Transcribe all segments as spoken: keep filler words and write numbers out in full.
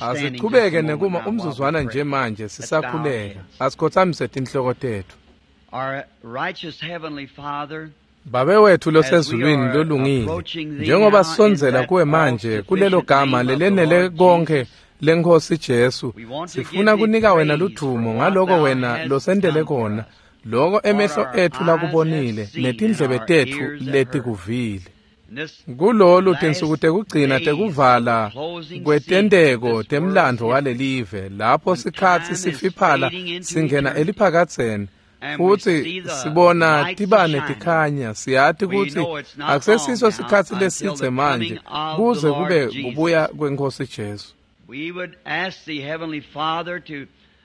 Asichubeke nekuma umzuzwana nje manje sisakhuleka. Asikhothamise tinhloko tetfu. Babe wethu losezulwini lolungile, njengoba sisondzela kuwe manje kulelo gama lelenele konke leNkhosi Jesu, sifuna kunika wena ludvumo ngaloko wena losentele kona, loko emehlo etfu lakubonile netindlebe tetfu letikuvile. Kulolu tinsuku tekugcina tekuvala kwetenteko temlandvo walelive, lapho sikhatsi sifiphala singena eliphakadzeni, futsi sibona tibane tikhanya, siyati kutsi akusesiso sikhatsi lesidze manje kuze kube kubuya kweNkhosi Jesu.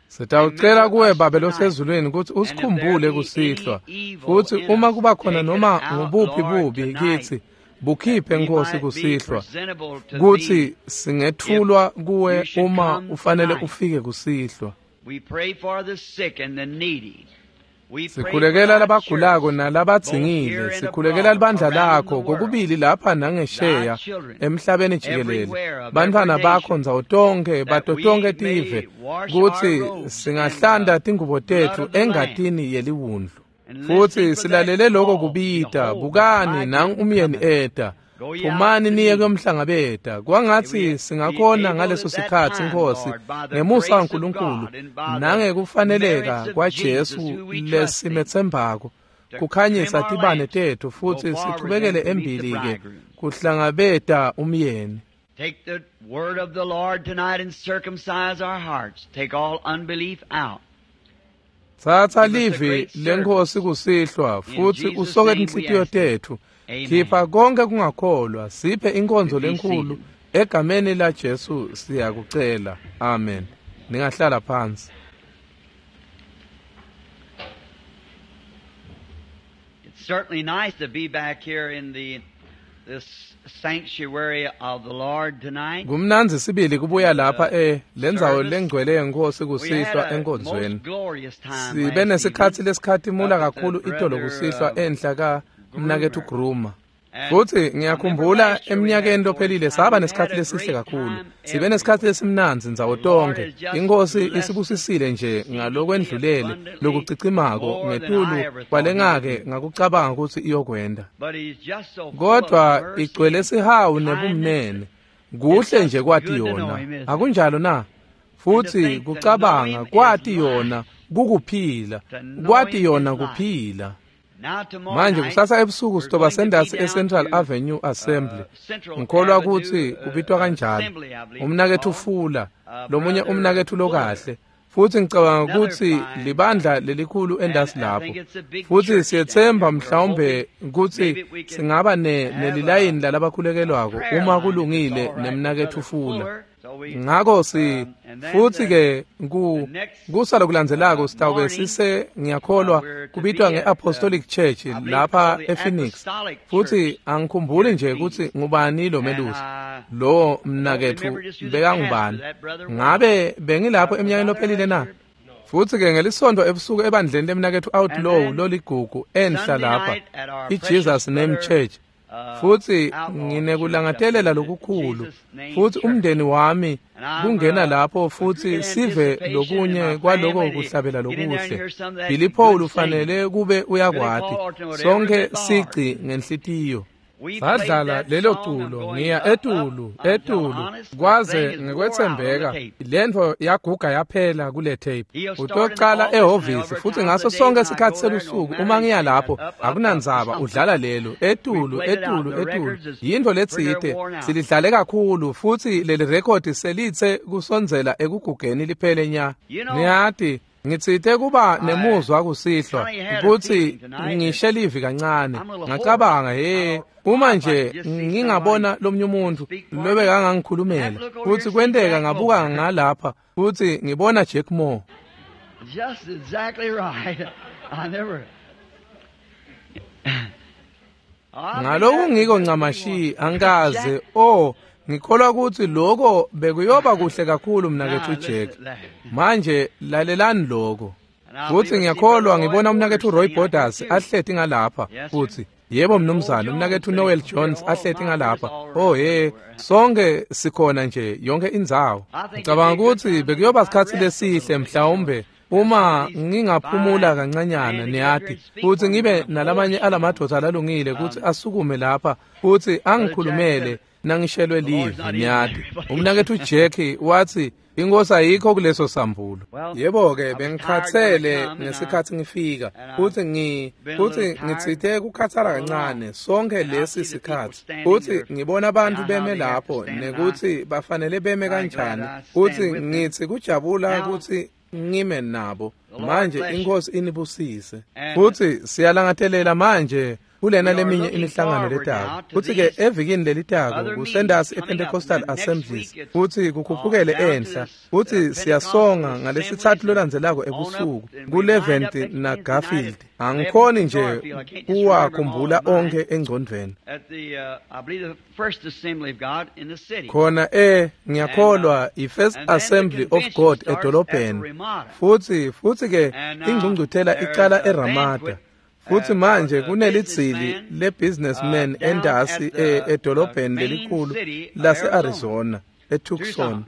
Sitawucela kuwe Babe losezulwini kutsi usikhumbule kusihlwa, futsi uma kuba khona noma ngubuphi bubi kitsi, bukhiphe Nkhosi kusihlwa, kutsi singetfulwa kuwe uma ufanele ufike kusihlwa. Sikhulekela labagulako nalabadzingile, sikhulekela libandla lakho kokubili lapha nangesheya emhlabeni jikelele, bantfwana bakho ndzawo tonkhe bato tonkhe tive, kutsi singahlanta tingubo tetfu engatini yeliwundlu. Futsi silalele loko kubita, bukani nangu umyeni eta, phumani niye kuyomhlangabeta. Kwangatsi singakhona ngaleso sikhatsi Nkhosi, ngemusa waNkulunkulu nangekufaneleka kwaJesu lesimetsembako, kukhanyisa tibane tetfu futsi sichubekele embili-ke kuhlangabeta umyeni. Take the word of the Lord tonight and circumcise our hearts. Take all unbelief out. Tsatsa livi leNkhosi kusihlwa futsi usoke tinhlitiyo tetfu. Khipha konke kungakholwa, siphe inkonzo lenkhulu egameni la Jesu siyakucela. Amen. Ningahlala phansi. It's certainly nice to be back here in the this sanctuary of the Lord tonight. Kumnandzi sibili kubuya lapha e lendzawo lengcwele yenkosi kusihlwa enkonzweni. Sibe nesikhatsi lesikhatimula kakhulu itolo kusihlwa enhla ka mnaketfu Gruma. Futsi ngiyakhumbula eminyakeni lophelile saba nesikhatsi lesihle kakhulu. Sibe nesikhatsi lesimnandzi ndzawo tonkhe. Inkosi isibusisile nje ngalokwendlulele lokucicimako ngetulu kwalengake ngakucabanga kutsi iyokwenda. Kodwa igcwele sihawu nebumnene. Kuhle nje kwati yona. Akunjalo na? Futsi kucabanga kwati yona kukuphila. Kwati yona kuphila. Manje kusasa ebusuku sitoba sendasi eCentral Avenue Assembly. Ngikholwa kutsi kubitwa kanjalo. Umnaketfu Fula, lomunye umnaketfu lokahle. Futsi ngicabanga kutsi libandla lelikhulu endasi lapho. Futsi siyetsemba mhlawumbe kutsi singaba ne nelilayini lalabakhulekelwako uma kulungile nemnaketfu Fula. Ngako si futsi ke ku kusa lokulandzelako sitawube sise ngiyakholwa kubitwa ngeApostolic Church lapha ePhoenix. Futsi angikhumbuli nje kutsi ngubani lo melusi lo mnaketfu bekangubani. Ngabe bengilapho eminyakeni lophelile na? Futsi ke ngelisonto ebusuku ebandleni lemnaketfu Outlaw loligugu enhla lapha iJesus Name Church. Futsi nginekulangatelela lokukhulu futsi umndeni wami kungena lapho futsi sive lokunye kwaloko kuhlabela lokuhle. Billy Paul ufanele kube uyakwati sonke sici ngenhlitiyo. Sadlala lelo culo ngiya etulu etulu kwaze ngekwetsembeka lentfo yaguga yaphela kule tape. Utocala ehhovisi futsi ngaso sonke sikhatsi selusuku uma ngiya lapho akunandzaba udlala lelo etulu etulu etulu yintfo letsite silidlale kakhulu futsi leli rekhodi selitse kusondzela ekugugeni liphele nya. Niyati ngitsite kuba nemuzwa kusihlwa kutsi ngishe livi kancane. Ngacabanga he uma nje ngingabona lomnye umuntu lobekangangikhulumela futsi kwenteka ngabuka ngalapha futsi ngibona Jack Moore. Just exactly right. I never Ngaloku ngiko ncamashi angikaze oh ngikholwa kutsi loko bekuyoba kuhle kakhulu mnaketfu Jack. Manje lalelani loko. Futhi ngiyakholwa ngibona umnaketfu Roy Borders ahleti ngalapha futhi. Yebo mnumzane, umnaketfu Noel Jones ahleti ngalapha. Oh hey, sonke sikhona nje yonke indzawo. Ngicabanga ukuthi bekuyoba sikhatsi lesihle mhlawumbe uma ngingaphumula kancanyana niyati futhi ngibe nalamanye alamadvodza lalungile ukuthi asukume lapha futhi angikhulumele nangishelwe livi niyati. Umnaketfu Jack wathi inkosi ayikho kuleso sambulo. Yebo-ke bengikhathele ngesikhathi ngifika futhi ngi futhi ngitsite kukhathala kancane sonke lesi sikhathi futhi ngibona abantu beme lapho nekuthi bafanele beme kanjani futhi ngithi kujabula ukuthi ngime nabo. Manje inkosi inibusise. Futhi siyalangatelela manje kulena leminye imihlangano letako. Futhi-ke evikini lelitako kusendasi ePentecostal Assemblies futhi kukhuphukele enhla futhi siyasonga ngalesithathu lolandzelako ebusuku ku-eleventh na Garfield. Angikhoni nje kuwakhumbula onke engcondvweni. Khona eh ngiyakholwa i-First Assembly of God edolobheni. Futhi futhi-ke ingcungcuthela icala eRamada. Futhi manje kunelidzili le-businessman endasi edolobheni lelikhulu lase-Arizona eTucson.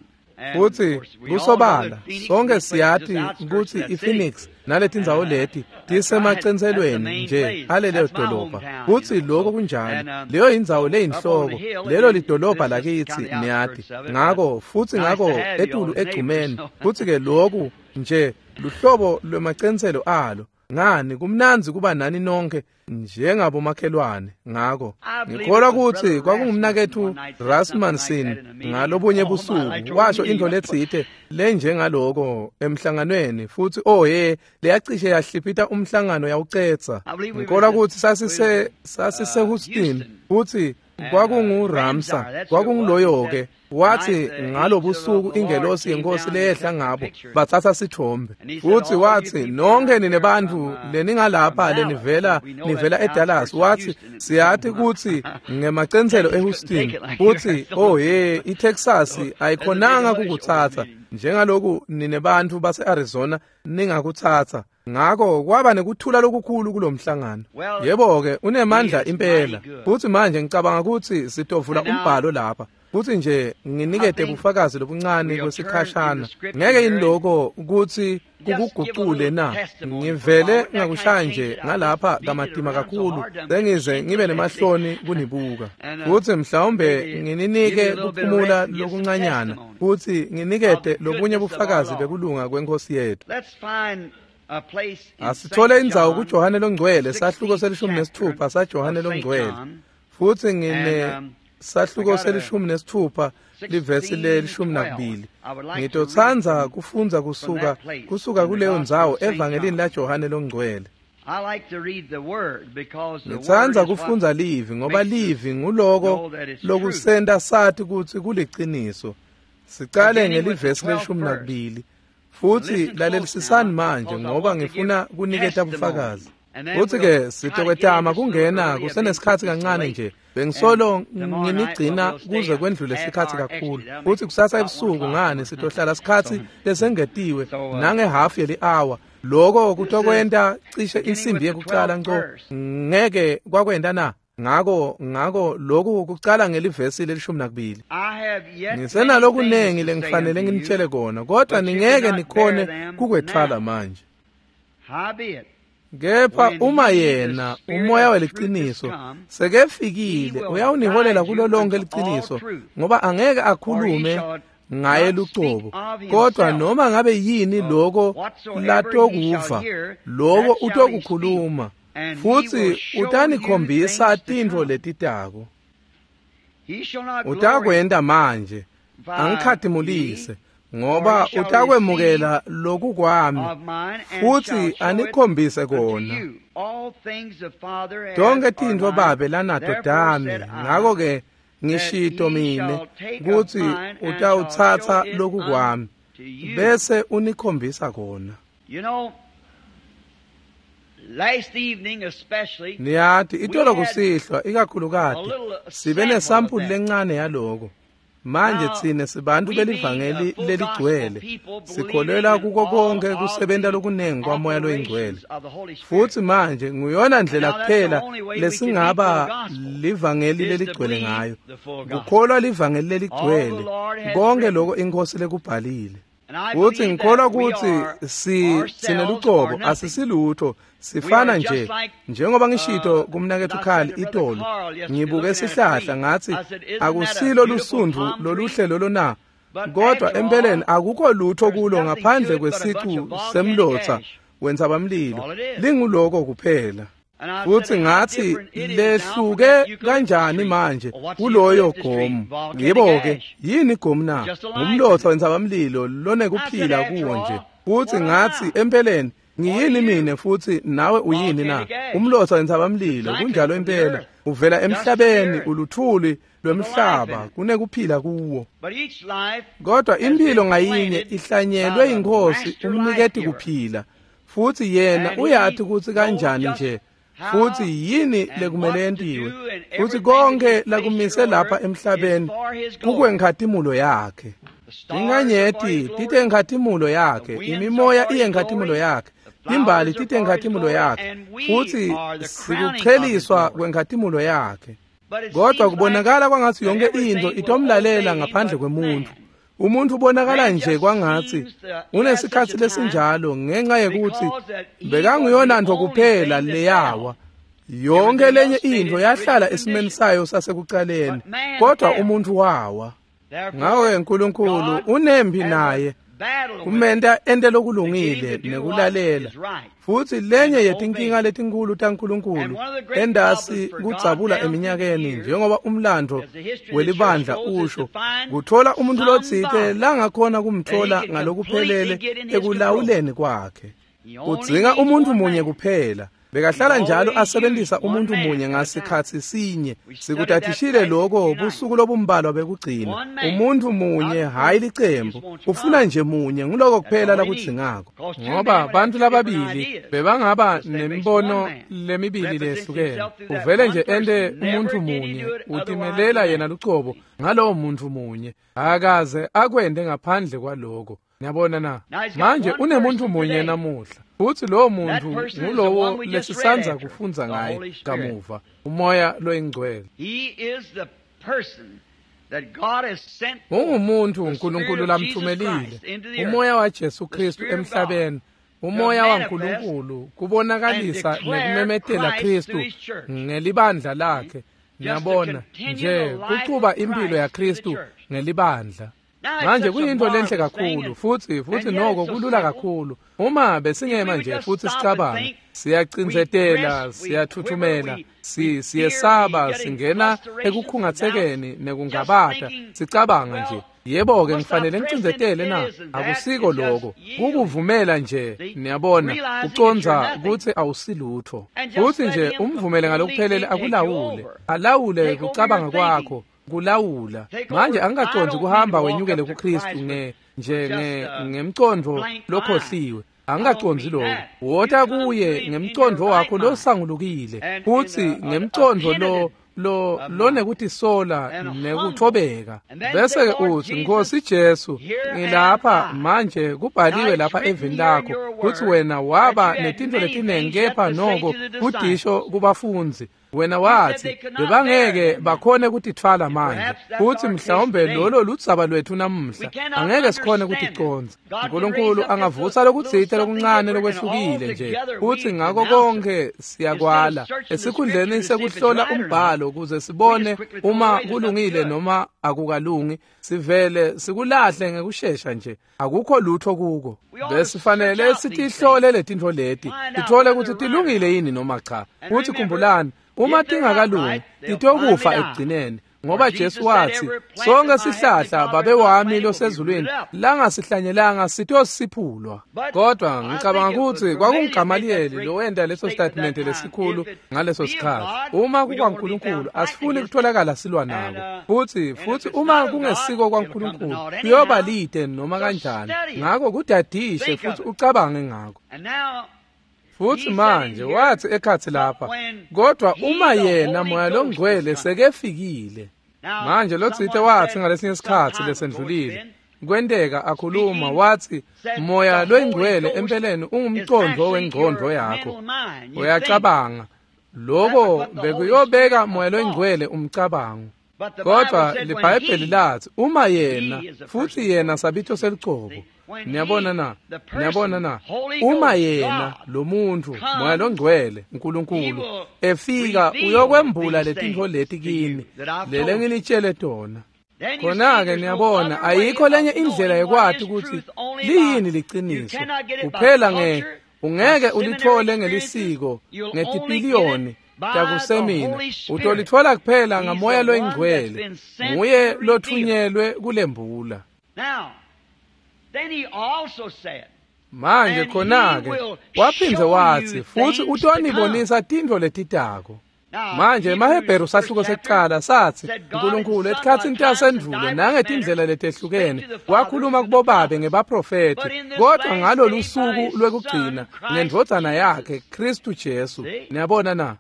Futhi kusobala sonke siyati ukuthi iPhoenix naletindzawo leti tisemacenselweni nje alelo dolobha. Futhi lokho kunjalo, leyo indzawo leyinhloko, lelo lidolobha lakithi niyati. Ngako futhi ngako etulu egcumeni futhi-ke lokhu nje luhlobo lwemacenselo alo. Ngani kumnandzi kuba nani nonke njengabomakhelwane. Ngako ngikholwa ukuthi kwakungumnaketfu Rasmussen ngalobunye busuku washo into letsite lenjengaloko emhlanganweni futhi oh he leyacishe yahliphita umhlangano yawucetsa. Ngikholwa ukuthi sasise sasise Houston futhi kwakunguRamsa kwakunguloyo-ke wathi ngalobusuku ingelosi yenkosi leyehla ngabo bathatha sithombe futhi wathi nonke nine bantfu leningalapha lenivela nivela eDallas wathi siyathi ukuthi ngemacenselo eHouston futhi oh hey iTexas ayikhonanga kukuthatha njengaloku nine bantfu base-Arizona ningakuthatha. Ngako kwaba nekuthula lokukhulu kulomhlangano. Yebo-ke unemandla impela. Futhi manje ngicabanga ukuthi sitovula umbhalo lapha futhi nje nginikete bufakazi lobuncane kwesikhashana. Ngeke yini lokho ukuthi kukugucule na? Ngivele ngakushaya nje ngalapha kamatima kakhulu sengize ngibe nemahloni kunibuka. Futhi mhlawumbe ngininike kuphumula lokuncanyana futhi nginikete lobunye bufakazi bekulunga kwenkosi yethu. Asithole indzawo kuJohane longcwele sahluko selishumi nesithupha saJohane longcwele. Futhi ngine sahluko selishumi nesithupha livesi lelishumi nakubili. Ngitotsandza kufundza kusuka kusuka kuleyo ndzawo evangelini laJohane longcwele. Ngitsandza kufundza livi ngoba livi nguloko lokusenta sati kutsi kuliciniso. Sicale ngelivesi lelishumi nakubili. Futhi lalelisisani manje ngoba ngifuna kuniketa bufakazi. Futhi-ke sitokwetama kungena kusenesikhathi kancane nje. Bengisolo nginigcina kuze kwendlule isikhathi kakhulu. Futhi kusasa ebusuku ngani sitohlala sikhathi lesengetiwe nangehafu yeli-hour. Lokho kutokwenta cishe insimbi yekucala nco. Ngeke kwakwenta na? Ngako ngako lokhu kucala ngelivesi lelishumi nakubili. Ngisenalokunengi lengifanele nginitshele kona kodwa ningeke nikhone kukwetfwala manje. Kepha uma yena umoya weliciniso sekefikile uyawuniholela kulo lonke liciniso ngoba angeke akhulume ngaye lucobo kodwa noma ngabe yini lokho latokuva lokho utokukhuluma futhi utanikhombisa tintfo letitako. Utakwenta manje angikhatimulise ngoba utakwemukela loku kwami futhi anikhombise kona. Tonke tintfo babe lanato tami, ngako-ke ngishito mine kutsi utawutsatsa loku kwami bese unikhombisa kona. Niyati itolo kusihlwa ikakhulukati sibe nesampuli lencane yaloko. Manje tsine sibantu belivangeli leligcwele, sikholelwa kuko konke kusebenta lokunengi kwaMoya loyiNgcwele. Futsi manje nguyona ndlela kuphela lesingaba livangeli leligcwele ngayo, kukholwa livangeli leligcwele, konke lokho iNkhosi lekubhalile. Futsi ngikholwa kutsi si sinelucobo asisilutho, sifana nje njengoba ngishito kumnaketfu Carl itolo. Ngibuke sihlahla ngathi akusilo lusundvu loluhle lolo na, kodwa empeleni akukho lutho kulo ngaphandle kwesicu semlotsa wentsabamlilo, linguloko kuphela. Futsi ngathi lehluke kanjani manje kuloyo gomu. Yebo-ke, yini igomu na? Ngumlotsa wentsabamlilo lonekuphila kuwo nje. Futsi ngathi empeleni ngiyini mine futhi nawe uyini na? Umlotsa wentsabamlilo, kunjalo impela, uvela emhlabeni, uluthuli lwemhlaba, kunekuphila kuwo. Kodwa impilo ngayinye ihlanyelwe iNkhosi umniketi kuphila, futhi yena uyathi kutsi kanjani nje futhi yini lekumele yentiwe, futhi konke lakumise lapha emhlabeni kukwenkhatimulo yakhe. Inkanyeti tite enkhatimulo yakhe, imimoya iye enkhatimulo yakhe, timbali tite enkhatimulo yakhe, futhi sikucheliswa kwenkhatimulo yakhe. Kodwa kubonakala kwangathi yonke into itomlalela ngaphandle kwemuntu. Umuntu ubonakala nje kwangathi unesikhatsi lesinjalo ngenxa yekuthi bekanguyona nto kuphela leyawa. Yonke lenye into yahlala esimeni sayo sasekucaleni, kodwa umuntu wawa. Ngakho-ke uNkulunkulu unempi naye kumenta ente lokulungile nekulalela. Futhi lenye yetinkinga letinkulu taNkulunkulu endasi kudzabula eminyakeni njengoba umlando welibandla usho, kuthola umuntu lotsite langakhona kumthola ngalokuphelele ekulawuleni kwakhe. Kudzinga umuntu munye kuphela. Bekahlala njalo asebenzisa umuntu munye ngasikhatsi sinye. Sikutathishile lokho busuku lobumbalwa bekugcina. Umuntu munye, hayi licembu. Ufuna nje munye, nguloko kuphela lakudzingako. Ngoba bantu lababili bebangaba nemibono lemibili lehlukene. Uvele nje ente umuntu munye, utimelela yena lucobo ngalowo muntu munye. Akaze akwende ngaphandle kwaloko. Niyabona na? Manje unemuntu munye namuhla. Futhi lowo muntu ngulowo lesisanza kufundza ngaye kamuva, uMoya loyiNgcwele. Ungumuntu uNkulunkulu lamthumelile, uMoya waJesu Kristu emhlabeni, uMoya waNkulunkulu kubonakalisa nekumemetela Kristu ngelibandla lakhe. Niyabona nje kuchuba impilo yaKristu ngelibandla. Manje kuyinto lenhle kakhulu futhi futhi noko kulula kakhulu. Uma besingema nje futhi sicabange, siyacindzetela, siyathuthumela, si siyesaba, singena ekukhungathekeni nekungabata, sicabanga nje, yebo-ke ngifanele ngicindzetele na? Akusiko lokho, kukuvumela nje, niyabona, ucondza kutsi awusilutho. Futhi nje umvumele ngalokuphelele akulawule, alawule kucabanga kwakho, kulawula. Manje angikacondzi kuhamba wenyukele kuKristu nge nje nge ngemcondvo lokhohliwe. Angikacondzi lokho. Wota kuye ngemcondvo wakho losangulukile, futhi ngemcondvo lo lo lonekutisola nekuthobeka. Bese uthi, Nkosi Jesu, ngilapha manje, kubhaliwe lapha evini lakho kutsi wena waba netintfo letinengi kepha noko kudisho kubafundzi. Wena wathi bebangeke bakhone kutithwala manje, futhi mhlawumbe lolo ludzaba lwethu namuhla, angeke sikhone kuticondza. uNkulunkulu angavusa lokutsite lokuncane lokwehlukile nje, futhi ngako konke siyakwala esikhundleni sekuhlola umbhalo ukuze sibone uma kulungile noma akukalungi, sivele sikulahle ngekushesha nje, akukho lutho kuko. Besifanele sitihlole letintfo leti, sithole kutsi tilungile yini noma cha. Futhi khumbulani, uma tingakalungi titokufa ekugcineni, ngoba Jesu wathi sonke sihlahla Babe wami losezulwini langasihlanyelanga sitosiphulwa. Kodwa ngicabanga ukuthi kwakunguGamaliyeli lowenta leso statement lesikhulu ngaleso sikhathi. Uma kukwaNkulunkulu asifuni kutholakala silwa nako, futhi futhi uma kungesiko kwaNkulunkulu kuyoba lide noma kanjani. Ngakho kudadishe futhi ucabange ngako. Futhi manje wathi ekhathi lapha, kodwa uma yena Moya loNgcwele sekefikile. Manje lotsite watsi ngalesinye sikhatsi lesendlulile kwenteka akhuluma watsi moya loyingcwele empeleni ungumcondvo wengcondvo yakho. Uyacabanga loko bekuyobeka moya loyingcwele umcabango. Kodwa liBhayibheli lathi uma yena futhi yena sabito selucobo. Niyabona na? Niyabona na? Uma yena lo muntu moya longcwele uNkulunkulu efika uyokwembula letintfo leti kini lele nginitshele tona. Khona-ke niyabona ayikho lenye indlela yekwati ukuthi liyini liciniso kuphela nge ungeke ulithole ngelisiko ngetipiliyoni takusemina utolitfola kuphela ngamoya loyingcwele nguye lothunyelwe kulembula. Manje khona-ke waphindze watsi futsi utonibonisa tintfo letitako. Manje emaHebheru sahluko sekucala satsi uNkulunkulu etikhatsini tasendvulo nangetindlela letehlukene wakhuluma kubobabe ngebaprofethi kodwa ngalolu suku lwekugcina ngendvodzana yakhe Kristu Jesu. Niyabona na?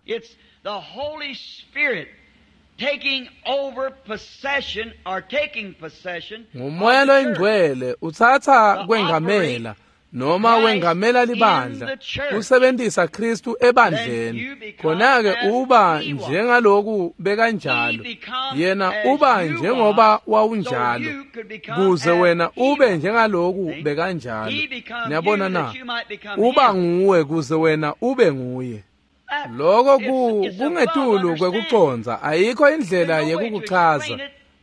Ngumoya loyingcwele utsatsa kwengamela noma wengamela libandla usebenzisa Kristu ebandleni. Khona-ke uba njengaloku bekanjalo yena uba njengoba wawunjalo kuze wena ube njengaloku bekanjalo. Niyabona na? Uba nguwe kuze wena ube nguye. Loko kungetulu kwekucondza ayikho indlela yekukuchaza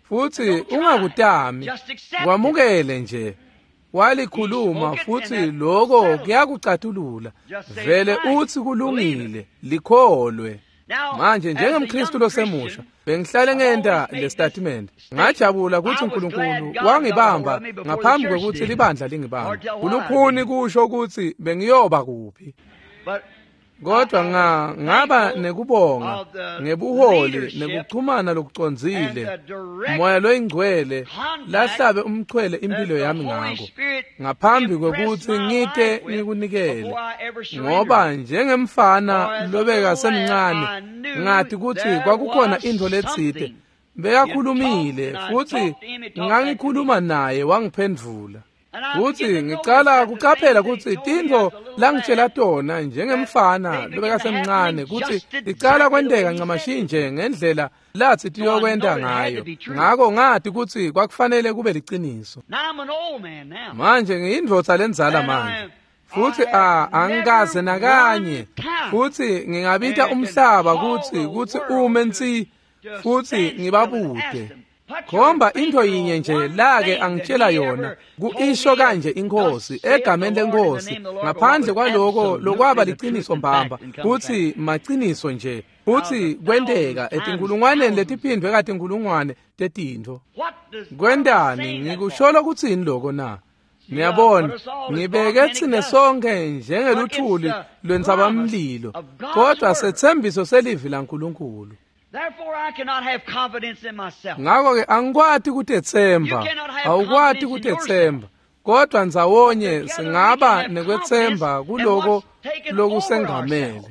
futhi ungakutami kwamukele nje. Walikhuluma futhi loko kuyakucatulula vele uthi kulungile likholwe. Manje njengemKristu losemusha bengihlale ngenta le statement. Ngajabula ukuthi uNkulunkulu wangibamba ngaphambi kwekuthi libandla lingibambe. Kulukhuni kusho ukuthi bengiyoba kuphi. Kodwa nga ngaba nekubonga ngebuholi nekuchumana lokucondzile moya loyingcwele lahlabe umchwele impilo yami ngako ngaphambi kwekuthi ngite ngikunikele ngoba njengemfana lobeka semncane ngathi ukuthi kwakukhona intfo letsite bekakhulumile futhi ngangikhuluma naye wangiphendvula. Futhi ngicala kucaphela kutsi tintfo langitshela tona njengemfana lobekasemncane kutsi ticala kwenteka ncamashi nje ngendlela lathi tiyokwenta ngayo. Ngako ngathi kutsi kwakufanele kube liciniso. Manje ngiyindvodza lendzala manje futhi a angikaze nakanye futhi ngingabita umhlaba kutsi kutsi ume nsi futhi ngibabute. Khomba into yinye nje lake angitshela yona kuisho kanje inkosi egameni lenkosi ngaphandle kwaloko lokwaba liciniso mbamba kutsi maciniso nje futhi kwenteka etinkulungwaneni letiphindwe katinkulungwane tetintfo. Kwentani ngikusholo kutsini loko na? Niyabona ngibeke tsine sonke njengeluthuli lwentsabamlilo kodwa setsembiso selivi laNkulunkulu. Ngako-ke angikwati kutetsemba awukwati kutetsemba kodwa ndzawonye singaba nekwetsemba kuloko lokusengamele.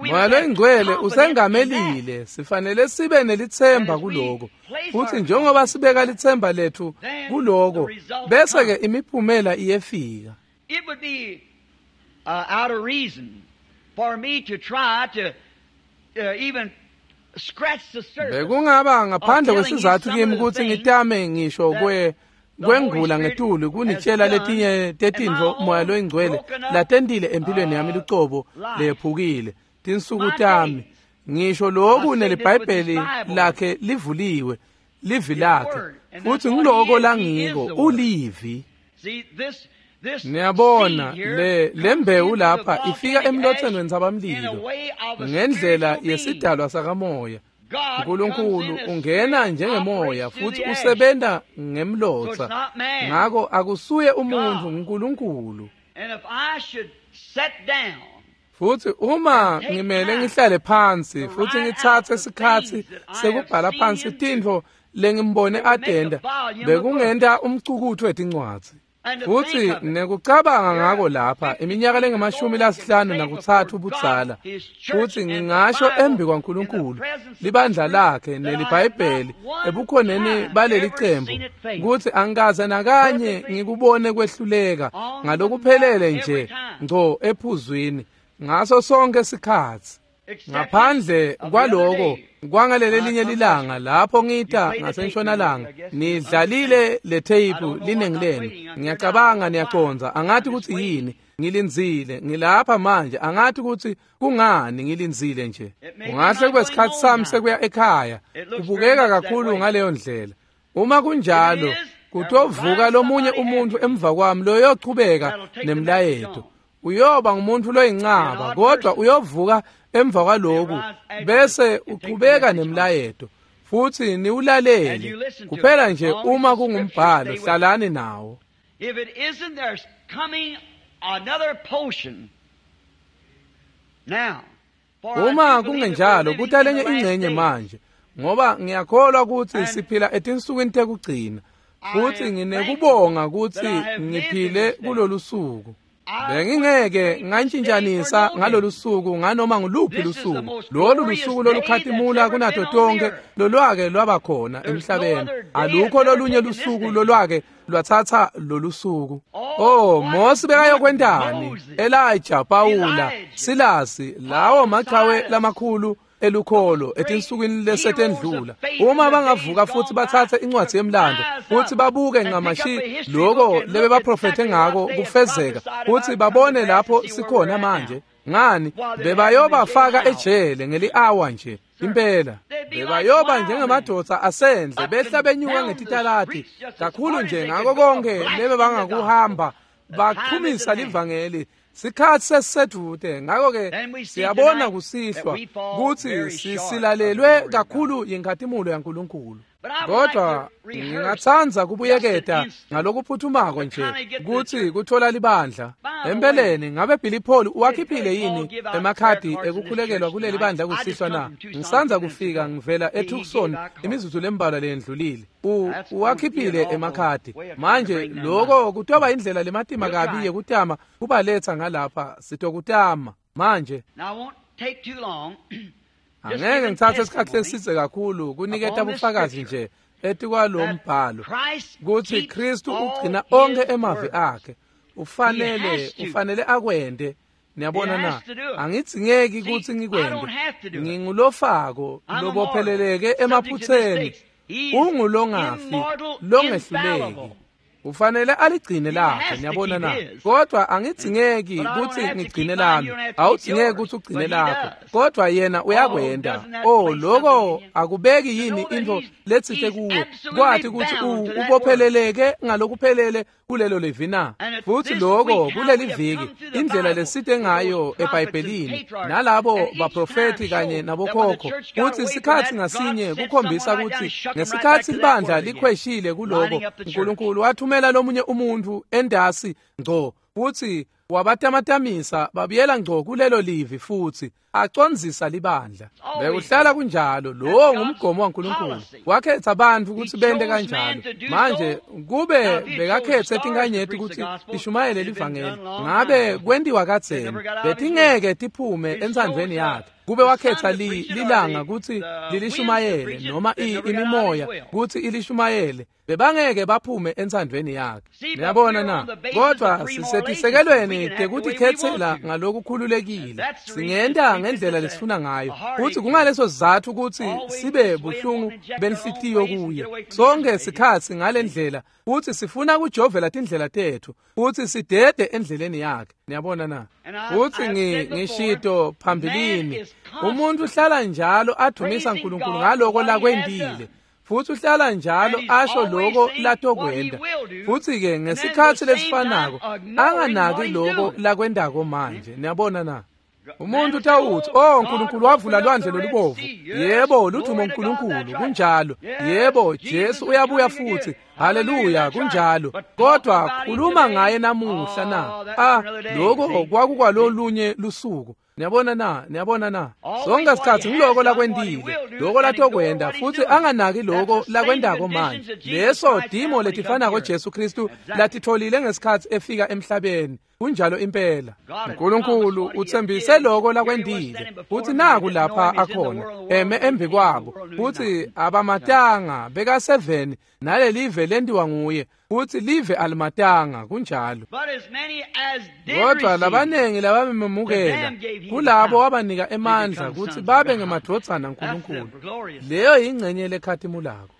Moya loyingcwele usengamelile sifanele sibe nelitsemba kuloko futhi njengoba sibeka litsemba lethu kuloko bese-ke imiphumela iyefika. Bekungaba ngaphandle kwesizathu kimi kutsi ngitame ngisho kwe kwengula ngetulu kunitshela letinye tetintfo moya loyingcwele latentile empilweni yami lucobo lephukile tinsuku tami ngisho loku neliBhayibheli lakhe livuliwe livi lakhe futhi ngiloko langiko ulivi. Niyabona le lembewu lapha ifika emlotheni wentsabamlilo ngendlela yesidalwa sakamoya. uNkulunkulu ungena njengemoya futhi usebenta ngemlotha ngako akusuye umuntu nguNkulunkulu. Futhi uma ngimele ngihlale phansi futhi ngitsatse isikhatsi sekubhala phansi tintfo lengimbone atenda bekungenta umcukutfu wetincwadzi. Futhi nekucabanga ngako lapha iminyaka lengemashumi lasihlanu nakutsatfu budzala, futhi ngingasho embi kwaNkulunkulu libandla lakhe neliBhayibheli ebukhoneni baleli cembu kutsi angikaze nakanye ngikubone kwehluleka ngalokuphelele nje ngco ephuzwini ngaso sonke sikhatsi. Ngaphandle kwaloko kwangalele linye lilanga lapho ngita ngasentshonalanga nidlalile le tape linengi lenu. Ngiyacabanga niyacondza, angathi kutsi yini ngilindzile, ngilapha manje, angathi kutsi kungani ngilindzile nje. Ungahle kube sikhatsi sami sekuya ekhaya, kubukeka kakhulu ngaleyo ndlela. Uma kunjalo kutovuka lomunye umuntu emva kwami loyochubeka nemlayeto. Uyoba ngumuntu loyincaba, kodwa uyovuka emva kwaloku bese uchubeka nemlayeto futhi niwulalele kuphela nje. Uma kungumbhalo, hlalani nawo. If it isn't, there's coming another potion. Now, uma kungenjalo kutalenye ingcenye manje, ngoba ngiyakholwa ukuthi siphila etinsukwini tekugcina, futhi nginekubonga ukuthi ngiphile kulolu suku. Bengingeke ngantshintshanisa ngalolu suku nganoma nguluphi lusuku. Lolu lusuku lolukhatimula kunato tonke lolwake lwaba khona emhlabeni. Alukho lolunye lusuku lolwake lwathatha lolu suku. Oh, Mose bekayokwentani? Elijah, Paula, Silasi, lawo machawe lamakhulu elukholo etinsukwini lesetendlula. Uma bangavuka futhi batsatse incwadi yemlando futhi babuke ncamashi lokho lebebaprofethe ngako kufezeka, futhi babone lapho sikhona manje, ngani bebayobafaka ejele ngeli-hour nje impela. Bebayoba njengemadoda asendle behla benyuka ngetitalati kakhulu nje ngako konke lebe bangakuhamba baqhumisa livangeli. Sikhatsi sesisedvute, ngako-ke siyabona kusihlwa kutsi sisilalelwe kakhulu yinkhatimulo yaNkulunkulu. Kodwa ngingatsandza kubuyeketa ngalokuphuthumako nje kutsi kuthola libandla. Empeleni ngabe Billy Paul uwakhiphile yini emakhadi ekukhulekelwa kuleli bandla kusihlwa na? Ngisandza kufika ngivela eTucson imizuzu lembalwa leyendlulile. Uwakhiphile emakhadi. Manje lokho kutoba indlela lematima kabi yekutama kubaletha ngalapha, sitokutama manje. Angeke ngitsatse isikhathi lesidze kakhulu kuniketa bufakazi nje etikwalo mbhalo kutsi Kristu ugcina onkhe emavi akhe. Ufanele ufanele akwente. Niyabona na? Angidzingeki kutsi ngikwente. Ngingulofako lobopheleleke emaphutseni, ungulongafi longehluleki. Ufanele aligcine lakhe, niyabona na? Kodwa angidzingeki kutsi ngigcine lami, awudzingeki kutsi ugcine lakho, kodwa yena uyakwenta. Oh, lokho akubeki yini intfo letsite kuwe kwathi kutsi ubopheleleke ngalokuphelele kulelo livi na? Futhi lokho kuleli viki indlela lesite ngayo eBhayibhelini nalabo baprofeti kanye nabokhokho, kutsi sikhatsi ngasinye kukhombisa kutsi ngesikhatsi libandla likhweshile kuloko, uNkulunkulu wathumela lomunye umuntu endasi ngco futhi wabatamatamisa babuyela ngco kulelo livi futhi acondzisa libandla. Bekuhlala kunjalo. Lowo ngumgomo waNkulunkulu, wakhetha abantu kutsi bente kanjalo. Manje kube bekakhetse tinkanyeti kutsi tishumayele livangeli, ngabe kwentiwa kadzeni, betingeke tiphume entsandvweni yakhe. Kube wakhetha li, lilanga kutsi lilishumayele noma imimoya kutsi ilishumayele, bebangeke baphume entsandvweni yakhe. Niyabona na? Kodwa sisetisekelweni tekutikhetsela ngalokukhululekile, singenta ngendlela lesifuna ngayo, futhi kungaleso sizatfu kutsi sibe buhlungu benhlitiyo kuye sonke sikhatsi ngale ndlela, futhi sifuna kujovela tindlela tetfu futhi sidede endleleni yakhe. Niyabona na? Futhi ngishito phambilini, umuntu uhlala njalo adumisa uNkulunkulu ngaloko lakwentile, futhi uhlala njalo asho lokho latokwenta, futhi-ke ngesikhatsi lesifanako anganaki loko lakwentako manje. Niyabona na? Umuntu utawuthi, oh, uNkulunkulu wavula lwandle lolubovu. Yebo, ludumo uNkulunkulu, kunjalo. Yebo, Jesu uyabuya futhi. Haleluya, kunjalo. Kodwa khuluma ngaye namuhla na? Ah, lokho kwakukwalolunye lusuku. Niyabona na, niyabona na. Sonke isikhathi ngiloko lakwendile, loko latokwenda futhi anganaki loko lakwendako manje. Leso dimo letifanako Jesu Kristu latitholile ngesikhathi efika emhlabeni. Kunjalo impela. uNkulunkulu uthembise loko lakwendile futhi naku lapha akhona eme embi kwabo futhi abamatanga beka seven nalelive lendiwa nguye futhi live alimatanga kunjalo. Kodwa labanengi labamemukela kulabo wabanika emandla ukuthi babe ngemadvodzana kaNkulunkulu. Leyo yingcenye lekhatimulako.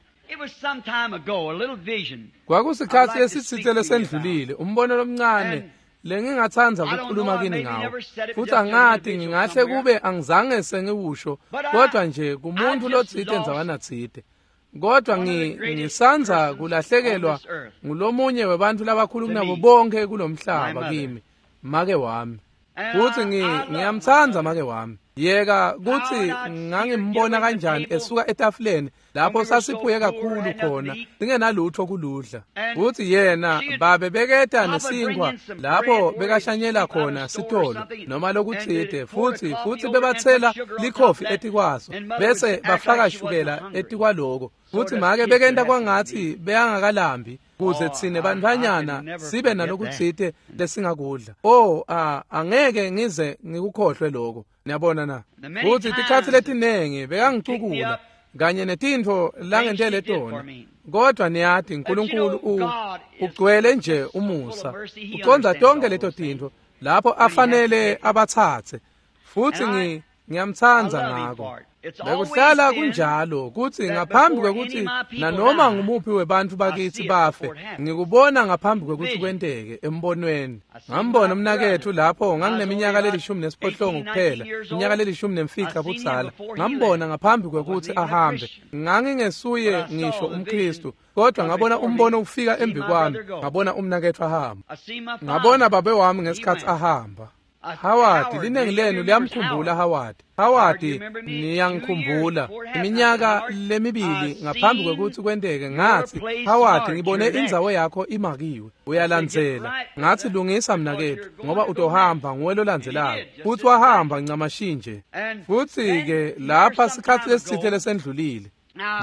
Kwakusikhathi esitsite lesendlulile umbono lomncane lengingathanda ukukhuluma kini ngawo futhi angathi ngingahle kube angizange sengiwusho kodwa nje kumuntu lotsite endzawana tsite kodwa ngisanza kulahlekelwa ngulomunye webantu labakhulu kunabo bonke kulomhlaba kimi make wami futhi ngiyamthanda make wami. Yeka kuthi ngangimbona kanjani esuka etafuleni lapho sasiphuye kakhulu khona singenalutho kuludla futhi yena babe beketa nesinkwa lapho bekashanyela khona sitolo noma lokutsite futhi futhi bebathela likhofi etikwaso bese bafaka shukela etikwaloko futhi make bekenta kwangathi beyangakalambi kuze tsine bantfwanyana sibe nalokutsite lesingakudla. Oh angeke ngize ngikukhohlwe lokho. Niyabona na futhi tikhathi letinengi bekangicukula kanye netintfo langentele tona kodwa niyathi uNkulunkulu ugcwele nje umusa ucondza tonke leto tintfo lapho afanele abatsatse futhi ngiyamtsandza ngako. Bekuhlala kunjalo kuthi ngaphambi kwekuthi nanoma ngumuphi webantfu bakithi bafe ngikubona ngaphambi kwekuthi kwenteke embonweni. Ngambona umnakethu lapho ngangineminyaka lelishumi nesiphohlongo kuphela iminyaka lelishumi nemfica budzala ngambona ngaphambi kwekuthi ahambe. Ngangingesuye ngisho umKristu kodwa ngabona umbono ufika embi kwami ngabona umnakethu ahamba. Ngabona babe wami ngesikhathi ahamba. Howard linengi lenu liyamkhumbula Howard. Howard niyangikhumbula iminyaka lemibili ngaphambi kwekuthi kwenteke ngathi Howard ngibone indzawo yakho imakiwe uyalandzela. Ngathi lungisa mnakethu ngoba utohamba nguwe lolandzelako futhi wahamba ncamashinje. Futhi ke lapha sikhathi lesitsite lesendlulile.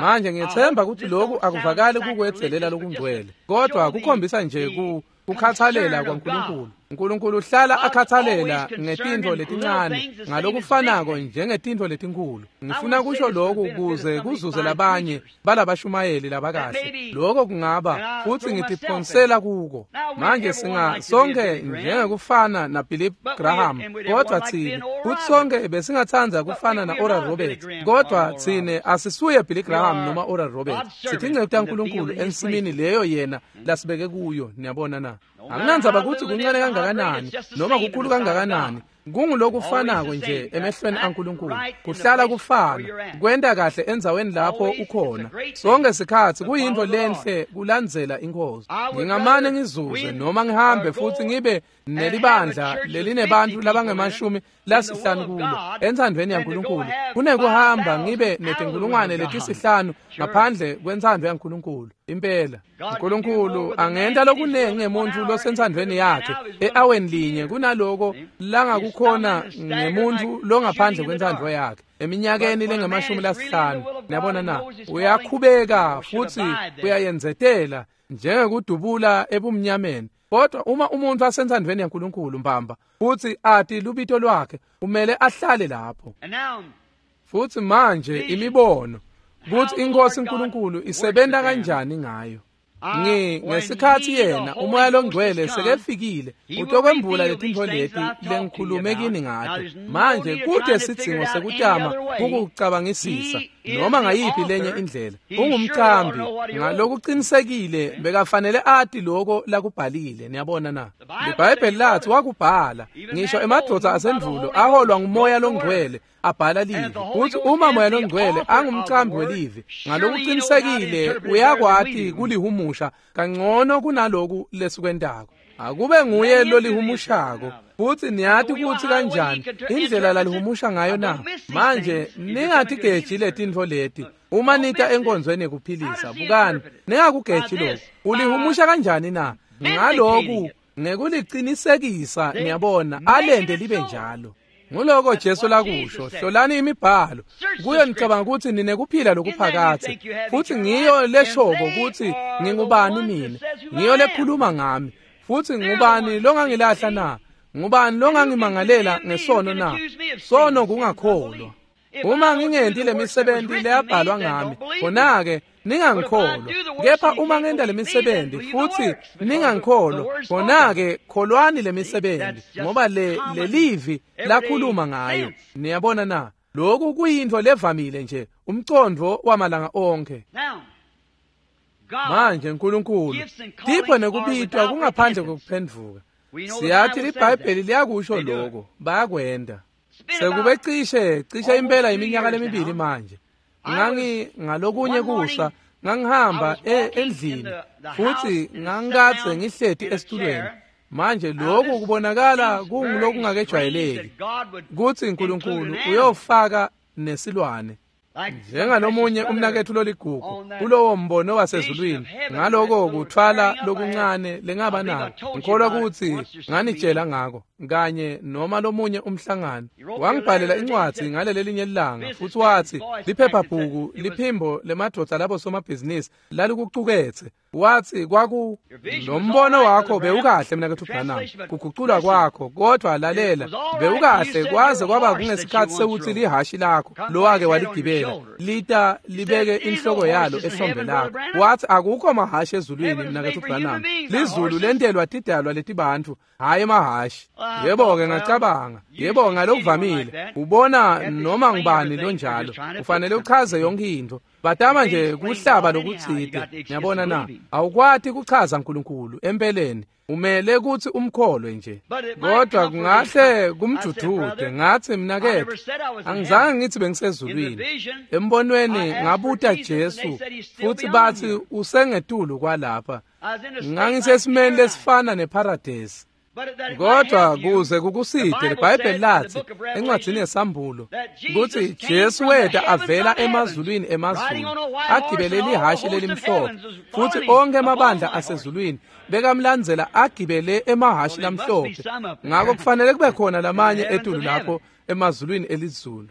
Manje ngiyethemba ukuthi lokhu akuvakali kukwedzelela lokungcwele kodwa kukhombisa nje ku kukhathalela kwaNkulunkulu. uNkulunkulu uhlala akhathalela ngetintfo letincane ngalokufanako njengetintfo letinkulu. Ngifuna kusho lokhu kuze kuzuze labanye balabashumayeli labakahle. Lokho kungaba futhi ngitiphonsela kuko. Manje singa sonke njengekufana na Billy Graham kodwa tsine futhi sonke besingathanda kufana na Oral Roberts kodwa tsine asisuye Billy Graham noma Oral Roberts. Sithi taNkulunkulu ensimini leyo yena lasibeke kuyo. Niyabona na? Anginandzaba ukuthi kuncane kangakanani noma kukhulu kangakanani kungulokufanako nje emehlweni aNkulunkulu. Kuhlala kufana kwenta kahle endzaweni lapho ukhona sonke sikhathi kuyintfo lenhle kulandzela inkosi. Ngingamane ngizuze noma ngihambe futhi ngibe nelibandla lelinebantfu labangemashumi lasihlanu kulo entsandvweni yaNkulunkulu kunekuhamba ngibe netinkulungwane letisihlanu ngaphandle kwentsandvo yaNkulunkulu. Impela uNkulunkulu angenta lokunengi ngemuntfu losentsandvweni yakhe e-aweni linye kunaloko langakukhona ngemuntfu longaphandle kwentsandvo yakhe eminyakeni lengemashumi lasihlanu. Niyabona na? Uyakhubeka futhi uyayenzetela njengekudubula ebumnyameni. Kodwa uma umuntu asentsandvweni yaNkulunkulu mbamba futhi ati lubito lwakhe kumele ahlale lapho. Futhi manje imibono kuthi inkosi uNkulunkulu isebenta kanjani ngayo. Ngi ngesikhathi yena umoya longcwele sekefikile utokwembula letintfo leti lengikhulume kini ngato. Manje kude sidzingo sekutama ukucabangisisa noma ngayiphi lenye indlela. Ungumcambi ngalokuqinisekile bekafanele ati lokho lakubhalile. Niyabona na? IBhayibheli lathi wakubhala ngisho emadvodza asendvulo aholwa ngumoya longcwele abhala livi. Kuthi uma moya longcwele angumcambi welivi ngalokuqinisekile uyakwati kulihumusha kangcono kunaloku lesikwentako. Akube nguye lolihumushako futhi niyati ukuthi kanjani indlela lalihumusha ngayo na. Manje ningathi letintfo leti uma nita enkonzweni yekuphilisa. Bukani ningakugeji lokhu. Ulihumusha kanjani na? Ngaloku ngekuliqinisekisa. Niyabona alende libe njalo. Nguloko Jesu lakusho, hlolani imibhalo kuyo nicabanga ukuthi ninekuphila lokuphakadze, futhi ngiyo leshoko ukuthi ngingubani mina, ngiyo lekhuluma ngami. Futhi ngubani longangilahla na? Ngubani longangimangalela ngesono na? Sono kungakholwa. Uma ngingenti lemisebenzi leyabhalwa ngami, khona-ke ningangikholwa. Kepha uma ngenta lemisebenzi futhi ningangikholwa, khona-ke kholwani lemisebenzi, ngoba le lelivi lakhuluma ngayo. Niyabona na? Lokhu kuyintfo levamile nje, umcondvo wamalanga onkhe. Manje Nkulunkulu, tipho nekubitwa kungaphandle kokuphendvuka. Siyathi liBhayibheli liyakusho lokho, bayakwenda. Sekube cishe cishe impela iminyaka lemibili manje. Ngangi ngalokunye kusa ngangihamba endlini futhi ngangikadze ngihleti esitulweni. Manje lokhu kubonakala kungulokungakejwayeleki kutsi Nkulunkulu uyofaka nesilwane. Njengalomunye umnaketfu loligugu kulowo mbono wasezulwini, ngaloko kuthwala lokuncane lengaba nako, ngikholwa kutsi nganitshela ngako kanye noma lomunye umhlangano. Wangibhalela incwadzi ngalelelinye ilanga futhi watsi liphephabhuku liphimbo lemadvodza labo somabhizinisi lalikucuketse. Watsi kwaku lo mbono wakho bewukahle mnaketfu Branham, kuguculwa kwakho, kodwa lalela, bewukahle kwaze kwaba kungesikhathi sekuthi lihashi lakho lowake waligibela lita libeke inhloko yalo ehlombe lakho. Wathi akukho mahashi ezulwini mnaketfu Branham, lizulu lentelwa tidalwa letibantfu, hhayi emahashi. Yebo-ke ngacabanga, yebo ngalokuvamile ubona noma ngubani lonjalo ufanele uchaze yonke intfo. Batama nje kuhlaba lokutsite. Ngiyabona na? Awukwati kuchaza Nkulunkulu empeleni, umele kutsi umkholwe nje. Kodwa kungahle kumjudude. Ngathi mnaketfu, angizange ngithi bengisezulwini. Embonweni ngabuta Jesu futhi bathi usengetulu kwalapha. Ngangisesimeni lesifana neparadesi. Kodwa kuze kukuside, liBhayibheli lathi encwadzini yeSambulo kutsi Jesu weta avela emazulwini emazulu agibele lihashi lelimhlophe, futhi onke emabandla asezulwini bekamlandzela agibele emahashi lamhlophe. Ngako kufanele kube khona lamanye etulu lapho emazulwini elizulu.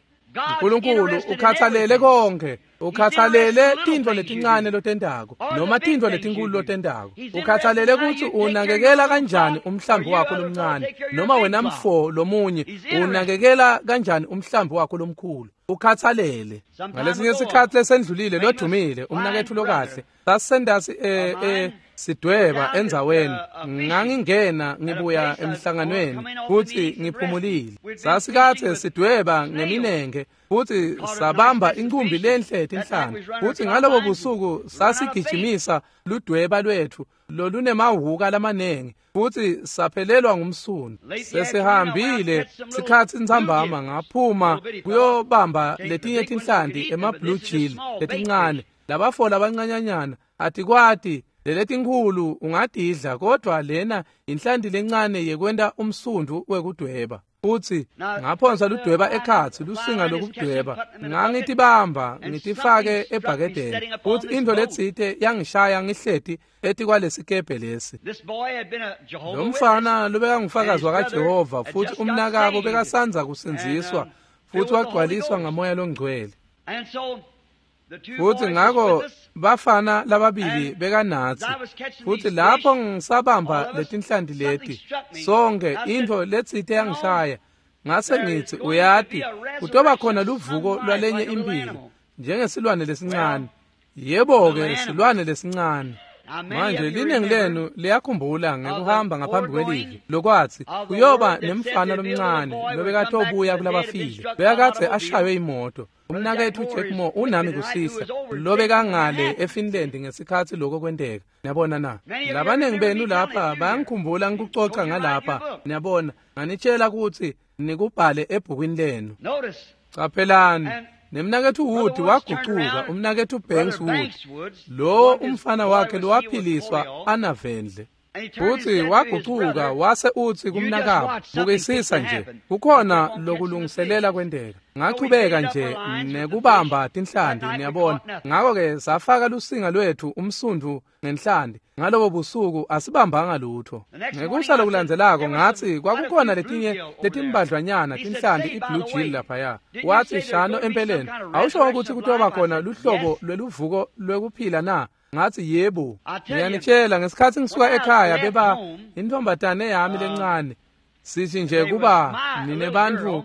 Nkulunkulu ukhathalele konke, ukhathalele tintfo letincane lotentako noma tintfo letinkulu lotentako. Ukhathalele kutsi unakekela kanjani umhlambi wakho lomncane noma wena mfo lomunye unakekela kanjani umhlambi wakho lomkhulu. Ukhathalele. Ngalesinye sikhathi lesendlulile lodumile umnaketfu lokahle sasendasi eh eh sidweba endzaweni, ngangingena ngibuya emhlanganweni futhi ngiphumulile. Sasikathe sidweba ngeminenge futhi sabamba inkumbi lenhle tinhlanti, futhi ngalobo busuku sasigijimisa ludweba lwethu lolunemahhuka lamanengi futhi saphelelwa ngumsundu. Sesihambile sikhatsi ntsambama ngaphuma kuyobamba letinye tinhlanti ema-blue gill letincane, labafo labancanyanyana atikwati leletinkhulu ungadidla, kodwa lena inhlanti lencane yekwenta umsundu wekudweba. Futhi ngaphonsa ludweba ekhatsi lusinga lokudweba, ngangitibamba ngitifake ebhakedeni, futhi intfo letsite yangishaya ngihleti etikwalesikebhe lesi. Lo mfana lobekangufakazi wakaJehova futhi umnakabo bekasandza kusindziswa futhi wagcwaliswa ngamoya longcwele. Futhi ngako bafana lababili bekanatsi, futhi lapho ngisabamba letinhlanti leti sonke intfo letsite yangishaya. Ngase ngithi uyati kutoba khona luvuko lwalenye impilo njengesilwane lesincane. Yebo-ke silwane lesincane. Manje liningi lenu liyakhumbula ngekuhamba ngaphambi kwelivi lokwathi kuyoba nemfana lomncane lobekatobuya kulabafile, bekakadze ashaywe imoto. Umnaketfu Jack Moore unami kusisa lobekangale eFinland ngesikhatsi lokho kwenteka. Niyabona na? Labaningi benu lapha bayangikhumbula ngikucoca ngalapha. Niyabona, nganitshela kutsi nikubhale ebhukwini lenu. Caphelani, nemnaketfu Wood wagucuka, umnaketfu Banks Wood, lo umfana wakhe lowaphiliswa anavendle. Futsi wagucuka wase utsi kumnakabo, bukisisa nje, kukhona lokulungiselela kwenteka. Ngachubeka nje nekubamba tinhlanti, niyabona. Ngako-ke safaka lusinga lwethu umsundvu ngenhlanti. Ngalobo busuku asibambanga lutho. Ngekusa lokulandzelako ngatsi kwakukhona letinye letimbadlwanyana tinhlanti i-blue jill laphaya. Watsi shano empeleni, awusho ukuthi kutoba khona luhlobo lweluvuko lwekuphila na? Ngatsi yebo. Ngiyanitshela ngesikhatsi ngisuka ekhaya beba intombatane yami lencane. Sithi nje kuba nine bantfu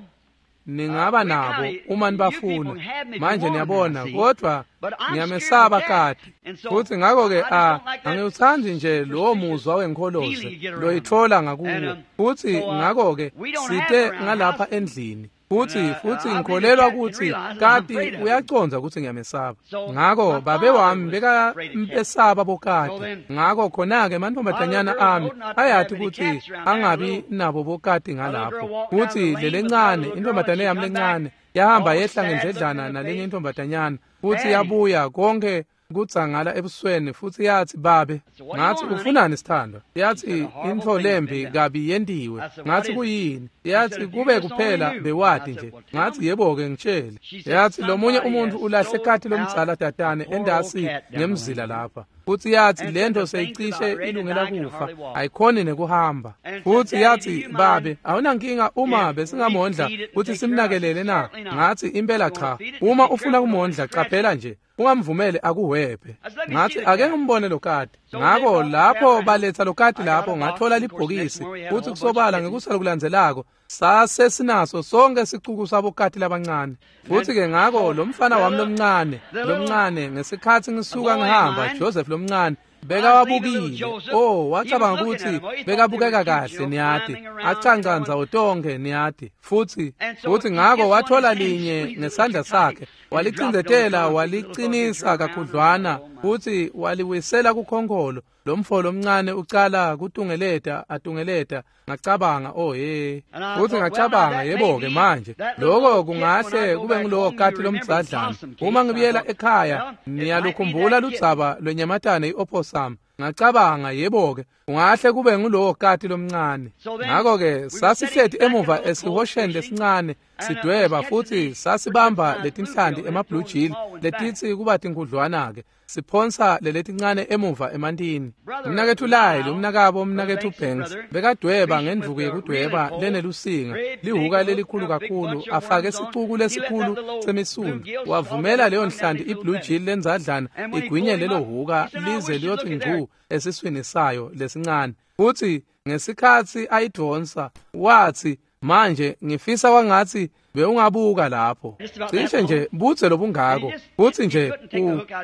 ningaba nabo uma nibafuna. Manje niyabona, kodwa ngiyamesaba kati. Futsi ngako-ke a angiwutsandzi nje lowo muzwa wenkholoze loyitfola ngakuwo. Futsi ngako-ke site ngalapha endlini. Futsi futsi ngikholelwa kutsi kati uyacondza kutsi ngiyamesaba. Ngako babe wami bekambesaba bokati. Ngako khona-ke emantombazanyana ami ayati kutsi angabi nabo bokati ngalapho. Futsi lelencane intombazane yami lencane yahamba yehla ngendledlana nalenye intombazanyana futsi yabuya konke kudzangala ebusweni futsi yatsi babe. Ngatsi ufunani sithandwa? Yatsi intfo lembi kabi yentiwe. Ngatsi kuyini? Yatsi kube kuphela bewati nje. Ngatsi yebo-ke ngitshele. Yatsi lomunye umuntfu ulahle kati lomdzala tatane endasi ngemzila lapha. Futsi yatsi lento seyicishe ilungela kufa, ayikhoni nekuhamba. Futsi yatsi babe, awunankinga uma besingamondla kutsi simnakelele na? Ngatsi impela cha. Uma ufuna kumondla caphela nje, ungamvumeli akuhwebhe. Ngatsi ake ngimbone lokati. Ngako lapho baletsa lokati lapho ngathola libhokisi. Futsi kusobala ngekusa lokulandzelako sase sinaso sonke sicuku sabokati labancane. Futsi-ke ngako lo mfana wami lomncane lomncane ngesikhatsi ngisuka ngihamba, Joseph lomncane bekawabukile. Oh, wacabanga kutsi bekabukeka kahle, niyati, acanca ndzawo tonkhe, niyati. Futsi futsi ngako wathola linye ngesandla sakhe, walicindzetela walicinisa kakhudlwana, futsi waliwisela kukhonkholo. Lomfo lomncane ucala kutungeleta atungeleta. Ngacabanga, oh hey. Futsi ngacabanga, yebo-ke manje loko kungahle kube ngulowo kati lomdzadlana. Uma ngibuyela ekhaya niyalukhumbula ludzaba lwenyamatane i-opossum. Ngacabanga, yebo-ke kungahle kube ngulowo kati lomncane. Ngako-ke sasihleti emuva esihosheni lesincane sidweba, futsi sasibamba letinhlanti ema-blue jill letitsi kuba tinkhudlwana-ke, siphonsa leletincane emuva emantini. Umnaketfu Lyle, umnakabo umnaketfu Banks, bekadweba ngendvuku yekudweba lenelusinga, lihuka lelikhulu kakhulu, afake sicuku lesikhulu semisundu. Wavumela leyo nhlanti i-blue jill lendzadlana igwinye lelo huka lize liyothi ngcu esiswini sayo lesincane. Futsi ngesikhatsi ayidvonsa watsi, manje ngifisa kwangatsi bewungabuka lapho. Cishe nje budze lobungako. Futsi nje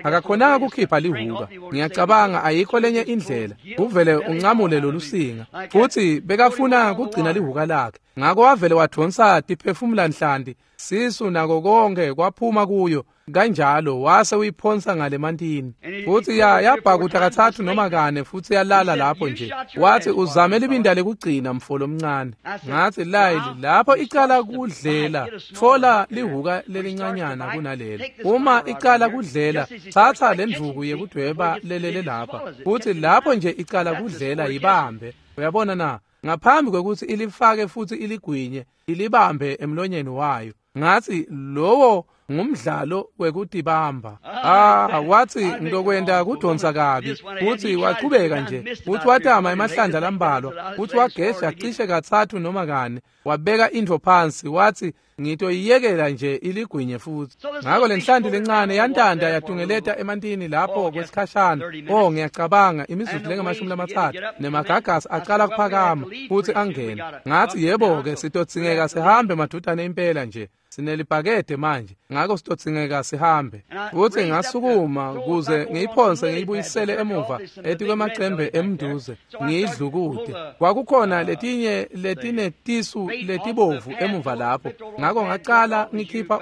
akakhonanga kukhipha lihuka. Ngiyacabanga ayikho lenye indlela. Uvele uncamule lolusinga. Futsi bekafuna kugcina lihuka lakhe. Ngako wavele wadvonsa tiphefumula nhlanti, sisu nako konke kwaphuma kuyo. Kanjalo wase uyiphonsa ngalemantini. Futsi ya yabhakuta katsatfu noma kane futsi yalala lapho nje. Watsi uzame libinda lekugcina mfo lomncane. Ngatsi Lyle, lapho icala kudlela, tfola lihuka lelincanyana kunalelo. Uma icala kudlela, tsatsa lendvuku yekudweba lelele lapha. Futsi lapho nje icala kudlela yibambe. Uyabona na? Ngaphambi kwekutsi ilifake futsi iligwinye, ilibambe emlonyeni wayo. Ngatsi lowo ngumdlalo wekutibamba. Ah, watsi ngitokwenta kudonsa kabi. Futsi wachubeka nje. Futsi watama emahlandla lambalwa. Futsi wagesha cishe katsatfu noma kane. Wabeka intfo phansi watsi ngitoyiyekela nje iligwinye futsi. Ngako lenhlanti lencane yantanda yatungeleta emantini lapho kwesikhashana. Oh, ngiyacabanga imizuzu lengamashumi lamatsatfu nemagagasi acala kuphakama futsi angena. Ngatsi yebo-ke sitodzingeka sihambe madudane impela nje. Sinelibhakede manje, ngako sitodzingeka sihambe. Futsi ngasukuma kuze ngiyiphonse ngiyibuyisele emuva etikwemacembe emnduze ngiyidlukude. Kwakukhona letinye letinetisu letibovu emuva lapho. Ngako ngacala ngikhipha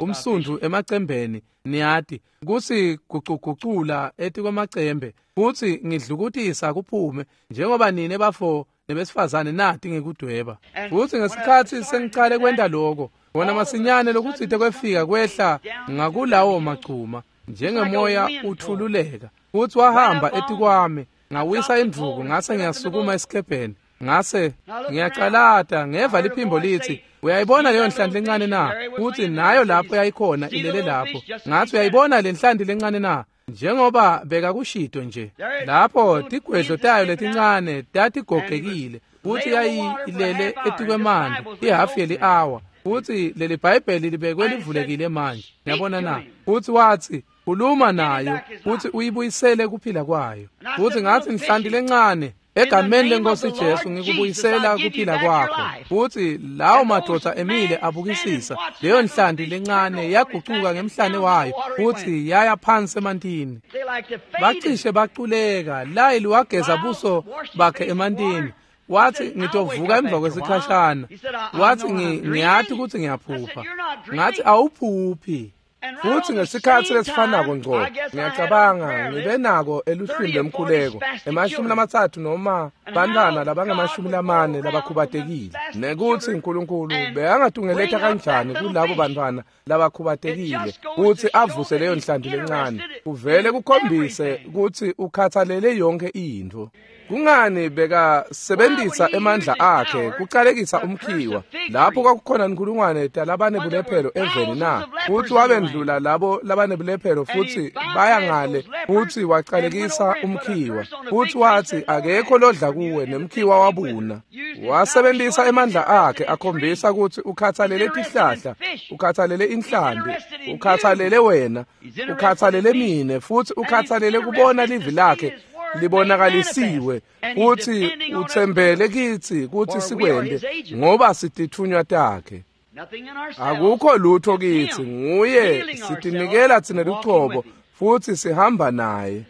umsundvu emacembeni, niyati, kutsi gucugucula etikwemacembe futsi ngidlukutisa kuphume njengoba nine bafo nebesifazane nati ngekudweba. Futsi ngesikhatsi sengicale kwenta lokho, bona masinyane lokutsite kwefika kwehla ngakulawo magcuma njengemoya uthululeka, futsi wahamba etikwami Ngawisa indvuku ngase ngiyasukuma esikebheni. Ngase ngiyacalata ngeva liphimbo lithi, uyayibona leyo nhlanti lencane na? Uthi nayo lapho yayikhona ilele lapho. Ngathi uyayibona le nhlanti lencane na? Njengoba bekakushito nje. Lapho tigwedlo tayo letincane tatigogekile. Futhi yayilele etikwemanti ihafu yeli-hour. Futhi leli Bhayibheli libekwe livulekile manje. Yabona na? Futhi wathi khuluma nayo futhi uyibuyisele kuphila kwayo. Futhi ngathi nhlanti lencane, egameni lenkosi Jesu ngikubuyisela kuphila kwakho. Futhi lawo madoda emile abukisisa leyo nhlanti lencane yagucuka ngemhlane wayo futhi yaya phansi emantini. Bacishe baculeka. Layili wageza buso bakhe emantini. Wathi ngitovuka emva kwesikhashana. Wathi ngiyathi ukuthi ngiyaphupha. Ngathi awuphuphi. Futhi ngesikhathi lesifanako ngco ngiyacabanga ngibe nako eluhlwini lwemkhuleko emashumi lamathathu noma bantwana labangamashumi lamane labakhubatekile, nekuthi uNkulunkulu bekangatungeletha kanjani kulabo bantwana labakhubatekile ukuthi avuse leyo nhlanti lencane. Kuvele kukhombise ukuthi ukhathalele yonke intfo. Kungani bekasebenzisa emandla akhe kucalekisa umkhiwa lapho kwakukhona inkulungwane talabanebulephelo eveni na? Futhi wabendlula labo labanebulephelo futhi baya ngale futhi wacalekisa umkhiwa. Futhi wathi akekho lodla kuwe nemkhiwa wabuna. Wasebenzisa emandla akhe akhombisa ukuthi ukhathalele tihlahla, ukhathalele inhlambi, ukhathalele wena, ukhathalele mine, futhi ukhathalele kubona livi lakhe libonakalisiwe. Futhi uthembele kithi kuthi sikwende ngoba sitithunywa takhe. Akukho lutho kithi, nguye sitinikela thina lucobo futhi sihamba naye.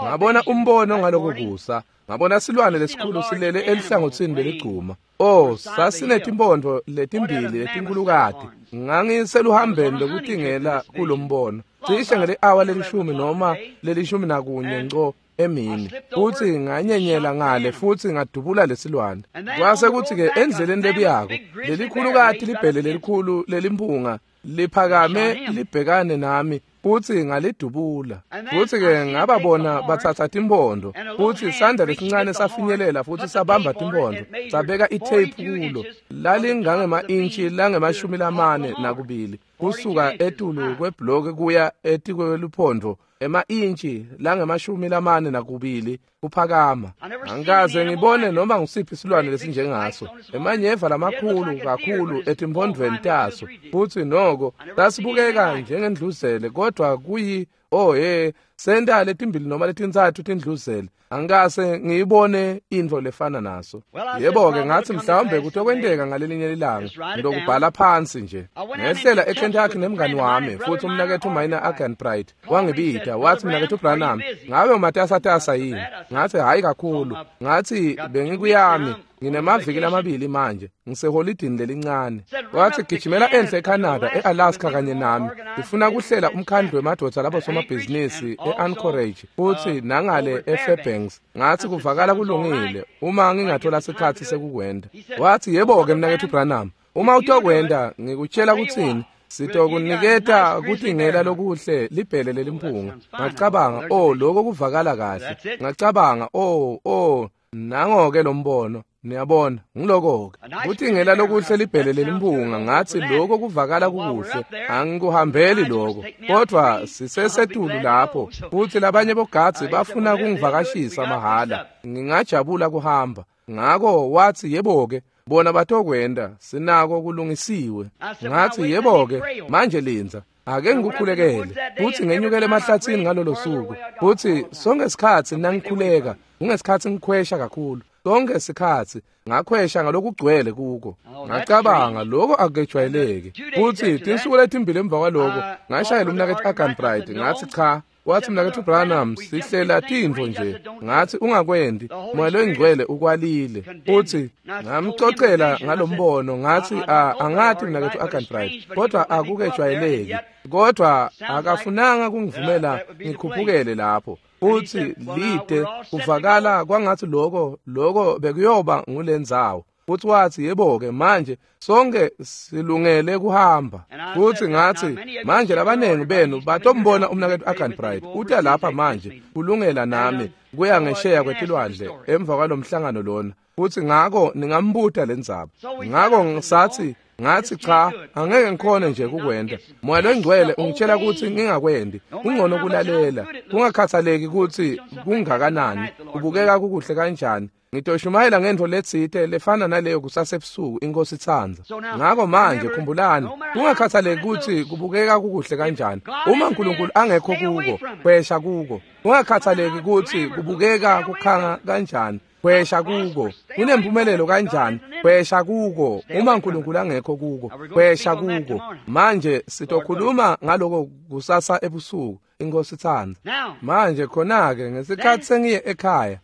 Ngabona umbono ngaloko kusa, ngabona silwane lesikhulu silele elihlangothini leligcuma. Oh, sasinetimpondvo letimbili letinkulukati. Ngangiseluhambeni lokutingela kulombono cishe ngeli-awa lelishumi noma lelishumi nakunye ngco emini. Futhi nganyenyela ngale futhi ngadubula lesilwane. Kwase kuthi-ke endleleni lebuyako lelikhulukati libhele lelikhulu lelimpunga liphakame libhekane nami futhi ngalidubula. Futhi-ke ngababona bathatha timpondo futhi isandla lesincane safinyelela futhi sabamba timpondo sabeka itheyiphu kulo lalingangema-intshi langemashumi lamane nakubili kusuka etulu kwebhloki kuya etikweluphondo ema-intshi langemashumi lamane nakubili kuphakama. Angikaze ngibone noma ngusiphi isilwane lesinjengaso, emanyeva lamakhulu kakhulu etimpondvweni taso. Futhi noko sasibukeka njengendluzele, kodwa kuyi oh he senta letimbili noma letintsatfu tindluzele. Angikase ngiyibone intfo lefana naso. Yebo-ke ngathi mhlawumbe kutokwenteka ngalelinye ilanga ngitokubhala phansi nje. Ngehlela eKentucky nemngani wami futhi umnakethu Minor Arganbright wangibida wathi, mnakethu Branham, ngabe umatasatasa yini? Ngathi hhayi kakhulu. Ngathi bengikuyami nginemaviki lamabili manje ngiseholidini lelincane. Wathi gijimela enhle eCanada, e-Alaska kanye nami. Ngifuna kuhlela umkhandlu wemadoda labo somabhizinisi e-Anchorage futhi nangale eFairbanks. Ngathi kuvakala kulungile uma ngingathola sikhathi sekukwenda. Wathi yebo-ke mnakethu Branham, uma utokwenda ngikutshela kuthini, sitokuniketa kutingela lokuhle libhele lelimpunga. Ngacabanga, oh lokho kuvakala kahle. Ngacabanga, oh oh nango-ke lo mbono. Niyabona, ngiloko-ke kutingela lokuhle libhele lelimpunga. Ngathi lokho kuvakala kukuhle, angikuhambeli lokho, kodwa sisesetulu lapho futhi labanye bogadzi bafuna kungivakashisa mahhala, ngingajabula kuhamba. Ngako wathi yebo-ke bona batokwenda, sinako kulungisiwe. Ngathi yebo-ke manje lindza, ake ngikukhulekele. Futhi ngenyukele emahlathini ngalolo suku, futhi sonke isikhathi nangikhuleka kungesikhathi ngikhwesha kakhulu. Sonke isikhathi ngakhwesha ngalokugcwele kuko. Ngacabanga lokho akujwayeleki. Futhi tinsuku letimbili emva kwaloko ngashayela umnakethu Arganbright ngathi cha. Wathi mnakethu Branham, sihlela tintfo nje. Ngathi ungakwendi, Moya loyingcwele ukwalile. Futhi ngamcocela ngalombono ngathi angathi mnakethu Arganbright, kodwa akukejwayeleki. Kodwa akafunanga kungivumela ngikhuphukele lapho. Futhi lide kuvakala kwangathi lokho lokho bekuyoba ngulendzawo. Futhi wathi yebo-ke manje sonke silungele kuhamba. Futhi ngathi manje labanengi benu batombona umnaketfu Arganbright uta lapha manje kulungela nami kuya ngesheya kwetilwandle emva kwalomhlangano lona. Futhi ngako ningambuta lendzaba. Ngako ngisathi ngathi cha angeke ngikhone nje kukwenda. Moya longcwele ungitshela ukuthi ngingakwendi. Kungcono kulalela. Kungakhathaleki ukuthi kungakanani, kubukeka kukuhle kanjani. Ngitoshumayela ngento letsite lefana naleyo kusasebusuku inkosi itsandza. Ngako manje khumbulani, kungakhathaleki ukuthi kubukeka kukuhle kanjani. Uma uNkulunkulu angekho kuko, kwesha kuko. Kungakhathaleki ukuthi kubukeka kukhanga kanjani, kwesha kuko. Kunempumelelo kanjani, kwesha kuko. Uma uNkulunkulu angekho kuko, kwesha kuko. Manje sitokhuluma ngaloko kusasa ebusuku inkosi itsandza. Manje khona-ke ngesikhathi sengiye ekhaya,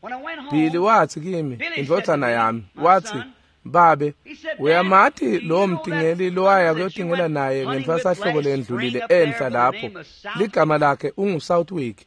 Billy wathi kimi, indvodzana yami, wathi, babe, uyamati lowo mtingeli lowaya kuyotingela naye ngentsasahlobo lendlulile enhla lapho, ligama lakhe unguSouthwick.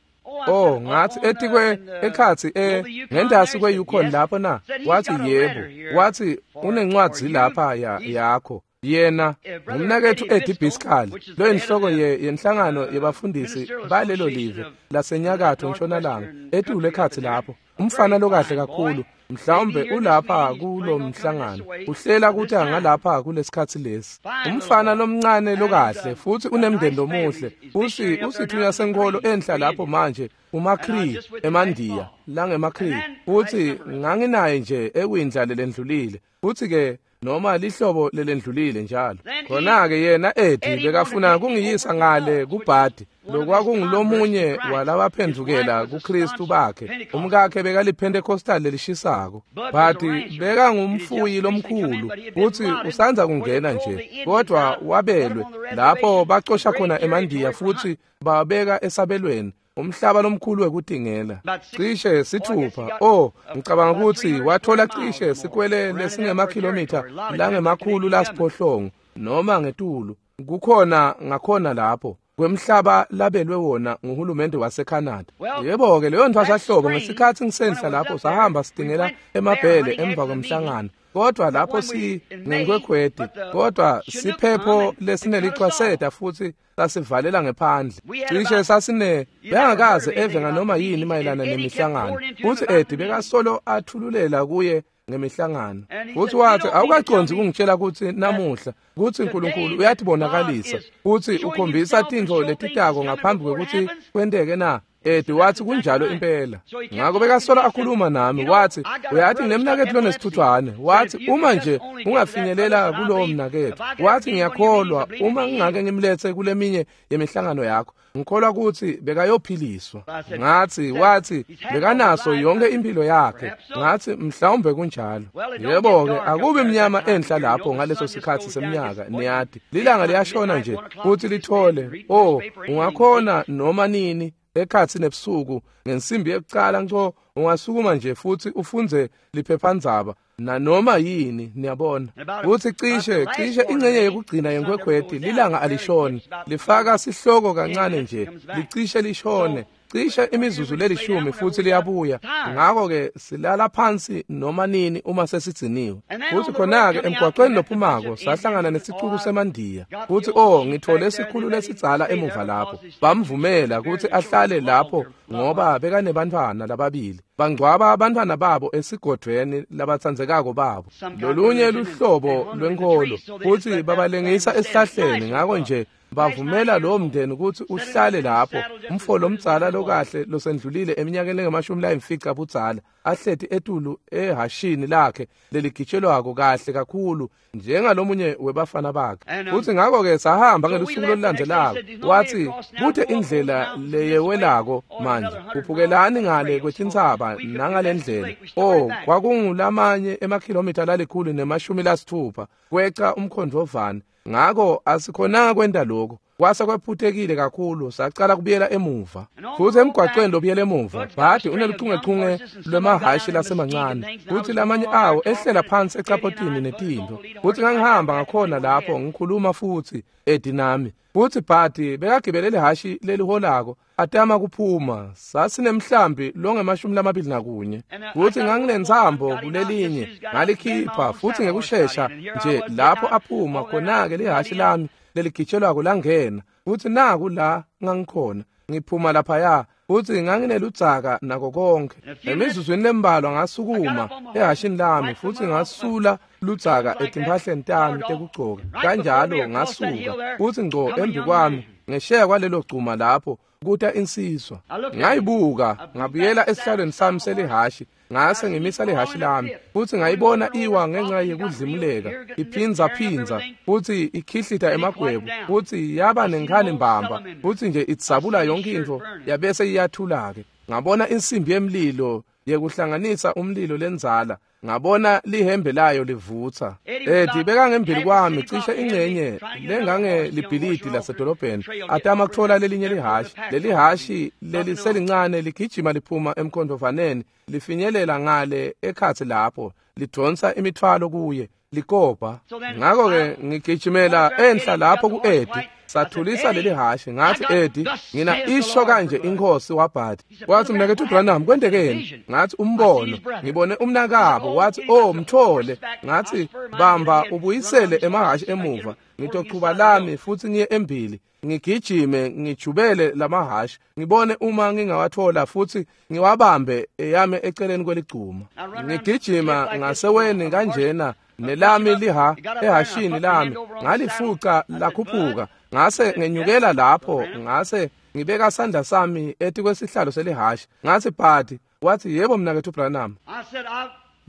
Oh, ngathi etikwe ekhathi eh ngendasi kwe-Yukon lapho na? Wathi yebo. Wathi unencwadi lapha ya yakho. Yena ngumnaketfu Eddie Biskali, lo inhloko yenhlangano yebafundisi balelo live lasenyakatho ntshonalanga etule ekhathi lapho. Umfana lokahle kakhulu, mhlawumbe ulapha kulo mhlangano, uhlela ukuthi angalapha kulesikhathi lesi. Umfana lomncane lokahle futhi unemndeni lomuhle, usi usithunywa senkolo enhla lapho manje uMacree eMandiya langemaCree. Futhi nganginaye nje ekwindla lelendlulile, futhi ke noma lihlobo lelendlulile njalo. Khona-ke yena Eddie bekafuna kungiyisa ngale kuBhadi, lokwakungulomunye walabaphendukela kuKristu bakhe. Umkakhe bekaliPentecostal lelishisako. Bhadi bekangumfuyi lomkhulu, futhi usandza kungena nje, kodwa wabelwe lapho bacosha khona eMandiya futhi babeka esabelweni. Umhlaba lomkhulu wekutingela cishe sithupha. Oh, ngicabanga ukuthi wathola cishe sikwele lesingemakhilomitha langemakhulu lasiphohlongo noma ngetulu kukhona ngakhona lapho kwemhlaba labelwe wona nguhulumende waseCanada. Yebo-ke leyo ntfwasahlobo ngesikhathi ngisenhla lapho sahamba sitingela emabhele emva kwemhlangano. Kodwa lapho si ngenkwekhweti, kodwa siphepho lesinelichwaseta futhi sasivalela ngephandle. Cishe sasine bengakaze eve nganoma yini mayelana nemihlangano. Futhi Eddie bekasolo athululela kuye ngemihlangano. Futhi wathi awukacondzi kungitshela ukuthi namuhla ukuthi uNkulunkulu uyatibonakalisa futhi ukhombisa tintfo letitako ngaphambi kwekuthi kwenteke na. Eddie wathi kunjalo impela. Ngako bekasola akhuluma nami, wathi uyathi nginemnaketfu lonesithuthwane. Wathi uma nje ungafinyelela kulowo mnaketfu, wathi ngiyakholwa uma ngingake ngimlethe kuleminye yemihlangano yakho, ngikholwa ukuthi bekayophiliswa. Ngathi wathi bekanaso yonke impilo yakhe. Ngathi mhlawumbe kunjalo. Yebo-ke akubi mnyama enhla lapho ngaleso sikhathi seminyaka, niyati lilanga liyashona nje futhi lithole. Oh, ungakhona noma nini ekhathi nebusuku ngensimbi yekucala nco ungasukuma nje futhi ufunze liphephandzaba nanoma yini, niyabona. Futhi cishe cishe ingcenye yekugcina yenkwekhweti lilanga alishoni, lifaka sihloko kancane nje licishe lishone cishe imizuzu lelishumi futhi liyabuya. Ngako-ke silala phansi noma nini uma sesidziniwe. Futhi khona-ke emgwaqweni lophumako sahlangana nesicuku semandiya. Futhi oh, ngithole isikhulu lesidzala emuva lapho. Bamvumela ukuthi ahlale lapho ngoba bekanebantfwana lababili. Bangcwaba abantwana babo esigodvweni labatsandzekako babo. Lolunye luhlobo lwenkolo futhi babalengisa esihlahleni. Ngako nje bavumela lowo mndeni ukuthi uhlale lapho. Umfo lomdzala lokahle losendlulile eminyakeni engamashumi layimfica budzala ahleti etulu ehashini lakhe leligitshelwako kahle kakhulu njengalomunye webafana bakhe. Futhi ngako-ke sahamba ngelusuku lolulandzelako. Wathi kute indlela leyewelako manje, kuphukelani ngale kwetintsaba nangale ndlela. Oh, kwakungulamanye emakhilomitha lalikhulu nemashumi lasithupha kweca umkhondvovane. Ngako asikhonanga kwenta lokho. Kwase kwephutekile kakhulu, sacala kubuyela emuva. Futhi emgwaqweni lobuyela emuva, Bhadi uneluchungechunge lwemahhashi lasemancane. Futhi lamanye awo ehlela phansi ecapotini netintfo. Futhi ngangihamba ngakhona lapho ngikhuluma futhi Eddie nami. Futsi Bhadi bekagibele lihhashi leliholako atama kuphuma. Sasinemhlambi longemashumi lamabili nakunye. Futsi nganginentsambo kulelinye ngalikhipha, futsi ngekushesha nje lapho aphuma khona-ke lihhashi lami leligitshelwako langena. Futsi naku la ngangikhona ngiphuma laphaya, futsi ngangineludzaka nako konke. Emizuzwini lembalwa ngasukuma ehhashini lami futsi ngasula ludzaka etimphahleni tami tekugcoka. Kanjalo ngasuka, futsi ngco embi kwami ngesheya kwalelo gcuma lapho kuta insizwa. Ngayibuka, ngabuyela esihlalweni sami selihhashi, ngase ngimisa lihhashi lami, futsi ngayibona iwa ngenxa yekudlimuleka, iphindza phindza, futsi ikhihlita emagwebu, futsi yaba nenkhani mbamba, futsi nje idzabula yonke intfo, yabese iyathula-ke. Ngabona insimbi yemlilo yekuhlanganisa umlilo lendzala, ngabona lihembe layo livutsa. Eddie bekangembili kwami cishe ingcenye lengangelibhilidi lasedolobheni, atama kutfola lelinye lihhashi. Lelihhashi leliselincane ligijima liphuma emkhondvovaneni, lifinyelela ngale ekhatsi lapho, lidvonsa imithwalo kuye, likobha. Ngakho-ke ngigijimela enhla lapho ku-Eddie, sathulisa leli hhashi. Ngathi, Eddie, ngina isho kanje inkosi waBhadi. Wathi, mnaketfu Branham, kwentekeni? Ngathi, umbono, ngibone umnakabo. Wathi, oh, mthole. Ngathi, bamba ubuyisele emahhashi emuva, ngitochuba lami futsi ngiye embili, ngigijime ngijubele lamahhashi, ngibone uma ngingawathola futsi ngiwabambe eyame eceleni kweligcuma. Ngigijima ngaseweni kanjena nelami liha ehhashini lami, ngalifuca lakhuphuka, ngase ngenyukela lapho, ngase ngibeka sandla sami etikwesihlalo selihhashi. Ngathi, Bhadi. Wathi, yebo mnaketfu Branham.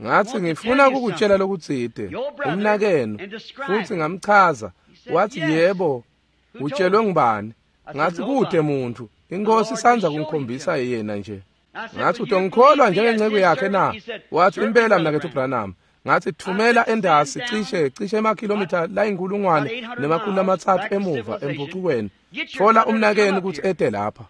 Ngathi, ngifuna kukutshela lokutsite, umnakenu. Futsi ngamchaza. Wathi, yebo, utshelwe ngubani? Ngathi, kute muntfu, inkosi isandza kungikhombisa yena nje. Ngathi, utongikholwa njengenceku yakhe na? Wathi, impela mnaketfu Branham. Ngathi, thumela endasi cishe cishe emakhilomitha layinkulungwane nemakhulu lamatsatfu emuva empucukweni, thola umnakenu kutsi ete lapha.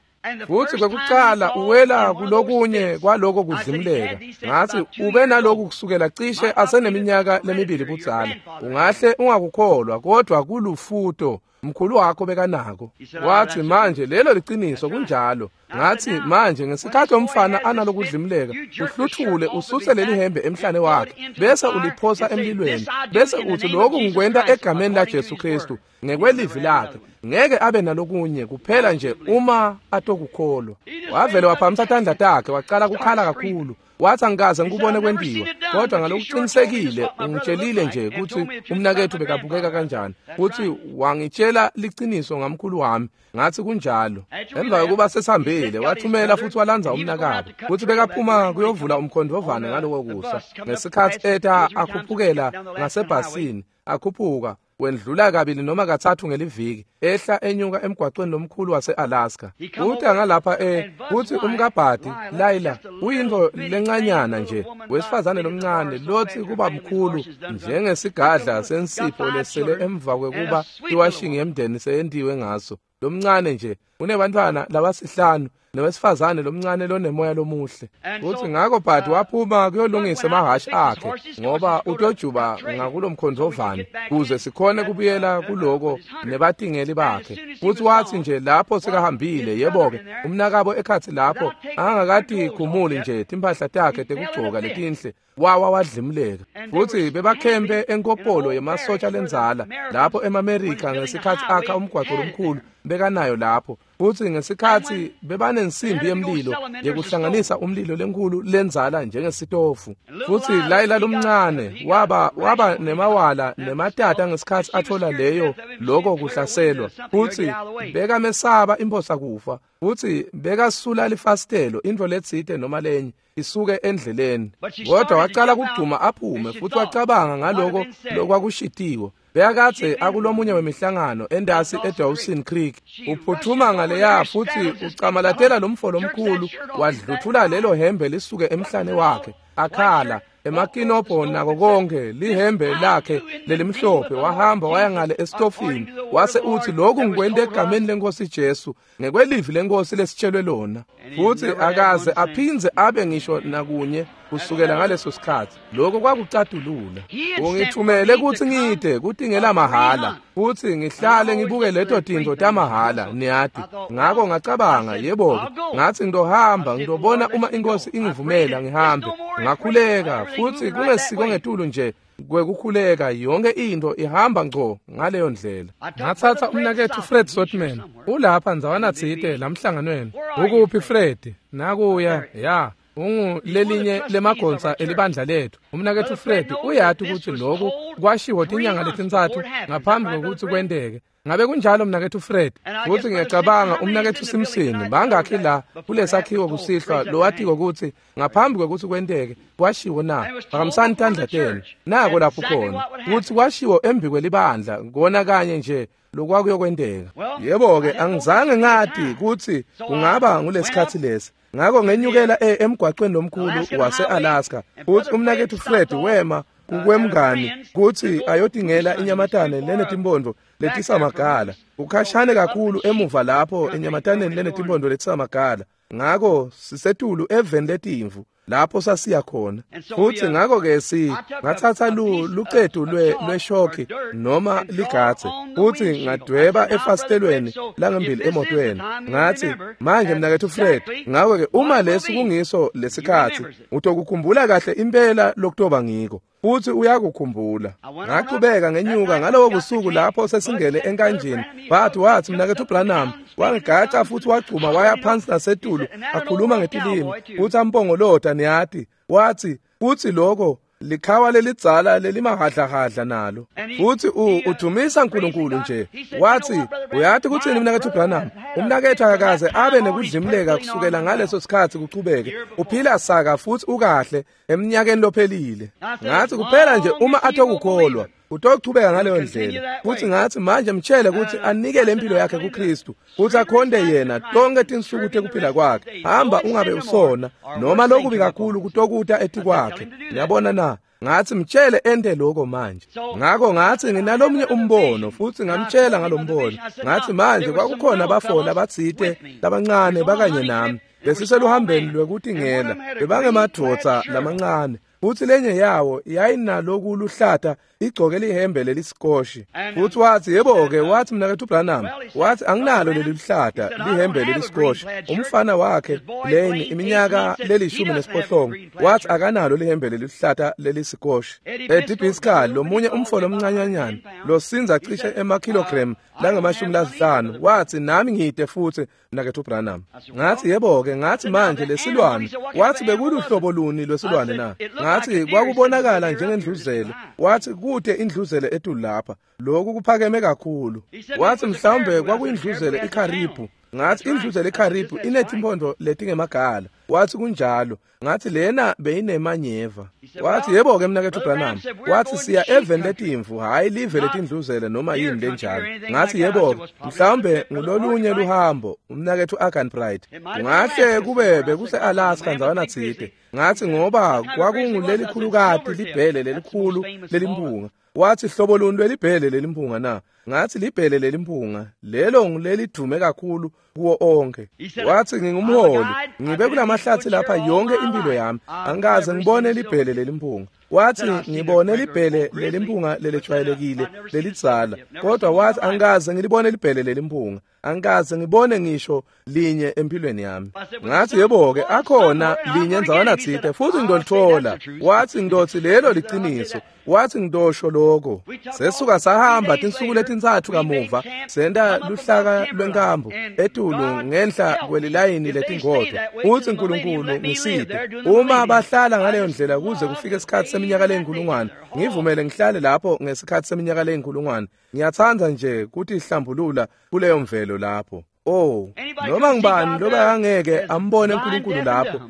Futsi kwekucala uwela kulokunye kwaloko kudlimuleka. Ngathi, ube naloku kusukela cishe aseneminyaka lemibili budzala. Ungahle ungakukholwa, kodwa kulufuto mkhulu wakho bekanako. Wathi, manje lelo liciniso, kunjalo. Ngathi, manje ngesikhathi umfana analokudlimuleka, uhluthule ususe leli hembe emhlane wakhe, bese uliphosa emlilweni, bese uthi, lokhu ngikwenta egameni la Jesu Kristu ngekwelivi lakhe. Ngeke abe nalokunye kuphela nje uma atokukholwa. Wavele waphamisa tandla takhe, waqala kukhala kakhulu. Wathi, angikaze ngikubone kwentiwa, kodwa ngalokuqinisekile ungitshelile nje kutsi umnaketfu bekabukeka kanjani, futsi wangitshela liciniso ngamkhulu wami. Ngathi, kunjalo. Emva kokuba sesihambile, wathumela futhi walandza umnakabo, futsi bekaphuma kuyovula umkhondvovane ngaloko kusa. Ngesikhatsi eta akhuphukela ngasebhasini, akhuphuka wendlula kabili noma katsatfu ngeliviki, ehla enyuka emgwacweni lomkhulu wase-Alaska. Uta ngalapha e kutsi umkabhadi Layla uyintfo lencanyana nje, wesifazane lomncane lotsi kuba mkhulu njengesigadla sensipho lesele emva kwekuba iwashing yemndeni seyentiwe ngaso. Lomncane nje unebantfwana labasihlanu nowesifazane lomncane lonemoya lomuhle. Futsi ngako Bhadi waphuma kuyolungisa emahhashi akhe, ngoba utojuba ngakulomkhondvovane kuze sikhone kubuyela kuloko nebatingeli bakhe. Futsi watsi nje lapho sekahambile, yebo-ke, umnakabo ekhatsi lapho angakatikhumuli nje timphahla takhe tekugcoka letinhle, wawa wadlimuleka. Futsi bebakhempe enkopolo yemasotsha lendzala lapho emaMerika ngesikhatsi akha umgwaco lomkhulu bekanayo lapho. Futsi ngesikhatsi bebanensimbi yemlilo yekuhlanganisa umlilo lenkhulu lendzala njengesitofu. Futsi Layla lomncane waba waba nemawala nematata ngesikhatsi athola leyo loko kuhlaselwa. Futsi bekamesaba imphosa kufa. Futsi bekasula lifasitelo intfo letsite noma lenye isuke endleleni. Kodwa wacala kugcuma aphume, futhi wacabanga ngaloko lokwakushitiwe. Bekakadze akulomunye wemihlangano endasi eDawson Creek. Uphuthuma ngaleya futhi ucamalatela lomfo lomkhulu, wadluthula lelo hembe lisuke emhlane wakhe, akhala emakinobho nako konke, lihembe lakhe lelimhlophe. Wahamba waya ngale esitofini, wase uthi, lokhu ngikwente egameni lenkosi Jesu ngekwelivi lenkosi lesitshelwe lona. Futhi akaze aphindze abe ngisho nakunye kusukela ngaleso sikhathi. Lokho kwakucatulula. Ungithumele kutsi ngide kutingela mahhala futsi ngihlale ngibuke leto tintfo tamahhala, niyati. Ngako ngacabanga, yebo, ngathi ngizohamba ngizobona uma inkosi ingivumela ngihambe. Ngakhuleka futsi kungesiko ngetulu nje kwekukhuleka, yonke into ihamba ngco ngaleyo ndlela. Ngatsatsa umnaketfu Fred Sotman, ulapha ndzawana tsite lamhlanganweni. Ukuphi Fred? Nakuya, ya. Ungu lelinye lemagonsa elibandla lethu. Umnaketfu Fred uyati ukuthi lokhu kwashiwo tinyanga letintsatfu ngaphambi kokuthi kwenteke. Ngabe kunjalo mnaketfu Fred? Futhi ngiyacabanga umnaketfu Simpson bangakhi la kulesakhiwo kusihlwa lowatiko ukuthi ngaphambi kokuthi kwenteke kwashiwo na. Phakamisani tandla tenu. Nako lapho khona ukuthi kwashiwo embi kwelibandla kona kanye nje lokwakuyokwenteka. Yebo-ke, angizange ngati ukuthi kungaba ngulesikhatsi lesi. Ngako ngenyukela emgwaqweni lomkhulu wase-Alaska futhi umnaketfu Fred wema kukwemngani kutsi ayotingela inyamatane lenetimpondo letisamagala. Ukhashane kakhulu emuva lapho enyamataneni lenetimpondo letisamagala. Ngako sisetulu eveni letimvu lapho sasiya khona. Futhi ngako-ke si ngatsatsa lucetu lweshoki noma ligatse futhi ngadweba efasitelweni langembili emotweni. Ngathi, manje mnaketfu Fred, ngako-ke uma lesi kungiso lesikhatsi utokukhumbula kahle impela lokutoba ngiko. Futhi uyakukhumbula. Ngachubeka ngenyuka ngalowo busuku lapho sesingene enkanjini. Bathi wathi mnaketfu Branham wangigaca futhi wagcuma waya phansi nasetulu akhuluma ngetilimi futhi ampongolota, niyati. Wathi futhi lokho likhawa lelidzala lelimahadlahadla nalo. Futhi udumisa uNkulunkulu nje. Wathi, uyati kuthini mnaketfu Branham? Umnaketfu akakaze abe nekudlimleka kusukela ngaleso sikhatsi kuchubeke. Uphila saka futhi ukahle eminyakeni lophelile. Ngathi kuphela nje uma atokukholwa utochubeka ngaleyo ndlela. Futhi ngathi manje mtshele ukuthi anikele impilo yakhe kuKristu futhi akhonde yena tonke tinsuku tekuphila kwakhe. Hamba ungabe usona noma lokubi kakhulu kutokuta etikwakhe. Niyabona na? Ngathi mtshele ente lokho manje. Ngako ngathi nginalomnye umbono futhi ngamtshela ngalombono. Ngathi manje kwakukhona abafola abatsite labancane bakanye nami besiseluhambeni lwekutingela, bebangemadvodza lamancane. Futhi lenye yawo yayinaloku luhlata igcoke lihembe lelisikoshi. Futhi wathi, yebo-ke, wathi mnaketfu Branham, wathi anginalo leli luhlata lihembe lelisikoshi. Umfana wakhe leni iminyaka lelishumi nesiphohlongo wathi akanalo lihembe lelihlata lelisikoshi. Eddie Biscal, lomunye umfo lomncanyanyana losinza cishe emakilogram langamashumi lasihlanu, wathi nami ngide futhi mnaketfu Branham. Ngathi yebo-ke, ngathi manje lesilwane, wathi bekuluhlobo luni lwesilwane na? Ngathi kwakubonakala njengendluzele. Wathi kude indluzele etulu lapha, lokhu kuphakeme kakhulu. Wathi mhlawumbe kwakuyindluzele iKaribhu. Ngathi indluzele iKaribhu inetimpondo letingemagala. Wathi kunjalo. Ngathi lena beyinemanyeva. Wathi yebo-ke mnaketfu Branham, wathi siya eveni letimvu, hhayi live letindluzele noma yini lenjalo. Ngathi yebo-ke, mhlawumbe ngulolunye luhambo umnaketfu Arganbright. Kungahle kube bekuse-Alaska ndzawana tsite. Ngathi ngoba kwakungulelikhulukati libhele lelikhulu lelimpunga. Wathi hlobo luni lwelibhele lelimpunga na? Ngathi libhele lelimpunga lelo ngulelidume kakhulu kuwo onke. Wathi ngingumholi, ngibe kulamahlathi lapha yonke impilo yami, angikaze ngibone libhele lelimpunga. Wathi ngibone libhele lelimpunga lelejwayelekile lelidzala, kodwa wathi angikaze ngilibone libhele lelimpunga, angikaze ngibone ngisho linye empilweni yami. Ngathi yebo-ke, akhona linye ndzawana tsite futhi ngidolithola. Wathi ngidothi lelo liciniso. Wathi ngidosho lokho. Sesuka sahamba tinsuku letintsatfu kamuva senta luhlaka lwenkambu etulu ngenhla kwelilayini letingodvo. Uthi uNkulunkulu ngisite, uma bahlala ngaleyo ndlela kuze kufike isikhatsi seminyaka leyinkulungwane, ngivumele ngihlale lapho ngesikhatsi seminyaka leyinkulungwane. Ngiyatsandza nje kutihlambulula kuleyo mvelo lapho. Oh, noma ngibani loba angeke ambone uNkulunkulu lapho,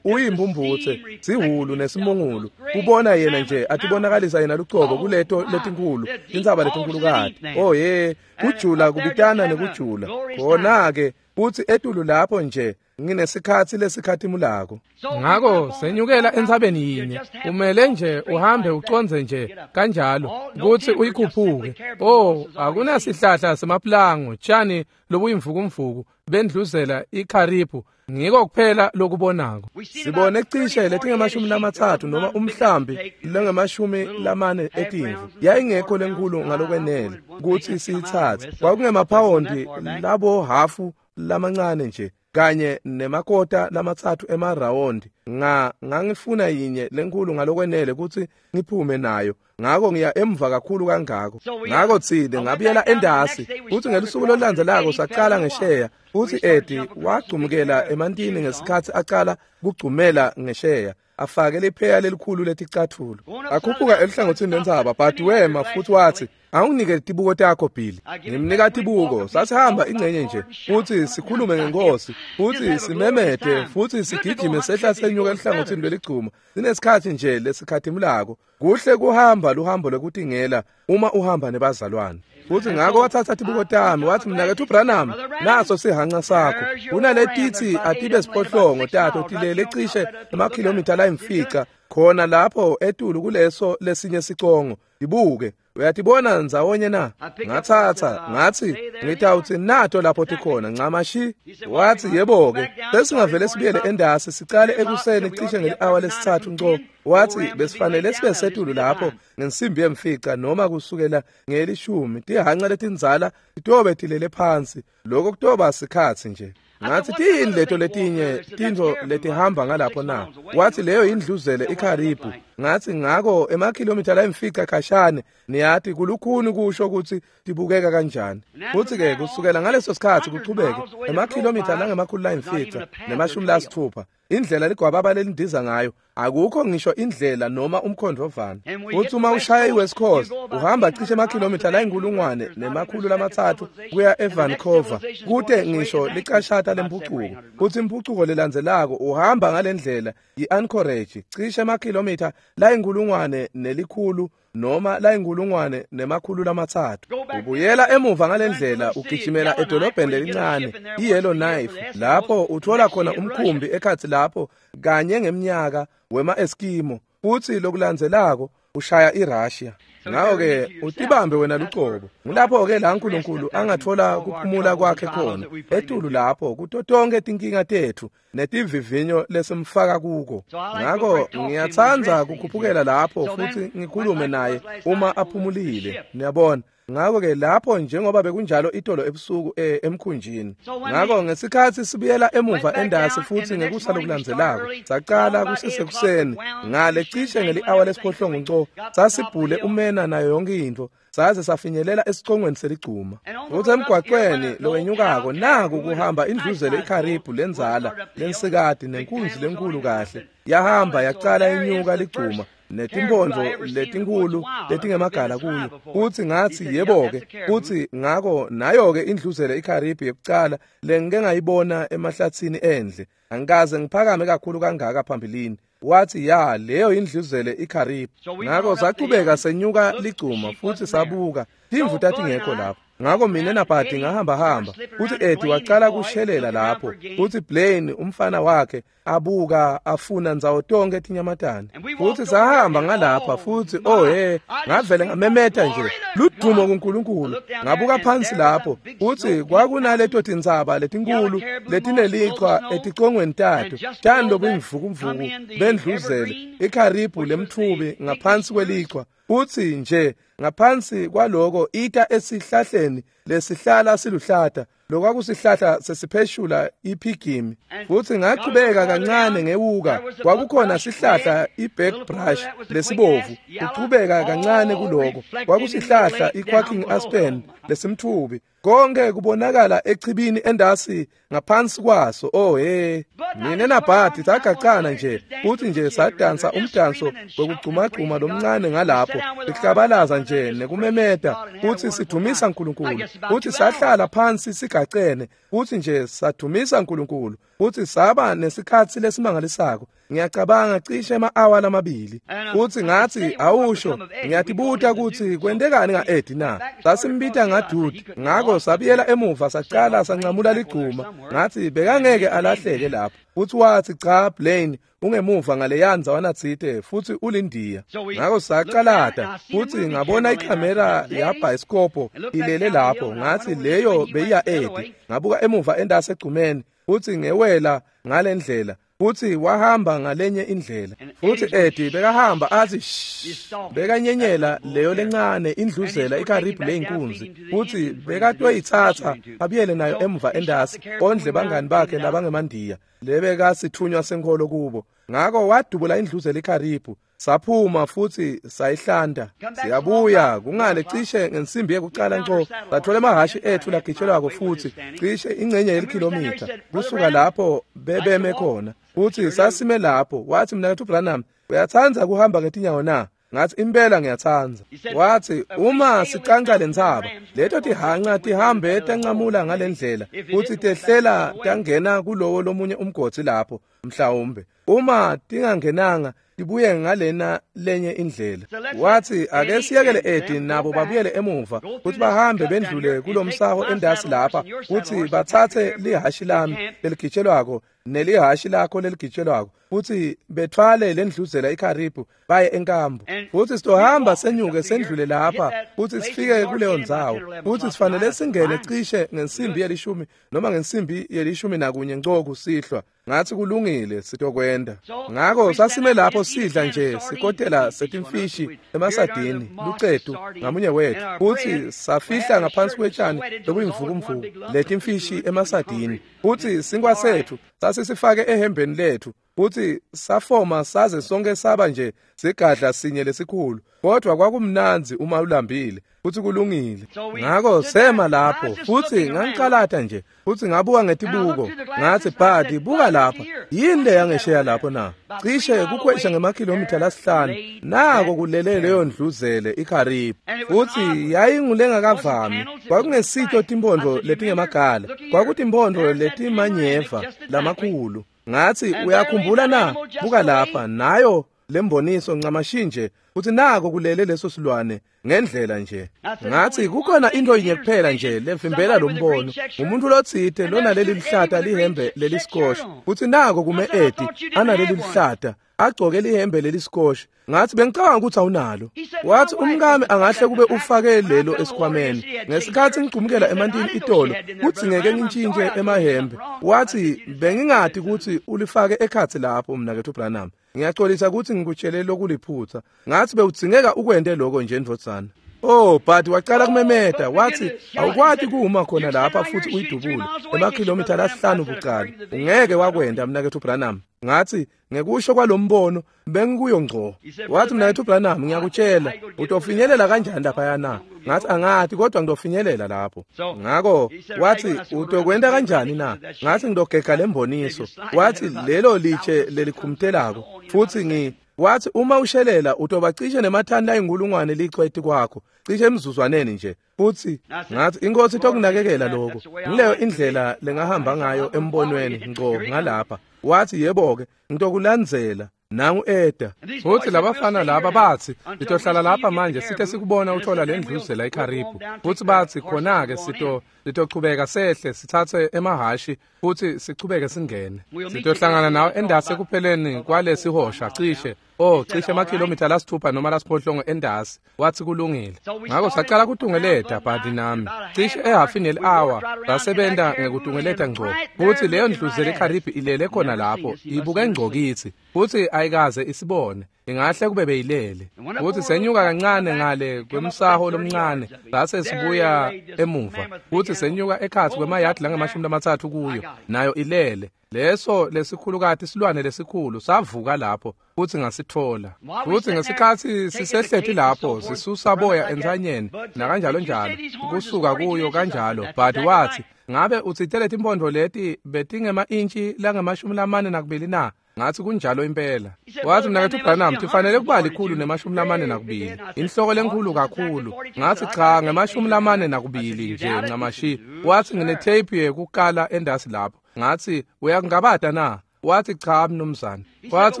uyimpumputse, sihulu nesimungulu. Kubona yena nje atibonakalisa yena lucobo kuleto letinkhulu, tintsaba letinkhulukati. Oh ye, kujula kubitana nekujula. Khona-ke kuthi etulu lapho nje Nginesikhatsi lesikhatimulako. Ngako senyukela entsabeni yinye, umele nje uhambe uconze nje kanjalo kutsi uyikhuphuke. Oh, akunasihlahla semaplango, tjani lobuyimvukumvuku bendluzela ikharibu, ngiko kuphela lokubonako. Sibone cishe letingemashumi lamatsatfu noma umhlambi lengemashumi lamane etimvu. Yayingekho lenkulu ngalokwenele kutsi siyitsatse. Kwakungemaphawundi labo hafu lamancane nje kanye nemakota lamatsatfu emarawondi. Nga ngangifuna yinye lenkulu ngalokwenele kutsi ngiphume nayo. Ngako ngiya emva kakhulu kangako. Ngako tsine ngabuyela endasi kutsi ngelusuku lolulandzelako saqala ngesheya. Futsi Eddie wagcumukela emantini ngesikhatsi acala kugcumela ngesheya, afake lipheya lelikhulu leticatfulo. Akhuphuka eluhlangotsini lwentsaba, but wema futsi watsi, "Awunginike tibuko takho Billy." Ngimnika tibuko, sasihamba ingcenye nje futsi sikhulume ngenkosi, futsi simemete, futsi sigijime sehla senyuka eluhlangotsini lweligcuma. Sinesikhatsi nje lesikhatimulako. Kuhle kuhamba luhambo lwekutingela uma uhamba nebazalwane. Futsi ngako watsatsa tibuko tami, watsi, "Mnaketfu Branham, naso sihanca sakho. Kunaletitsi atibe siphohlongo tato tilele cishe emakhilomitha layimfica khona lapho etulu kuleso lesinye sicongo. Tibuke, uyatibona ndzawonye na?" Ngatsatsa, ngatsi, "Ngitawutsi nato lapho tikhona ncamashi." Watsi, "Yebo-ke, sesingavele sibuyele endasi sicale ekuseni cishe ngeli-awa lesitsatfu nco." Watsi, "Besifanele sibe setulu lapho ngensimbi yemfica noma kusukela ngelishumi. Tihanca letindzala titobe tilele phansi. Lokho kutoba sikhatsi nje." Ngathi, "Tiyini leto letinye tintfo letihamba ngalapho na?" Wathi, "Leyo indluzele ikharibu." Ngathi, "Ngako emakhilomitha layimfica khashane, niyati kulukhuni kusho kutsi tibukeka kanjani." Futsi-ke kusukela ngaleso sikhatsi kuchubeke emakhilomitha langemakhulu layimfica nemashumi lasitfupha, indlela ligwababa lelindiza ngayo, akukho ngisho indlela noma umkhondvovana. Futsi uma ushaya iWest Coast, uhamba cishe emakhilomitha layinkulungwane nemakhulu lamatsatfu kuya eVancouver, kute ngisho licashata lempucuko. Futsi impucuko lelandzelako uhamba ngalendlela yi-Anchorage, cishe emakhilomitha layinkulungwane nelikhulu noma layinkulungwane nemakhulu lamatsatfu. Ubuyela emuva ngalendlela ugijimela edolobheni lelincane iYellowknife, lapho uthola khona umkhumbi ekhatsi lapho kanye ngemnyaka wema-Eskimo. Futsi lokulandzelako ushaya iRussia. Ngako-ke utibambe wena lucobo. Ngulapho-ke la Nkulunkulu angathola kuphumula kwakhe khona, etulu lapho kuto tonke tinkinga tetfu netivivinyo lesimfaka kuko. Ngako ngiyatsandza kukhuphukela lapho futsi ngikhulume naye uma aphumulile, niyabona. Ngako-ke lapho njengoba bekunjalo itolo ebusuku eh, emkhunjini. Ngako ngesikhatsi sibuyela emuva endasi futsi ngekusa lokulandzelako sacala kusesekuseni ngale cishe ngeli-awa lesiphohlongo nco, sasibhule umena nayo yonke intfo, saze safinyelela esicongweni seligcuma. Futsi emgwacweni lowenyukako naku kuhamba indluzele ikharibu lendzala lensikati nenkunzi lenkulu kahle, yahamba yacala inyuka ligcuma netimphondvo letinkulu letingemagala kuyo. Futsi ngatsi, "Yebo-ke." Futsi ngako nayo-ke indluzele ikharibu yekucala lengike ngayibona emahlatsini endle. Angikaze ngiphakame kakhulu kangaka phambilini. Wathi, "Ya, leyo indluzele ikharibu." Ngako sachubeka senyuka ligcuma futsi sabuka, timvu tatingekho lapho. Ngako mina naBhadi ngahamba hamba, futsi Eddie wacala kushelela lapho, futsi Blaine umfana wakhe abuka afuna ndzawo tonke tinyamatane. Futsi sahamba ngalapha futsi oh he, ngavele ngamemeta nje, "Ludumo kuNkulunkulu." Ngabuka phansi lapho, futsi kwakunaleto tintsaba letinkulu letinelichwa eticongweni tato, tjani lobuyimvukumvuku bendluzele ikharibu lemtfubi ngaphansi kwelichwa. Futsi nje ngaphansi kwaloko ita esihlahleni lesihlala siluhlata, lokwakusihlahla sesipheshula iphigimi. Futsi ngachubeka kancane ngewuka, kwakukhona sihlahla i-back brush lesibovu. Kuchubeka kancane kuloko kwakusihlahla i-quacking aspen lesimtfubi. Konke kubonakala echibini endasi ngaphansi kwaso. Oh he, mina naBhadi sagacana nje futhi nje sadansa umdanso wekugcumagcuma lomncane ngalapho, sihlabalaza nje nekumemeta futhi sidumisa uNkulunkulu. Futhi sahlala phansi sigacene futhi nje sadumisa uNkulunkulu futhi saba nesikhatsi lesimangalisako. Ngiyacabanga cishe ema-awa lamabili. Futhi ngathi awusho, ngiyatibuta ukuthi kwentekani nga-Eddie na. Sasimbita ngaDude, ngakho sabuyela emuva saqala sancamula ligcuma. Ngathi bekangeke alahleke lapho. Futhi wathi cha Blaine ungemuva ngaleya ndzawana tsite futhi ulindiya. Ngakho saqalata futhi ngabona ikhamera yabhayisikobho ilele lapho. Ngathi leyo beyiya Eddie. Ngabuka emuva endase egcumeni futhi ngewela ngalendlela. Futhi wahamba ngalenye indlela. Futhi Eddie bekahamba athi shh, bekanyenyela leyo lencane indluzela ikaribhu leyinkunzi. Futhi bekatoyithatha abuyele nayo emuva endasi ondle bangani bakhe labangemandiya lebekasithunywa senkholo kubo. Ngakho wadubula indluzela ikaribhu, saphuma futhi sayihlanda. Siyabuya kungale cishe ngensimbi yekucala nco, sathola emahhashi ethu lagitshelwako futhi cishe ingcenye yelikhilomitha kusuka lapho bebeme khona. Futhi sasime lapho. Wathi mnaketfu Branham, uyatsandza kuhamba ngetinyawo na? Ngathi impela ngiyatsanza. Wathi uma sicanca lentsaba, leto tihanca tihambe tancamula ngalendlela futhi tehlela tangena kulowo lomunye umgodi lapho mhlawumbe. Uma tingangenanga tibuye ngalena lenye indlela. Wathi ake siyekele Eddie nabo babuyele emuva futhi bahambe bendlule kulomsaho endasi lapha futhi bathathe lihashi lami leligitshelwako nelihashi lakho leligitshelwako futhi bethwale lendluzela ikaribhu baye enkambu. Futhi sitohamba senyuke sendlule lapha futhi sifike kuleyo ndzawo. Futhi sifanele singene cishe ngensimbi yelishumi noma ngensimbi yelishumi nakunye nco kusihlwa. Ngathi kulungile sitokwenda. Ngakho sasime lapho sidla nje sikotela setimfishi emasadini lucetu ngamunye wethu. Futhi safihla ngaphansi kwetshani lokuyimvukumvuku letimfishi emasadini. Futhi sinkwa sethu sasisifake ehembeni lethu. Futhi safoma saze sonke saba nje sigadla sinye lesikhulu. Kodwa kwakumnandzi uma ulambile futhi kulungile. Ngakho sema lapho futhi ngangicalata nje futhi ngabuka ngetibuko. Ngathi Bhadi buka lapha, yini le yangesheya lapho na? Cishe kukhwesha ngemakhilomitha lasihlanu. Nako kulele leyo ndluzele iKaribhu. Futhi yayingulengakavami. Kwakungesito timpondo letingemagala, kwakutimpondo letimanyeva lamakhulu. Ngathi uyakhumbula na? Buka lapha nayo lemboniso ncamashinje futhi nako kulele leso silwane ngendlela nje. Ngathi kukhona into yinye kuphela nje levimbela lo mbono, umuntu lotsite lona leli lihlata lihembe lelisikosha. Futhi nako kume Eddie analeli lihlata agcoke lihembe lelisikosha. Ngathi bengicabanga ukuthi awunalo. Wathi umkami angahle kube ufake lelo esikhwameni. Ngesikhathi ngigcumukela emantini itolo kuthi ngeke ngintshintshe emahembe. Wathi bengingadi ukuthi ulifake ekhathi lapho mnaketfu Branham. Ngiyaxolisa ukuthi ngikutshele lokuliphutha. Ngathi bewudzingeka ukwente lokho nje ndvodzana. Oh, but waqala kumemeta wathi awukwati kuma khona lapha futhi uyidubule emakhilomitha lasihlanu bucala. Ungeke wakwenda mnaketfu Branham. Ngathi ngekusho kwalombono bengikuyo ngco. Wathi mnaketfu Branham ngiyakutshela utofinyelela kanjani lapha na? Ngathi angathi kodwa ngidofinyelela lapho. Ngakho wathi utokwenda kanjani na? Ngathi ngidogega lemboniso. Wathi lelo litshe lelikhumtelako futhi ngi wathi uma ushelela utobacishe nemathani ayinkulungwane licweti kwakho cishe emzuzwaneni nje. Futhi ngathi inkosi itokunakekela lokho. Ngileyo indlela lengahamba ngayo embonweni ngco ngalapha. Wathi yebo ke ngitokulandzela nangu Eda. Futhi labafana laba bathi sitohlala lapha manje sithe sikubona uthola lendluzela iKaribhu. Futhi bathi khona ke sito sitochubeka sehle sithathe emahashi futhi sichubeke singene. Sitohlangana nawe endasi ekupheleni kwalesihosha cishe oh cishe emakhilomitha lasithupha noma lasiphohlongo endasi. Wathi kulungile. Ngakho saqala kutungeleta Bhadi nami cishe ehafini yeli-hour sasebenza ngekutungeleta ngco. Futhi leyo ndluzela iKaribhu ilele khona lapho ibuke ngco kithi futhi ayikaze isibone. Ingahle kube beyilele. Futhi senyuka kancane ngale kwemsaho lomncane sase sibuya emuva. Futhi senyuka ekhathi kwemayadi langamashumi lamathathu kuyo nayo ilele. Leso lesikhulukati isilwane lesikhulu savuka lapho futhi ngasithola. Futhi ngesikhathi sisehlethi lapho sisusa boya entsanyeni nakanjalo njalo kusuka kuyo kanjalo. But wathi ngabe utsitele timpondo leti betingema-intshi langamashumi lamane nakubili na? Ngathi kunjalo impela. Wathi mnaketfu Branham tifanele kuba likhulu nemashumi lamane nakubili, inhloko lenkhulu kakhulu. Ngathi cha ngemashumi lamane nakubili nje ncamashi. Wathi nginetape yekukala endasi lapho. Ngathi uyakungabata na? Wathi cha mnumzane. Wathi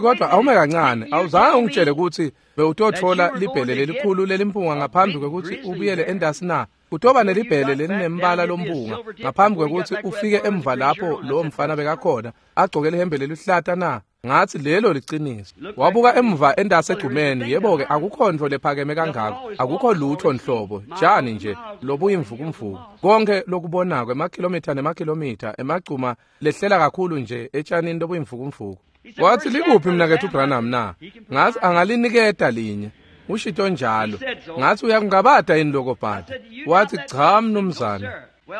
kodwa awume kancane, awuzange ungitshele ukuthi bewutothola libhele lelikhulu lelimpunga ngaphambi kwekuthi ubuyele endasi na? Utoba nelibhele lelinembala lompunga ngaphambi kwekuthi ufike emva lapho lowo mfana bekakhona agcoke lihembe lelihlata na? Ngathi lelo liciniso. Wabuka emva endase egcumeni, yebo-ke akukho nto lephakeme kangako, akukho lutho nhlobo, tjani nje lobuyimvukumvuku. Konke lokubonako emakhilomitha nemakhilomitha emagcuma lehlela kakhulu nje etshanini lobuyimvukumvuku. Wathi likuphi mnaketfu Branham na? Ngathi angaliniketa linye. Ushito njalo. Ngathi uyakungabata yini lokho Bhadi? Wathi cha mnumzane.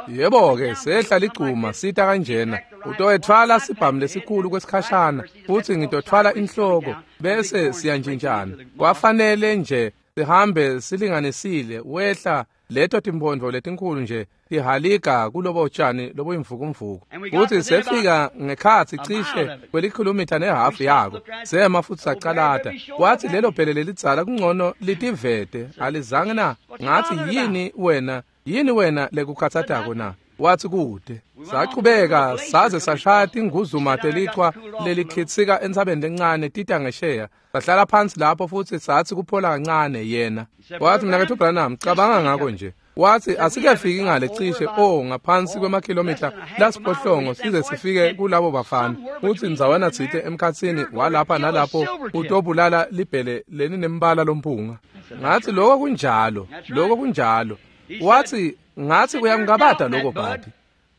Yebo-ke sehla ligcuma sita kanjena, utoyethwala sibhamu lesikhulu kwesikhashana futhi ngitothwala inhloko bese siyantshintshana. Kwafanele nje sihambe silinganisile, wehla leto timphondvo letinkhulu nje tihaliga kulobo tshani lobuyimvukumvuku. Futhi sefika ngekhatsi cishe kwelikhilomitha nehafu yako, sema futhi sacalata. Wathi lelo bhele lelidzala kungcono litivete, alizange na? Ngathi yini wena yini wena lekukhathatako na? Wathi kude. Sachubeka saze sashaya tinguzuma telichwa lelikhitsika entsabeni lencane tita ngesheya. Sahlala phansi lapho futhi sathi kuphola kancane yena. Wathi mnaketfu Branham, cabanga ngako nje. Wathi asikafiki ngale cishe oh ngaphansi kwemakhilomitha lasiphohlongo size sifike kulabo bafana. Uthi ndzawana tsite emkhatsini walapha nalapho utobulala libhele lelinembala lompunga. Ngathi lokho kunjalo, lokho kunjalo. Wathi ngathi uyangabata lokho Bhadi.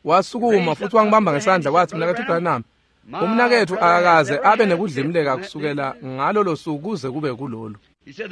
Wasukuma futhi wangibamba ngesandla wathi mnaketfu Branham, umnaketfu akakaze abe nekudlimleka kusukela ngalolo suku kuze kube kulolu.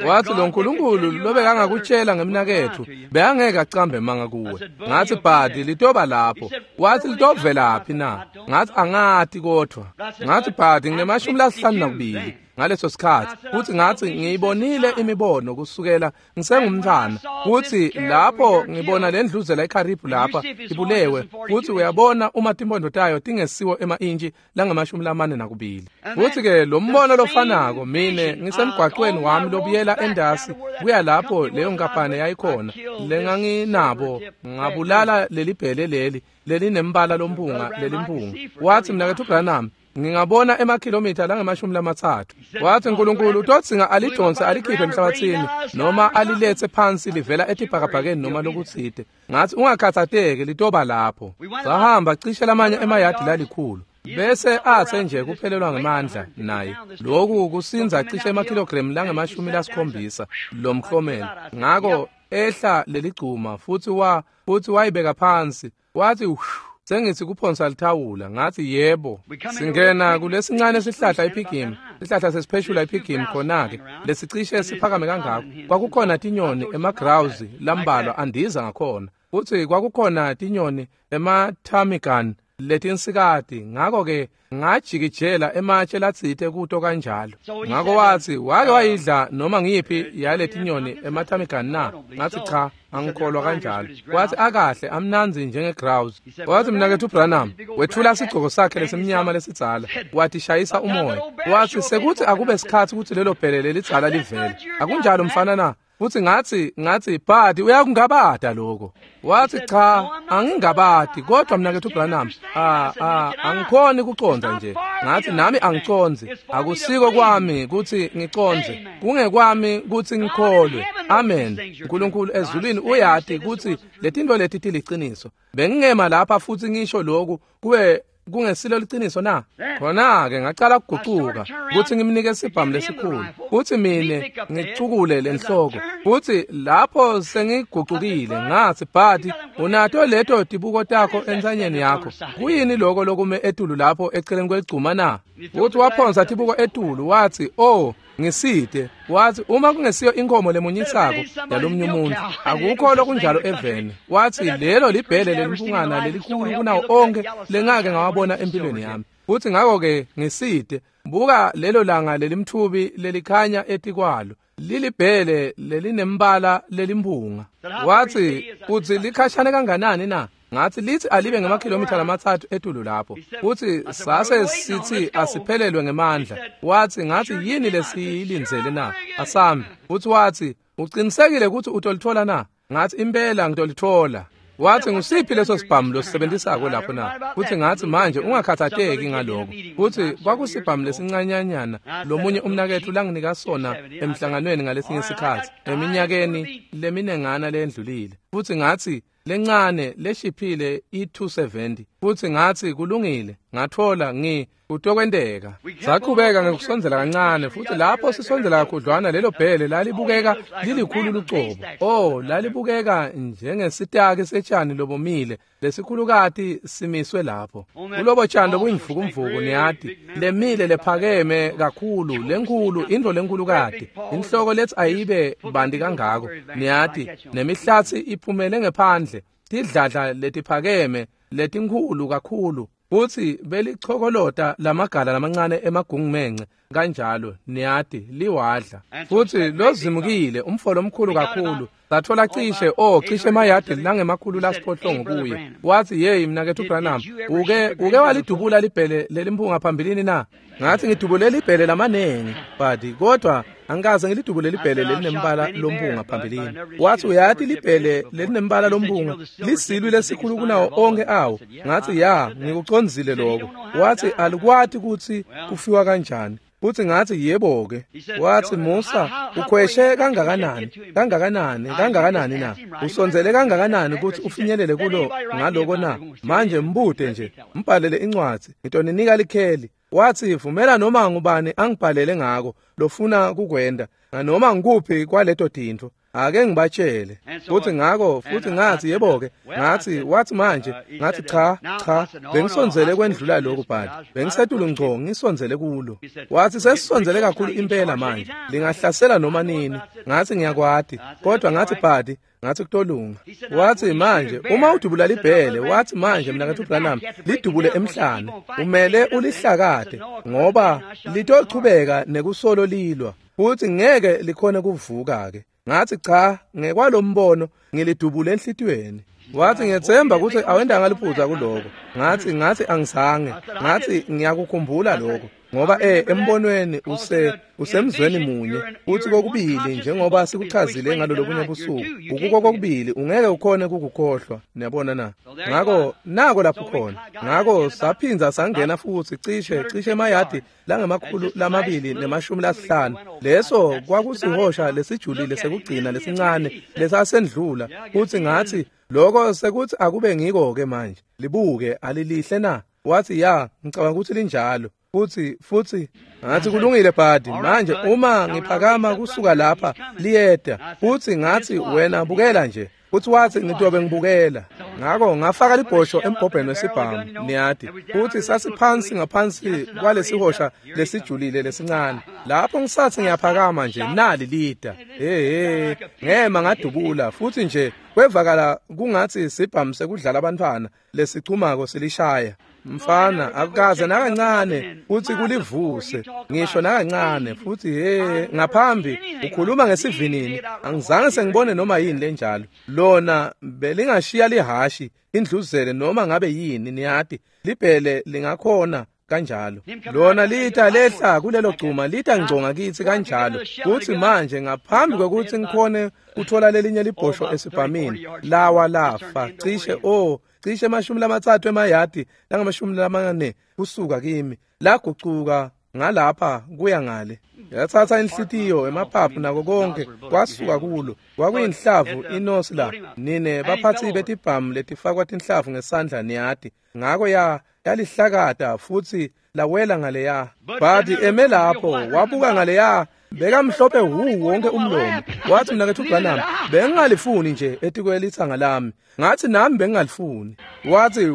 Wathi lo Nkulunkulu lobekangakutshela ngemnaketfu bekangeke acambe manga kuwe. Ngathi Bhadi litoba lapho. Wathi litovelaphi na? Ngathi angati kodwa. Ngathi Bhadi nginemashumi lasihlanu nakubili ngaleso sikhathi, futhi ngathi ngiyibonile imibono kusukela ngisengumntwana, futhi lapho ngibona lendluzela eKaribhu lapha ibulewe, futhi uyabona uma timpondo tayo tingesiwo ema-intshi langamashumi lamane nakubili. Futhi ke lo mbono lofanako mine ngisemgwaqweni wami lobuyela endasi kuya lapho leyo nkampane yayikhona lenganginabo, ngabulala lelibhele leli lelinembala lompunga lelimpunga. Wathi mnaketfu Branham, ngingabona emakhilomitha langamashumi lamatsatfu. Wathi Nkulunkulu utodzinga alidonse alikhiphe emhlabathini noma alilethe phansi livela etibhakabhakeni noma lokutsite. Ngathi ungakhathateki litoba lapho. Sahamba cishe lamanye emayadi lalikhulu. Bese athe nje kuphelelwa ngemandla naye. Lokhu kusinza cishe emakhilogramu langamashumi lasikhombisa lomklomelo. Ngako ehla leligcuma futhi wa futhi wayibeka phansi. Wathi sengithi kuphonsa lithawula. Ngathi yebo. Singena kulesincane sihlahla iphigim, sihlahla sesipheshula iphigim khona-ke lesicishe siphakame kangako. Kwakukhona tinyoni emagrouse lambalwa andiza ngakhona, futhi kwakukhona tinyoni emathamigan letinsikati. Ngako-ke ngajikijela ematshe latsite kuto kanjalo. Ngako wathi wake wayidla noma ngiyiphi yaletinyoni emathamigan na? Ngathi cha, angikholwa kanjalo. Wathi akahle, amnandzi njengegrouse. Wathi mnaketfu Branham wethula sigcoko sakhe lesimnyama lesidzala, wathi shayisa umoya. Wathi sekuthi akube sikhathi ukuthi lelo bhele lelidzala livele. Akunjalo mfana na? Futhi ngathi ngathi Bhadi uyakungabata lokho. Wathi cha, angingabati kodwa mnaketfu Branham, ah ah angikhoni kucondza nje. Ngathi nami angicondzi, akusiko kwami kuthi ngicondze, kungekwami kuthi ngikholwe. Amen. uNkulunkulu ezulwini uyati kuthi letinto leti tiliciniso. Bengingema lapha futhi ngisho lokhu kube kungesilo liciniso na? Khona-ke ngacala kugucuka kuthi ngimnike sibhamu lesikhulu, kuthi mine ngicukule lenhloko. Futhi lapho sengigucukile ngathi Bhadi, unato leto tibuko takho entsanyeni yakho, kuyini lokho lokume etulu lapho eceleni kwegcuma na? Uthi waphonsa tibuko etulu wathi oh ngiside. Wathi uma kungesiyo inkomo lemunyisako yalomnye umuntu, akukho lokunjalo eveni. Wathi lelo libhele lelimpungana lelikhulu kunawo onke lengake ngawabona empilweni yami. Futhi ngako-ke ngiside, buka lelo langa lelimthubi lelikhanya etikwalo, lilibhele lelinembala lelimpunga. Wathi uthi likhashane kanganani na? Ngathi lithi alibe ngamakhilomitha lamatsatfu etulu lapho. Futhi sase sithi asiphelelwe ngemandla. Wathi ngathi yini lesiyilindzele na? Asambe. Futhi wathi uqinisekile ukuthi utolithola na? Ngathi impela ngitolithola. Wathi, ngusiphi leso sibhamu losisebenzisako lapho na? Futhi ngathi, manje ungakhathateki ngaloko. Futhi kwakusibhamu lesincanyanyana lomunye umnaketfu langinika sona emhlanganweni ngalesinye isikhatsi eminyakeni leminengana lendlulile. Futhi ngathi, lencane leshiphile i two seventy. Futhi ngathi, kulungile, ngathola ngi kutokwenteka. Saqhubeka ngekusondzela kancane, futhi lapho sisondzela kakhudlwana lelo bhele lalibukeka lilikhulu lucobo. Oh, lalibukeka njengesitaki setshani lobomile lesikhulukati simiswe lapho. Kulobo tshani lobuyimvukumvuku, niyati, lemile lephakeme kakhulu, lenkhulu, intfo lenkhulukati. Inhloko lethi ayibe banti kangako, niyati, nemihlatsi iphumele ngephandle, tidladla letiphakeme letinkhulu kakhulu. Futhi belichokolota lamagala lamancane emagungumence kanjalo, niyati, liwadla. Futhi lozimukile umfo lomkhulu kakhulu, sathola cishe oh cishe emayadi langemakhulu lasiphohlongo kuye. Wathi, yeyi mnaketfu Branham, uke uke walidubula libhele lelimphunga phambilini na? Ngathi, ngidubule libhele lamanengi badi, kodwa angikaze ngilidubule libhele lelinembala lomphunga phambilini. Wathi, uyati libhele lelinembala lomphunga lisilwi lesikhulu kunawo onke awo. Ngathi, ya, ngikucondzile lokho. Wathi, alikwati kutsi kufiwa kanjani. Futhi ngathi, yebo ke. Wathi, Musa, ukhweshe kangakanani, kangakanani, kangakanani na? Usondzele kangakanani kutsi ufinyelele kulo ngaloko na? Manje mbute nje, mbhalele incwadzi, ngitoninika likheli. Wathi, vumela noma ngubani angibhalele ngako lofuna kukwenda, noma ngikuphi kwaleto tintfo. Ake ngibatshele. Futhi ngako, futhi ngathi, yebo ke. Ngathi, wathi manje, ngathi cha, cha, bengisondzele kwendlula lokhu bhadi. Bengisetulu ngco ngisondzele kulo. Wathi, sesisondzele kakhulu impela manje, lingahlasela noma nini. Ngathi, ngiyakwati, kodwa ngathi bhadi, ngathi kutolunga. Wathi, manje uma udubula libhele, wathi manje mnaketfu Branham, lidubule emhlane, umele ulihlakade ngoba litochubeka nekusolo lilwa, futhi ngeke likhone kuvuka ke. Ngathi, cha, ngekwalombono ngilidubule enhlitiyweni. Wathi, ngiyethemba ukuthi awendanga liphutha kuloko. Ngathi, ngathi angizange. Ngathi, ngiyakukhumbula lokho, ngoba eh embonweni use usemzweni munye, futhi kokubili njengoba sikuchazile ngalolo bunye busuku, ukuko kokubili ungeke ukhone kukukhohlwa, niyabona na? Ngako nako lapho khona. Ngako saphinza sangena futhi cishe cishe emayadi langemakhulu lamabili nemashumi lasihlanu. Leso kwakusihosha lesijulile sekugcina lesincane lesasendlula. Futhi ngathi, lokho sekuthi akube ngiko ke manje, libuke alilihle na? Wathi, ya, ngicabanga ukuthi linjalo. Futhi futhi ngathi, kulungile bhadi, manje uma ngiphakama kusuka lapha liyeda. Futhi ngathi, wena bukela nje. Futhi wathi, ngitobe ngibukela. Ngako ngafaka libhosho embhobheni wesibhamu, niyati. Futhi sasiphansi ngaphansi kwalesihosha lesijulile lesincane. Lapho ngisathi ngiyaphakama nje, nali lida. Hey, ngema ngadubula, futhi nje kwevakala kungathi sibhamu sekudlala abantwana lesichumako silishaya. Mfana, akukaze nakancane futhi kulivuse ngisho nakancane. Futhi he, ngaphambi ukhuluma ngesivinini, angizange sengibone noma yini lenjalo. Lona belingashiya lihashi indluzele noma ngabe yini, niyati, libhele lingakhona kanjalo. Lona lita lehla kulelo gcuma, lita ngconga kithi kanjalo. Kuthi manje ngaphambi kwekuthi ngikhone uthola lelinye libhosho esibhamini, lawa lafa cishe oh cishe emashumi lamathathu emayadi langamashumi lamane kusuka kimi, lagucuka ngalapha kuya ngale. Yathatha inhlitiyo, emaphaphu nako konke kwasuka kulo. Kwakuyinhlavu inosi la, nine baphathi betibhamu letifakwa tinhlavu ngesandla, niyati. Ngako ya yalihlakata futhi lawela ngaleya. Bhadi eme lapho wabuka ngaleya, bekamhlophe hu wonke umlomo. Wathi, mnaketfu Branham, bengingalifuni nje etikwelithanga lami. Ngathi, nami bengingalifuni. Wathi,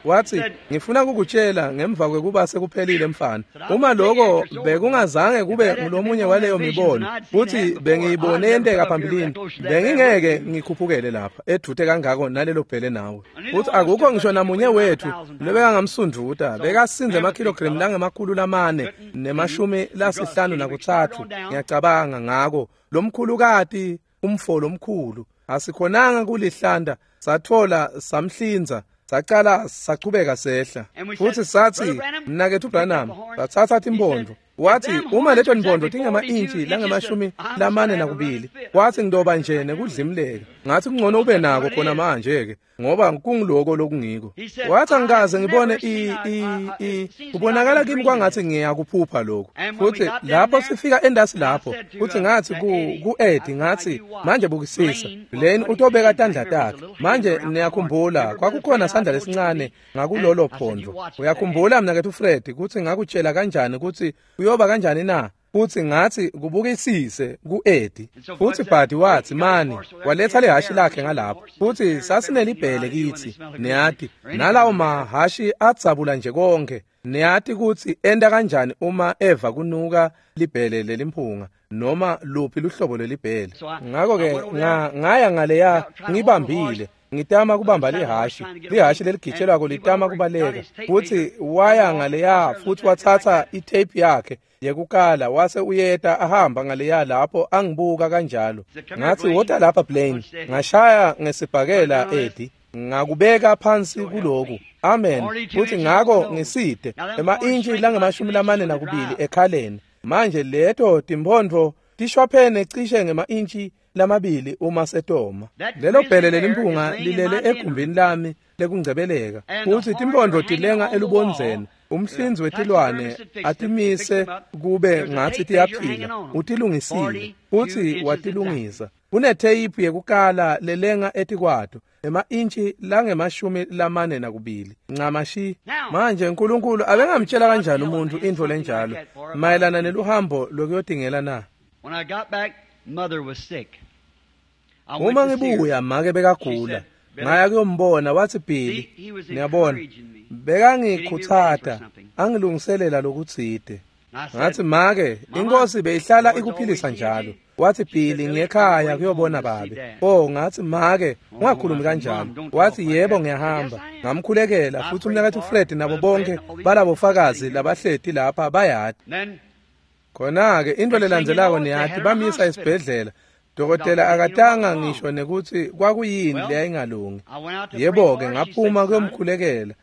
wathi, ngifuna kukutshela ngemva kwekuba sekuphelile mfana, uma lokho bekungazange kube ngulomunye waleyo mibono, futhi bengiyibone yenteka phambilini, bengingeke ngikhuphukele lapha edvute kangako nalelo bhele nawe. Futhi akukho ngisho namunye wethu lobekangamsunduta, bekasinze emakhilogremu langemakhulu lamane nemashumi lasihlanu nakutsatfu, ngiyacabanga. Ngako lomkhulukati umfo lomkhulu asikhonanga kulihlanda, sathola samhlinza, sacala sachubeka sehla. Futhi sathi, mnaketfu Branham, sathatha timpondo. Wathi uma leto ntondvo tingema-intshi langemashumi lamane nakubili, wathi ngidoba nje nekudlimleka. Ngathi kungcono ube nako khona manje-ke, ngoba kungiloko lokungiko. Wathi angikaze ngibone i i i kubonakala kimi kwangathi ngiyakuphupha lokhu. Futhi lapho sifika endasi lapho, futhi ngathi ku ku-Eddie ngathi manje bukisisa, Lane utobeka tandla takhe. Manje niyakhumbula kwakukhona sandla lesincane ngakulolo phondo. Uyakhumbula mnaketfu Fred kutsi ngakutshela kanjani kutsi uyoba kanjani na? Futhi ngathi kubukisise ku-Eddie. Futhi Bhadi wathi mani waletha lehhashi lakhe ngalapho. Futhi sasinelibhele kithi, niyati, nalawo mahhashi adzabula nje konke. Niyati kutsi enta kanjani uma eva kunuka libhele lelimphunga noma luphi luhlobo lwelibhele. Ngakho-ke nga, ngaya ngaleya ngibambile. Ngitama kubamba lihhashi, lihhashi leligitshelwako litama kubaleka. Futhi waya ngaleya futhi wathatha itape yakhe yekukala wase uyeta ahamba ngaleya lapho angibuka kanjalo. Ngathi wota lapha Blaine, ngashaya ngesibhakela Eddie, ngakubeka phansi kuloku. Amen. Futhi ngako ngiside ema-intshi langemashumi lamane nakubili ekhaleni. Manje leto timphondvo tishwaphene cishe ngema-intshi lamabili uma setoma. Lelo bhele lelimphunga lilele egumbini lami lekungcebeleka, futhi timphondvo tilenga elubondzeni. Umhlinzi wetilwane atimise kube ngathi tiyaphila, utilungisile futhi watilungisa. Kunetheyiphu yekukala lelenga etikwato ema-intshi langemashumi lamane nakubili ncamashi. Manje uNkulunkulu abengamtshela kanjani umuntu intfo lenjalo mayelana neluhambo lokuyotingela na? When I got back, mother was sick. I went Uma to see her. ngibuya make bekagula, ngaya kuyombona. Wathi Billy, niyabona, bekangikhutsata angilungiselela lokutsite. I said, Ngathi make, inkosi beyihlala ikuphilisa njalo. Wathi Billy, ngiyekhaya kuyobona babe. Oh, ngathi make, ungakhulumi kanjalo. Wathi yebo ngiyahamba. Ngamkhulekela futhi umnaketfu Fred nabo bonke balabofakazi labahleti lapha bayati. Then Khona-ke into lelandzelako niyati bamisa esibhedlela. Dokotela akatanga ngisho nekuthi kwakuyini leyayingalungi. I went out to pray Yebo-ke for her. She ngaphuma said, "Son, kuyomkhulekela.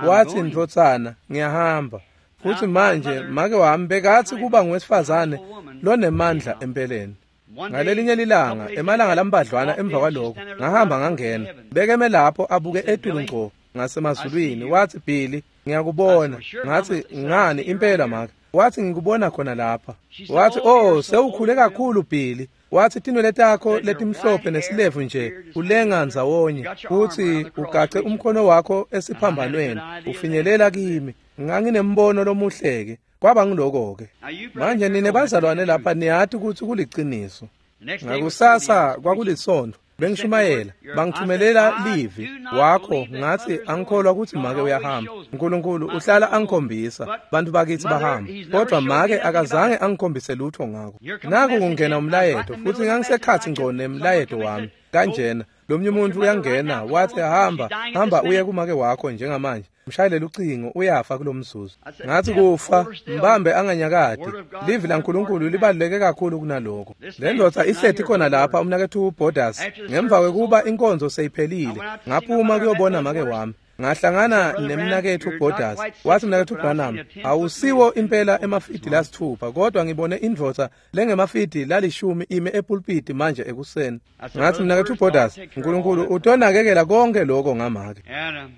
Wathi ndvodzana ngiyahamba. Futhi manje make wami bekathi kuba ngowesifazane lonemandla empeleni. one day, Ngalelinye lilanga emalanga lambadlwana emva kwaloko ngahamba ngangena. Bekeme lapho abuke etulu ngco ngasemazulwini. Wathi Billy, ngiyakubona. Ngathi ngani impela make? Wathi ngikubona khona lapha. Wathi oh sewukhule kakhulu Billy. Wathi tinwele takho letimhlophe nesilevu nje ulenga ndzawonye futhi ugace umkhono wakho esiphambanweni ufinyelela kimi. Nganginembono lomuhleke. Kwaba ngiloko-ke. Now you brothers Manje here nine know that's the bazalwane truth. lapha niyati kutsi kuliciniso. The next day was Ngakusasa Sunday, I was preaching. kwakulisontfo bengishumayela, bangithumelela livi wakho. Ngathi angikholwa kutsi make uyahamba. uNkulunkulu uhlala angikhombisa bantu bakithi bahamba, kodwa make akazange angikhombise lutho ngako. Naku kungena umlayeto futhi ngangisekhathi ngco nemlayeto wami kanjena. Lomnye umuntu uyangena wathi hamba hamba uye kumake wakho njengamanje, mshayelele ucingo uyafa kulomzuzu. Ngathi kufa mbambe anganyakadi. Livi laNkulunkulu libaluleke kakhulu kunaloko. Le ndoda ihleti khona lapha umnaketfu Borders. Ngemva kwekuba inkonzo seyiphelile, ngaphuma kuyobona make wami. Ngahlangana nemnaketfu Borders. Wathi mnaketfu Branham, awusiwo impela emafidi lasithupha, kodwa ngibone indvodza lengemafidi lalishumi ime epulpiti manje ekuseni. Ngathi mnaketfu Borders, uNkulunkulu utonakekela konke lokho ngamake. And a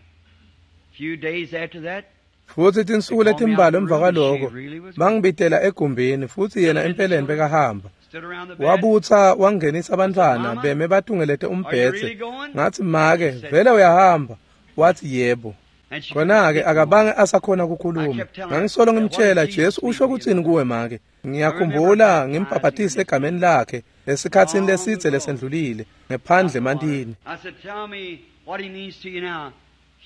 few days after that, Futhi tinsuku letimbalwa emva kwaloko bangibitela egumbini futhi yena empeleni bekahamba. stood around the bed. Wabutsa wangenisa abantwana beme batungelete umbhedze. Ngathi make, vele uyahamba? Wathi yebo. And she Khona-ke couldn't speak akabange asakhona ukukhuluma. Ngangisolo ngimtshela, Jesu usho kutsini kuwe make? Ngiyakhumbula ngimbhabhatise egameni lakhe esikhatsini lesidze lesendlulile ngephandle emantini. I said, tell me what he means to you now.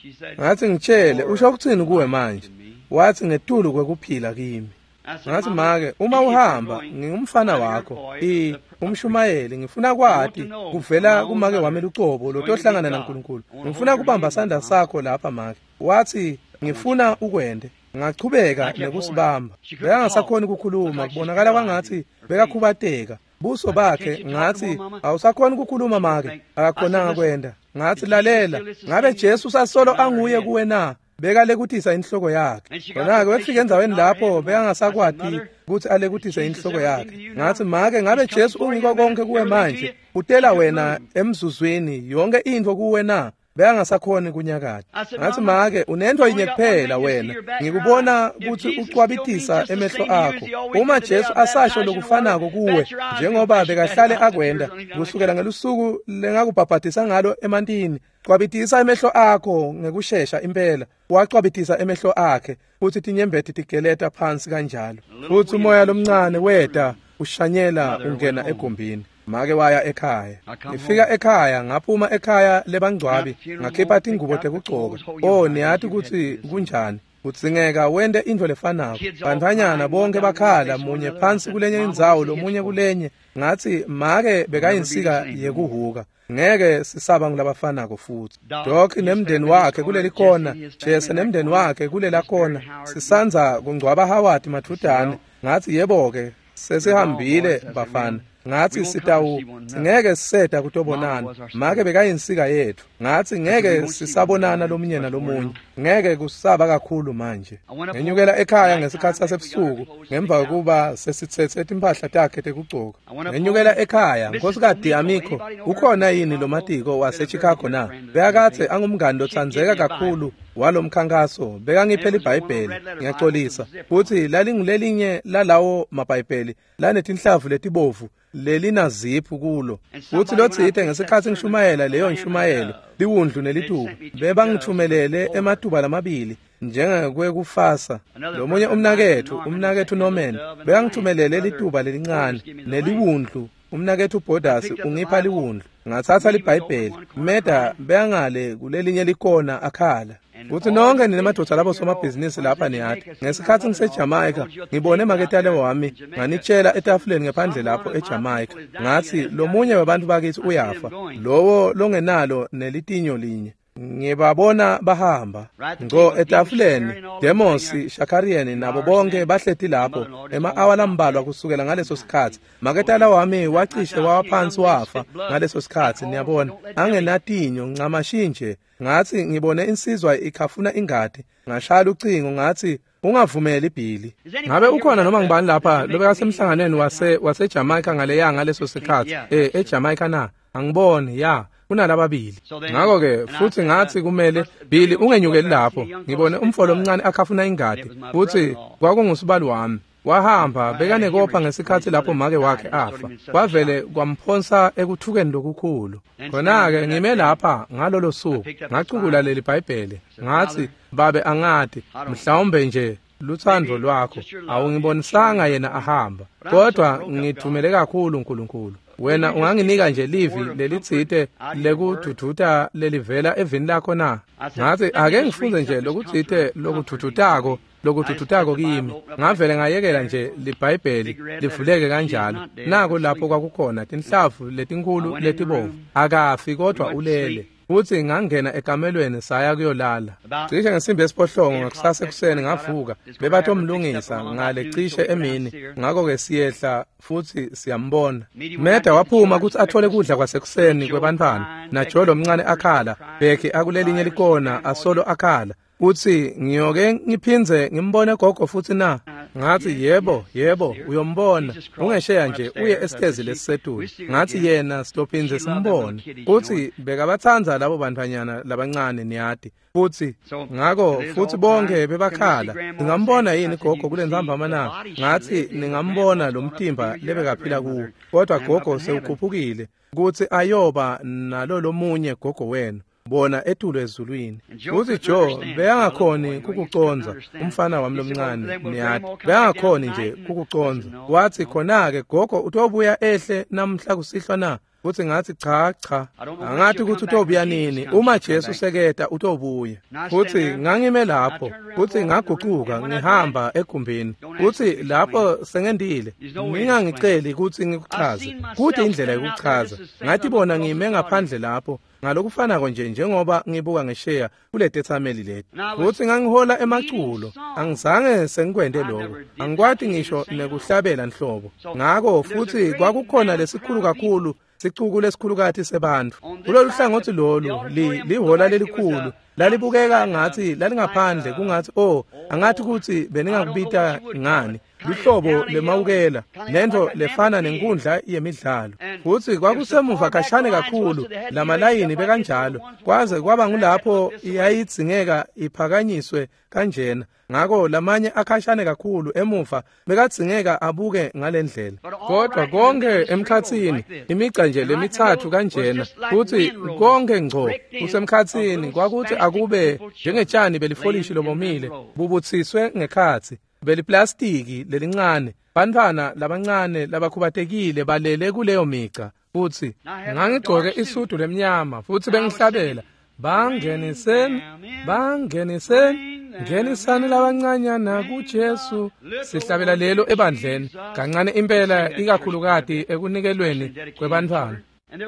She said, Ngathi ngitshele usho kutsini kuwe manje? Wathi ngetulu kwekuphila kimi. I said, Ngathi "Mama, make, uma if you're uhamba going, ngingumfana I'm your wakho, boy, i the- umshumayeli, ngifuna kwati kuvela kumake wami lucobo lotohlangana naNkulunkulu. Ngifuna kubamba sandla sakho lapha make. Wathi ngifuna ukwende. Ngachubeka nekusibamba. Bekangasakhoni ukukhuluma, kubonakala kwangathi bekakhubateka. Buso bakhe ngathi awusakhoni ukukhuluma make, akakhonanga kwenda. Ngathi lalela, ngabe Jesu usasolo anguye kuwe na? Bekalekutisa inhloko yakhe. Khona-ke wefika endzaweni lapho bekangasakwati kutsi alekutise inhloko yakhe. Ngatsi, make, ngabe Jesu ungiko konke kuwe manje? Utela wena emzuzwini yonke intfo kuwe na? Bekangasakhoni kunyakata. Ngatsi, make, unento yinye kuphela wena. Ngikubona kutsi ucwabitisa emehlo akho. Uma Jesu asasho lokufanako kuwe njengoba bekahlale akwenda kusukela ngelusuku lengakubhabhatisa ngalo emantini, cwabitisa emehlo akho ngekushesha impela. Wacwabitisa emehlo akhe futhi tinyembeti tigeleta phansi kanjalo. Futhi umoya lomncane weta ushanyela ungena egumbini. Make waya ekhaya. Ngifika ekhaya, ngaphuma ekhaya lebangcwabi, ngakhipha tingubo tekugcoka. Oh, niyati kutsi kunjani. Kudzingeka wente intfo lefanako. Bantfwanyana bonke bakhala, munye phansi kulenye indzawo, lomunye kulenye. Ngatsi, make bekayinsika yekuhuka. Ngeke sisaba ngulabafanako futhi. Doc nemndeni wakhe kuleli kona, Jesse nemndeni wakhe kulela kona. Sisandza kungcwaba Howard mathutane. Ngatsi, yebo-ke, sesihambile bafana. Ngatsi sitawu singeke siseda kutobonana. Make bekayinsika yethu. Ngatsi ngeke sisabonana lomunye nalomunye. Ngeke kusaba kakhulu manje. Ngenyukela ekhaya ngesikhatsi sasebusuku ngemva kokuba sesitsetse timphahla takhe tekugcoka. Ngenyukela ekhaya, Nkhosikati Amico, ukhona yini lomatiko waseChicago na? Bekakadze angumngani lotsandzeka kakhulu walomkhankaso. Bekangiphe libhayibheli, ngiyacolisa. Futsi lalingulelinye lalawo mabhayibheli lanetinhlavu letibovu lelinaziphu kulo. Futsi lotsite ngesikhatsi ngishumayela leyo nshumayelo liwundlu nelituba, bebangithumelele ematuba lamabili njengekwekufasa. Lomunye umnaketfu, umnaketfu Norman, bekangithumelele lituba lelincane neliwundlu. Umnaketfu Borders ungipha liwundlu. Ngatsatsa libhayibheli. Meda bekangale kulelinye likona akhala. Futsi nonke ninemadvodza labo somabhizinisi lapha niyati. Ngesikhatsi ngiseJamaica, ngibone maketale wami nganitshela etafuleni ngephandle lapho eJamaica. Ngatsi, lomunye webantfu bakithi uyafa, lowo longenalo nelitinyo linye. Ngibabona bahamba ngco etafuleni. Demos, Shakarian nabo bonke bahleti lapho ema-awa lambalwa kusukela ngaleso sikhatsi. Maketala wami wacishe wawa phansi wafa ngaleso sikhatsi, niyabona, angenatinyo ncamashi nje. Ngatsi ngibone insizwa ikhafuna ingati. Ngashaya ucingo ngatsi, ungavumeli Billy. Ngabe ukhona noma ngibani lapha lobekasemhlanganweni wase waseJamaica ngaleya ngaleso sikhatsi? Eh, eJamaica na? Angiboni, ya. Kunalababili. Ngakho-ke futhi ngathi kumele Billy ungenyukeli lapho. Ngibone umfo lomncane akhafuna ingati. Futhi kwakungusibali wami. Wahamba bekanekopha ngesikhatsi lapho make wakhe afa. Kwavele kwamphonsa ekuthukeni lokukhulu. Khona-ke ngime lapha ngalolo suku, ngacukula leli Bhayibheli. Ngathi, babe angati, mhlawumbe nje lutsandvo lwakho awungibonisanga yena ahamba, kodwa ngithumele kakhulu uNkulunkulu. Wena unganginika nje livi lelitsite lekududuta lelivela evini lakho na? Ngathi, ake ngifunze nje lokutsite lokududutako lokududutako kimi. Ngavele ngayekela nje libhayibheli livuleke kanjalo. Nako lapho kwakukhona tinhlavu letinkhulu letibovu. Akafi kodwa ulele. Futhi ngangena ekamelweni saya kuyolala. Cishe ngesimbi yesiphohlongo ngakusasa ekuseni ngavuka. Bebatomlungisa ngale cishe emini. Ngakho-ke siyehla futhi siyambona. Meda waphuma kutsi athole kudla kwasekuseni kwebantfwana. Najo lomncane akhala, Becky akulelinye likona asolo akhala. Uthi, ngiyoke ngiphindze ngimbone gogo futhi na? Ngathi, yebo, yebo, uyombona. Ungesheya nje uye esitezi lesisetulu. Ngathi yena sitophindze simbone. Uthi bekabatsandza labo bantfwanyana labancane niyati. Futhi ngakho futhi bonke bebakhala. Ningambona yini gogo kulentsambama na? Ngathi ningambona lo mtimba lebekaphila kuwo. Kodwa gogo sewukhuphukile kutsi ayoba nalo lomunye gogo wenu. Bona etulu ezulwini. Uthi Joe beyangakhoni kukuconza umfana wami lomncane niyati. Beyangakhoni nje kukuconza. Wathi khona-ke gogo utobuya ehle namhla kusihlwa na? Futhi ngathi cha cha, angathi ukuthi utobuya nini. Uma Jesu seketa utobuya. Futhi ngangime lapho, futhi ngagucuka ngihamba egumbini. Futhi lapho sengendile, ngingangiceli ukuthi ngikuchaze. Kude indlela yokuchaza. Ngathi bona ngime ngaphandle lapho ngalokufanako nje njengoba ngibuka ngesheya kule tethameli leti. Futhi ngangihola emaculo, angizange sengikwente lokho. Angikwati ngisho nekuhlabela nhlobo. Ngakho futhi kwakukhona lesikhulu kakhulu Sicuku lesikhulukati sebantfu. Kulolu hlangothi lolu lihola lelikhulu lalibukeka ngathi lalingaphandle kungathi oh angathi ukuthi beningakubita ngani luhlobo lemawukela lento lefana nenkundla yemidlalo futhi kwakusemuva khashane kakhulu lamalayini bekanjalo kwaze kwaba ngulapho yayidzingeka iphakanyiswe kanjena ngako lamanye akhashane kakhulu emuva bekadzingeka abuke ngalendlela kodwa konke emkhatsini imigca nje lemithathu kanjena futhi konke ngco kusemkhatsini kwakuthi akube njengetshani belifolishi lobomile bubutsiswe ngekhatsi beliplastiki lelincane bantfwana labancane labakhubatekile balele kuleyo migca futhi ngangigcoke isudu lemnyama futhi bengihlabela bangeniseni bangeniseni ngenisani labancanyana kuJesu sihlabela lelo ebandleni kancane impela ikakhulukati ekunikelweni kwebantfwana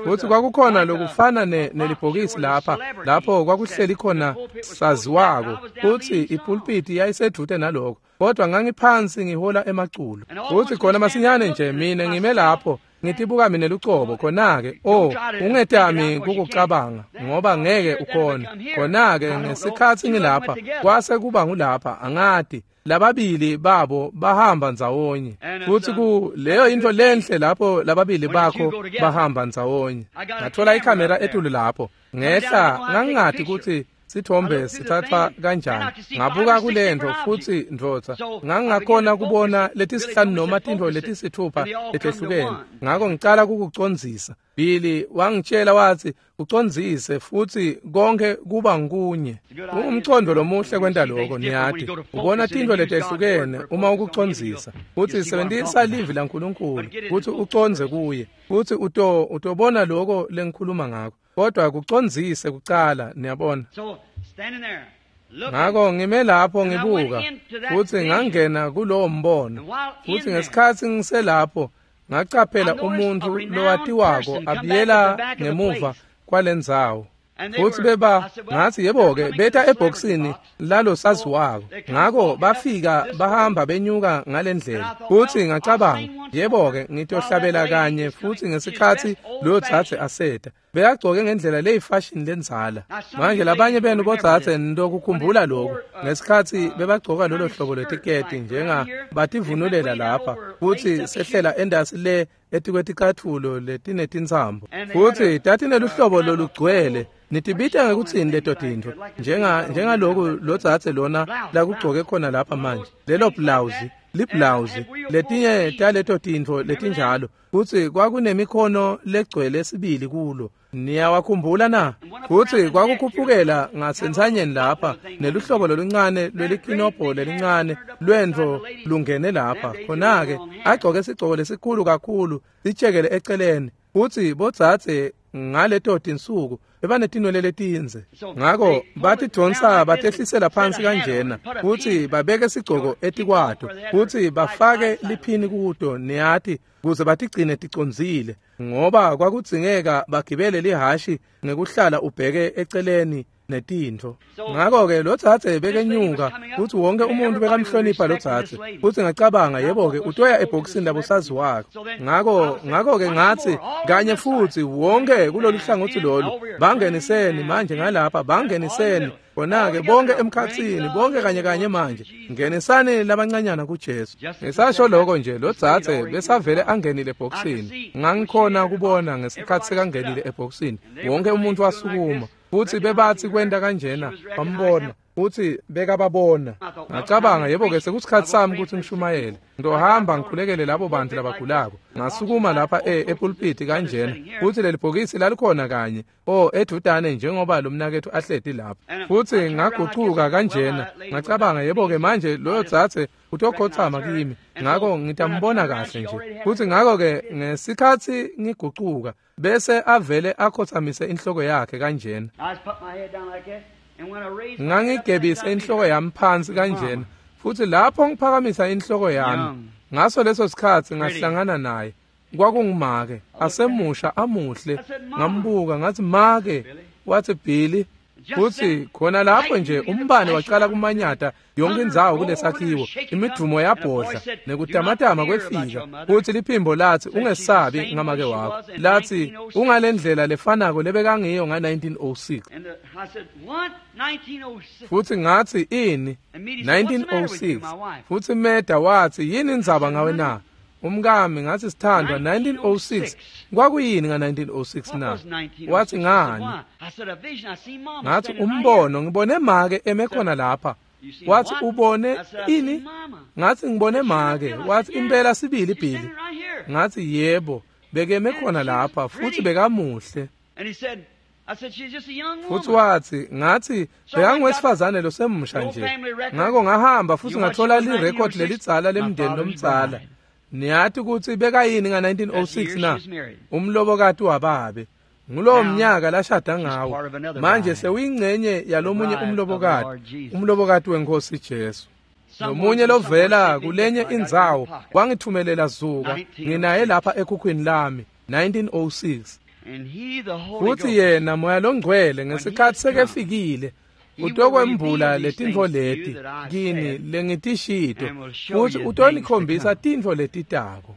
futhi kwakukhona lokufana nelibhokisi lapha lapho kwakuhleli khona saziwako futhi ipulpiti yayisedvute naloko kodwa ngangiphansi ngihola emaculo futhi khona masinyane nje mina ngime lapho ngitibuka mina lucobo khona-ke oh ungetami kukucabanga ngoba ngeke ukhona khona-ke ngesikhatsi ngilapha kwase kuba ngulapha angati lababili babo bahamba ndzawonye futhi ku leyo into lenhle lapho lababili bakho bahamba ndzawonye ngathola ikhamera etulu lapho ngehla ngangingati ukuthi sithombe sithathwa kanjani ngabuka kulento futhi ndvodza ngangingakhona kubona letisihlanu noma tintfo letisithupha letehlukene ngako ngicala kukucondzisa Billy wangitshela wathi ucondzise futhi konke kuba nkunye umcondo lomuhle kwenta lokho niyati ubona tintfo letehlukene uma ukucondzisa futhi sebenzisa livi laNkulunkulu futhi ucondze kuye futhi uto utobona lokho lengikhuluma ngakho kodwa kucondzise kucala niyabona ngako ngime lapho ngibuka futhi ngangena kulowo mbono futhi ngesikhatsi ngiselapho ngacaphela umuntu lowatiwako abuyela ngemuva kwalendzawo futhi beba ngathi yebo-ke beta ebhokisini lalo saziwako ngako bafika bahamba benyuka ngalendlela futhi ngacabanga yebo-ke ngitohlabela kanye futhi ngesikhatsi loyo dzadze aseta bekagcoke ngendlela leyifashini lendzala manje labanye benu bodzadze nitokukhumbula lokhu ngesikhatsi bebagcoka lolo hlobo lwetiketi njenga bativunulela lapha futhi sehlela endasi le etikweticathula letinetintsambo futhi tatineluhlobo lolugcwele nitibita ngekutsini leto tintfo njenga njengaloku lodzadze lona lakugcoke khona lapha manje lelo blouse liblawuzi letinye taleto tintfo letinjalo futsi kwakunemikhono legcwele sibili kulo niyawakhumbula na futsi kwakukhuphukela ngasentsanyeni lapha neluhlobo loluncane lwelikinobho lelincane lwentfo lungene lapha khona-ke agcoke sigcoko lesikhulu kakhulu sitshekele eceleni futsi bodzadze ngaleto tinsuku bebanetinwele letindze ngako batidvonsa batehlisela phansi kanjena futsi babeke sigcoko etikwato futsi bafake liphini kuto niyati kuze batigcine ticondzile ngoba kwakudzingeka bagibele lihashi ngekuhlala ubheke eceleni netintfo ngako-ke lo dzadze bekenyuka futsi wonke umuntu bekamhlonipha lo dzadze futsi ngacabanga yebo-ke utoya ebhokisini labosaziwako ngako ngako-ke ngatsi kanye futsi wonke kulolu hlangotsi lolu bangeniseni manje ngalapha bangeniseni khona-ke bonke emkhatsini bonke kanye kanye manje ngenisani labancanyana kuJesu ngisasho lokho nje lo dzadze besavele angenile ebhokisini ngangikhona kubona ngesikhatsi sekangenile ebhokisini wonke umuntu wasukuma futhi bebathi kwenta kanjena bambona futhi bekababona ngacabanga yebo-ke sekusikhatsi sami ukuthi ngishumayele ngizohamba ngikhulekele labo bantu labagulako ngasukuma lapha e epulpiti kanjena futhi leli bhokisi lalikhona kanye o edudane njengoba lo mnaketfu ahleti lapha futhi ngagucuka kanjena ngacabanga yebo-ke manje loyo dzadze utokhotsama kimi ngako ngitambona kahle nje futhi ngako-ke ngesikhatsi ngigucuka bese avele akhotsamise inhloko yakhe kanjena ngangigebise inhloko yami phansi kanjena futhi lapho ngiphakamisa inhloko yami ngaso leso sikhatsi ngahlangana naye kwakungumake asemusha amuhle ngambuka ngathi make wathi Billy Futsi khona lapho nje umbane wacala kumanyata yonke indzawo kulesakhiwo, imidumo yabhodla nekutamatama kwefika. Futsi liphimbo lathi, ungesabi ngamake wakho. Lathi, ungalendlela lefanako lebekangiyo nga nineteen oh six. Futsi ngathi, ini? nineteen oh six. Futsi Meda wathi, yini indzaba ngawe na? Umkami ngathi, sithandwa, nineteen oh six. Kwakuyini nga nineteen oh six na? Wathi, ngani? Ngathi, umbono, ngibone make eme khona lapha. Wathi, ubone ini? Ngathi, ngibone make. Wathi, impela sibili Billy. Ngathi, yebo, bekeme khona lapha futhi bekamuhle. Futhi wathi, ngathi, bekangowesifazane losemusha nje. Ngakho ngahamba futhi ngathola lirekhodi lelidzala lemndeni lomdzala. Niyathi ukuthi bekayini nga nineteen oh six na? Umlobokati wababe. Ngulowo mnyaka lashada ngawo. Manje sewuyingcenye yalomunye umlobokati, umlobokati wenkosi Jesu. Nomunye lovela kulenye indzawo wangithumelela zuka, nginaye lapha ekhukhwini lami, nineteen oh six. Futhi yena Moya loNgcwele ngesikhathi sekefikile utokwembula letintfo leti kini lengitishito, futhi utonikhombisa tintfo letitako.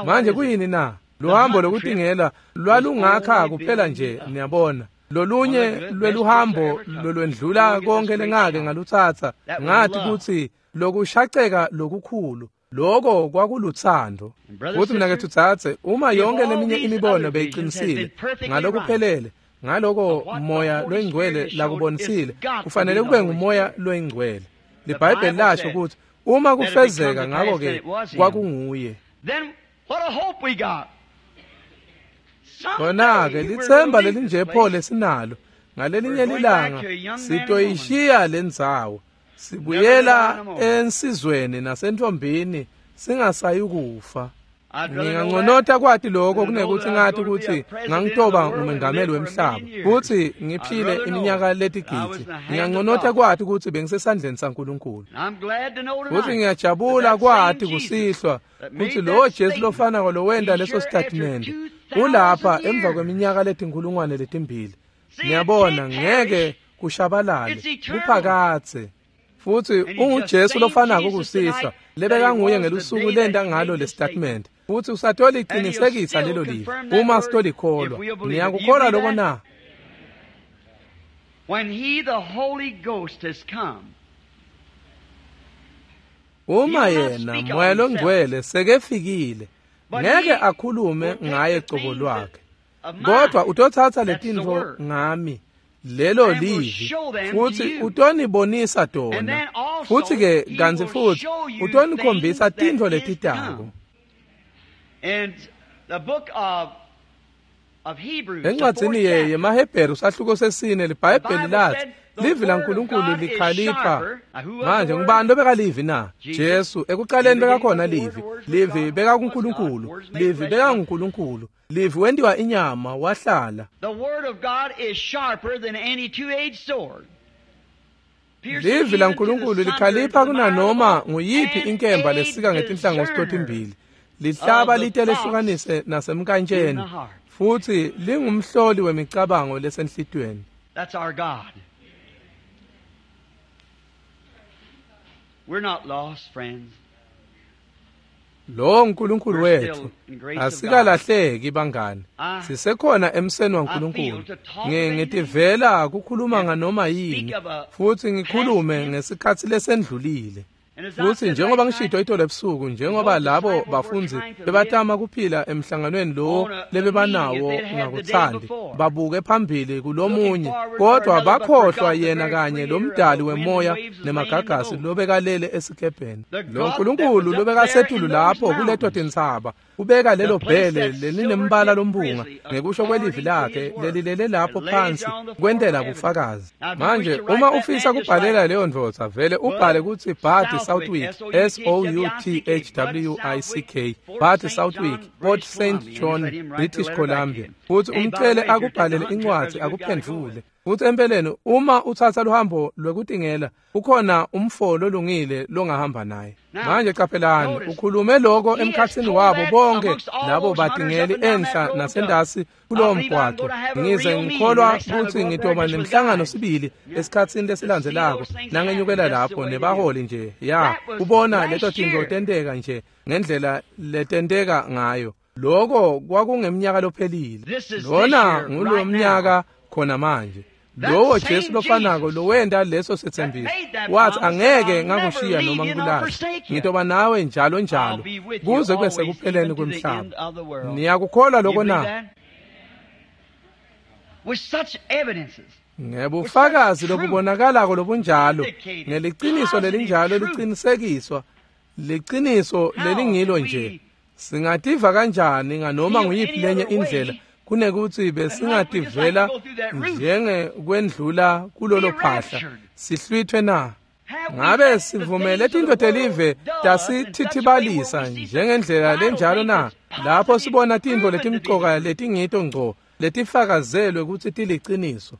Manje kuyini na? Luhambo lokutingela lwalungakha kuphela nje, niyabona. Lolunye lweluhambo lolwendlula konke lengake ngalutsatsa, ngathi kutsi lokushaceka lokukhulu loko kwakuluthando. Futhi mina ke tsatse, uma yonke leminye imibono beyiqinisile ngalokuphelele, ngaloko Moya loNgcwele lakubonisile, kufanele kube nguMoya loNgcwele. LiBhayibheli lasho ukuthi uma kufezeka ngakho ke kwakunguye. Khona-ke lithemba lelinje pho lesinalo, ngalelinye lilanga sitoyishiya lendzawo, sibuyela ensizweni nasentombini singasayi kufa. Nginganconota kwati lokho kunekuthi ngathi ukuthi ngangitoba ngumengameli wemhlaba futhi ngiphile iminyaka letigidi. Nginganconota kwati ukuthi bengisesandleni saNkulunkulu. Futhi ngiyajabula kwati kusihlwa ukuthi lo Jesu lofanako lowenda leso statement ulapha emva kweminyaka letinkulungwane letimbili. Ngiyabona ngeke kushabalale, kuphakathe. Futhi unguJesu lofanako kusihlwa lebekanguye ngelusuku lenda ngalo le statement. Futhi usatoliqinisekisa lelo livi uma sitolikholwa. Niyakukholwa lokho na? When he the Holy Ghost has come, uma yena Moya loNgcwele sekefikile, ngeke akhulume ngaye cobo lwakhe, kodwa utothatha letintfo ngami, lelo livi, futhi utonibonisa tona. Futhi ke kantsi futhi utonikhombisa tintfo letitako. Encwadzini yemaHebheru sahluko sesine liBhayibheli lathi livi laNkulunkulu likhalipha. Manje ngubani lobekalivi na? Jesu. Ekuqaleni bekakhona livi, livi bekakuNkulunkulu, livi bekanguNkulunkulu, livi wentiwa inyama wahlala. Livi laNkulunkulu likhalipha kunanoma nguyiphi inkemba lesika ngetinhlangothi totimbili, lihlaba lite lehlukanise nasemkantsheni, futhi lingumhloli wemicabango lesenhlitiyweni. That's our God. We're not lost, friends. Lo uNkulunkulu wethu, asikalahleki bangani. Sisekhona emseni waNkulunkulu. Ngitivela ukukhuluma nganoma yini, futhi ngikhulume ngesikhathi lesendlulile. Futhi njengoba ngishito itolo ebusuku, njengoba labo bafundzi bebatama kuphila emhlanganweni lo lebebanawo ngakuthandi, babuke phambili kulomunye, kodwa bakhohlwa yena kanye lomdali wemoya nemagagasi lobekalele esikebheni. Lo Nkulunkulu lobekasetulu lapho kuleto tintsaba, ubeka lelo bhele lelinembala lompunga ngekusho kwelivi lakhe lelilele lapho phansi kwentela bufakazi. Manje uma ufisa kubhalela leyo ndvodza, vele ubhale kutsi Bud Southwick, S O U T H W I C K, Bud Southwick, Port Saint John, British Columbia. Futhi umcele akubhalele incwadi akuphendvule. Futsi empeleni uma utsatsa luhambo lwekutingela ukhona umfo lolungile longahamba naye. Manje qaphelani, ukhulume lokho emkhatsini wabo bonke labo batingeli enhla nasendasi kulowo mgwaqo. Ngize ngikholwa kutsi ngitoba nemhlangano sibili esikhatsini lesilandzelako nangenyukela lapho nebaholi nje ya ubona leto tintfo tenteka nje ngendlela letenteka ngayo. Lokho kwakungemnyaka lophelile. Lona ngulo mnyaka khona manje. Lowo Jesu lofanako lowenta leso setsembiso wathi angeke ngakushiya noma ngikulahle, ngitoba nawe njalo njalo kuze kube sekupheleni kwemhlaba. Niyakukholwa lokho na? Ngebufakazi lobubonakalako lobunjalo, ngeliciniso lelinjalo licinisekiswa, liciniso lelingilo nje. Singativa kanjani nganoma nguyiphi lenye indlela kunekuthi besingativela njengekwendlula kulolo phahla sihlwithwe na? Ngabe sivumele tintfo telive tasithithibalisa njengendlela lenjalo na? Lapho sibona tintfo letimcoka letingito ngco letifakazelwe kutsi tiliciniso.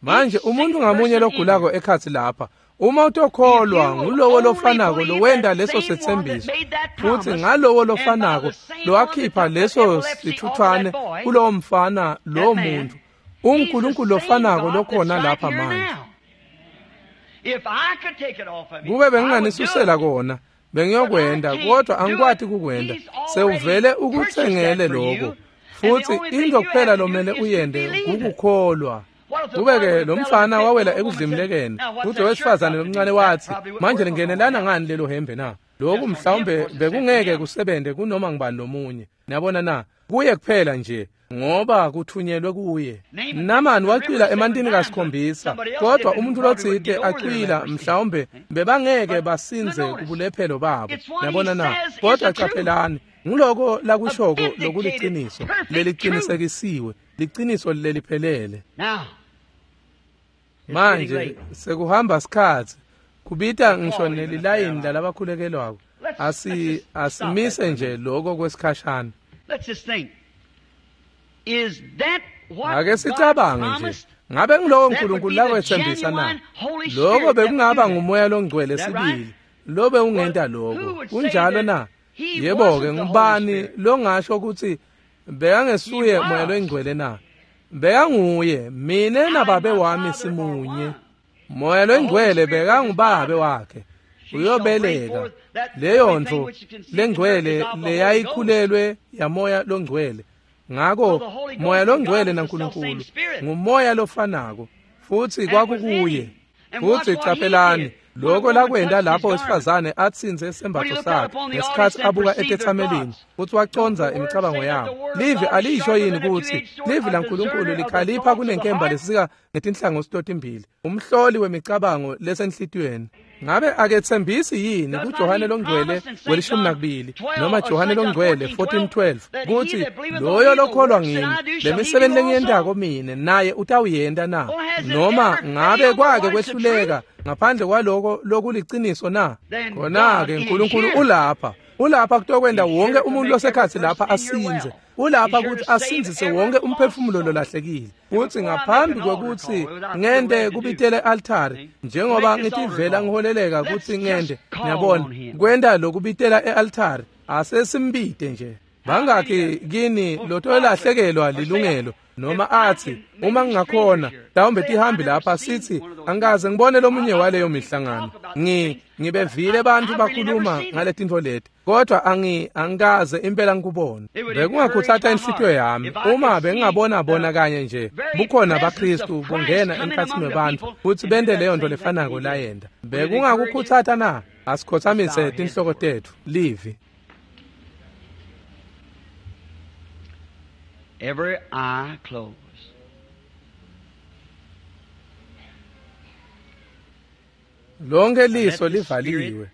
Manje umuntu ngamunye logulako ekhatsi lapha, uma utokholwa ngulowo lofanako lowenta leso setsembiso, futsi ngalowo lofanako lowakhipha leso sithuthwane kulowo mfana lowo muntu, uNkulunkulu lofanako lokhona lapha manje. Kube benginganisusela kona bengiyokwenda, kodwa angikwati kukwenda. Sewuvele ukutsengele lokho, futsi into kuphela lomele uyende kukukholwa. Kube-ke lo mfana wawela ekudlimlekeni, futhi wesifazane lomncane wathi, manje lingenelana ngani lelo hembe na? Lokhu mhlawumbe bekungeke kusebente kunoma ngubani lomunye. Niyabona na? Kuye kuphela nje ngoba kuthunyelwe kuye. Namani wacwila emantini kasikhombisa, kodwa umuntu lotsite acwila mhlawumbe bebangeke basinze kubulephelo babo. Niyabona na? Kodwa qaphelani, nguloko lakushoko lokuliciniso lelicinisekisiwe, liciniso leliphelele. Manje sekuhamba sikhatsi kubita ngisho nelilayini lalabakhulekelwako. Asi asimise nje lokho kwesikhashana. Ake sicabange nje, ngabe ngilowo uNkulunkulu lakwethembisa na? Lokho bekungaba ngumoya longcwele sibili lobe ungenta lokho. Kunjalo na? Yebo-ke, ngubani longasho ukuthi bekangesuye moya longcwele na? Bekanguye, mine nababe wami simunye. Moya longcwele bekangubabe wakhe. Uyobeleka leyo ntfo lengcwele leyayikhulelwe yamoya longcwele. Ngako moya longcwele naNkulunkulu ngumoya lofanako, futsi kwakukuye. Futsi qaphelani lokho lakwenta lapho wesifazane atsintse isembatfo sakhe ngesikhatsi abuka etetsamelini, futsi wacondza imicabango yabo. Livi alisho yini kutsi livi laNkulunkulu likhalipha kunenkemba lesika ngetinhlangothi totimbili, umhloli wemicabango lesenhlitiyweni? Ngabe aketsembisi yini kuJohane longcwele welishumi nakubili noma Johane longcwele fourteen twelve kutsi loyo lokholwa ngimi, lemisebenti lengiyentako mine naye utawuyenta na? Noma ngabe kwake kwehluleka ngaphandle kwaloko lokuliciniso na? Khona-ke uNkulunkulu ulapha, ulapha kutokwenta wonke umuntu losekhatsi lapha asinze. Ulapha ukuthi asindzise wonke umphefumulo lolahlekile. Futsi ngaphambi kwekutsi ngente kubitele altari, njengoba ngitivela ngiholeleka kutsi ngente, ngiyabona kwenta lokubitela e-altari, asesimbite nje. Bangakhi kini lotolahlekelwa lilungelo noma athi uma ngingakhona mhlawumbe tihambi lapha sithi angikaze ngibone lomunye waleyo mihlangano, ngi ngibevile abantu bakhuluma ngaletintfo leti, kodwa angi angikaze impela ngikubone. Bekungakhutsata inhlitiyo yami uma bengingabona bona kanye nje bukhona baKristu bungena emkhatsini webantfu futsi bente leyo nto lefanako layenta. Bekungakukhutsata na? Asikhotsamise tinhloko tetfu. Livi. Every eye closed. Lonke liso livaliwe.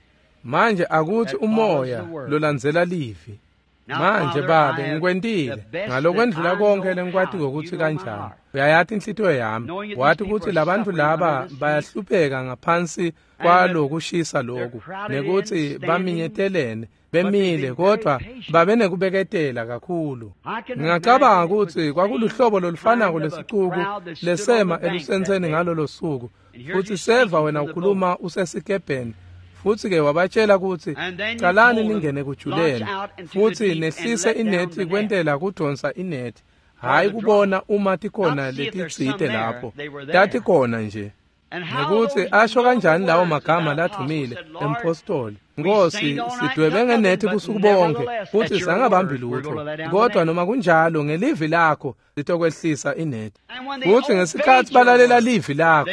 Manje akuthi umoya lolandzela livi. Manje Babe, ngikwentile ngalokwendlula konke lengikwatiko kutsi kanjani. Uyayati inhlitiyo yami, wati kutsi labantu laba bayahlupheka ngaphansi kwalokushisa loku, nekutsi baminyetelene bemile, kodwa babe nekubeketela kakhulu. Ngingacabanga kutsi kwakuluhlobo lolufanako lesicuku lesema elusentseni ngalolo suku, futsi seva wena ukhuluma usesikebheni. Futsi-ke wabatshela kutsi calani ningene kujuleni futsi nehlise inethi kwentela kudonsa inethi, hhayi kubona uma tikhona letitsite lapho, tatikhona nje. Nekutsi asho kanjani lawo magama ladvumile empostoli, Nkosi, sidwebe ngenethi busuku bonke futsi sangabambi lutho, kodwa noma kunjalo ngelivi lakho sitokwehlisa inethi. Futsi ngesikhatsi balalela livi lakho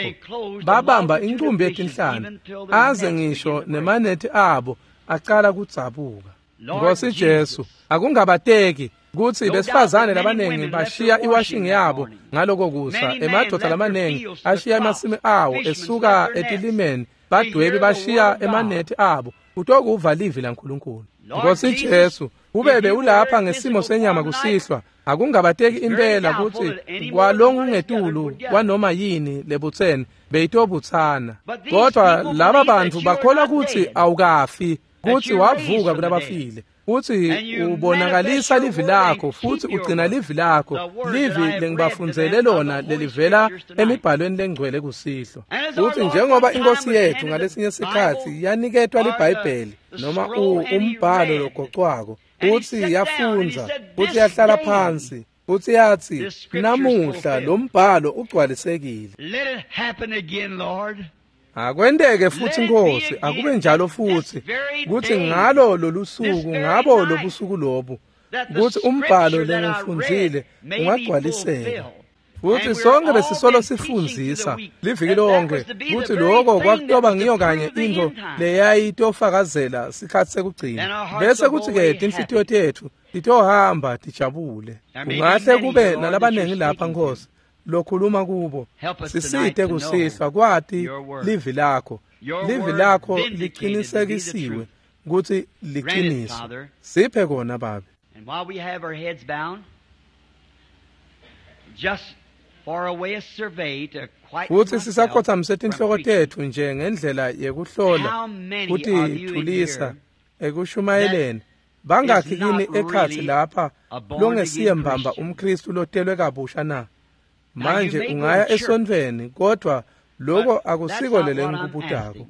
babamba incumbi yetinhlanti, aze ngisho nemanethi abo acala kudzabuka. Nkosi Jesu, akungabateki kutsi besifazane labanengi bashiya iwashing yabo ngaloko kusa, emadvodza lamanengi ashiya emasimi awo esuka etilimeni, badwebi bashiya emanethi abo kutokuva livi laNkulunkulu. Nkosi Jesu, kube bewulapha ngesimo senyama kusihlwa, akungabateki impela kutsi kwalongungetulu kwanoma yini lebutsene beyitobutsana. Kodwa laba bantfu bakholwa kutsi awukafi, kutsi wavuka kulabafile, kutsi ubonakalisa livi lakho futsi ugcina livi lakho, livi lengibafundzele lona lelivela emibhalweni lengcwele kusihlwa. Futsi njengoba inkosi yethu ngalesinye sikhatsi yaniketwa liBhayibheli noma umbhalo logocwako, futsi yafundza, futsi yahlala phansi, futsi yatsi, namuhla lo mbhalo ugcwalisekile. Akwenteke futsi Nkosi, akube njalo futsi kutsi ngalo lolusuku, ngabo lobusuku lobu, kutsi umbhalo lengifundzile ungagcwaliseka. Futsi sonke besisolo sifundzisa liviki lonke kutsi loko kwakutoba ngiyo kanye intfo leyayitofakazela sikhatsi sekugcina, bese kutsi-ke tinhlitiyo tetfu titohamba tijabule. Kungahle kube nalabanengi lapha Nkosi lokhuluma kubo, sisite kusihlwa kwati livi lakho. Livi lakho liqinisekisiwe kutsi liciniso. Siphe kona Babe. And while we have our heads bound, just for a way of survey to Futsi sisakhotsamise tinhloko tetfu nje ngendlela yekuhlola kutithulisa ekushumayeleni. Bangakhi kini ekhatsi lapha longesiye mbamba umKristu lotelwe kabusha na? Manje ungaya esontfweni, kodwa loko akusiko lelengikubutako.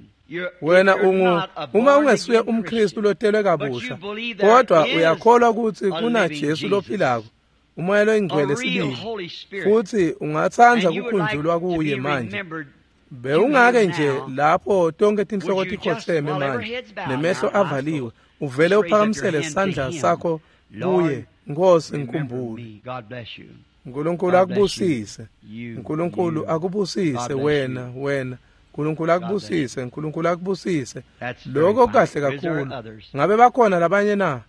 Wena ungu uma ungesuye umKristu lotelwe kabusha, kodwa uyakholwa kutsi kuna Jesu lophilako, umoya loyingcwele sibili, futsi ungatsandza kukhunjulwa kuye manje. Bewungake nje lapho tonke tinhloko tikhotseme manje nemehlo avaliwe, uvele uphakamisele sandla sakho kuye, Nkosi ngikhumbule. Nkulunkulu akubusise, Nkulunkulu akubusise wena, wena. Nkulunkulu akubusise, Nkulunkulu akubusise. Lokho kahle kakhulu. Ngabe bakhona labanye na?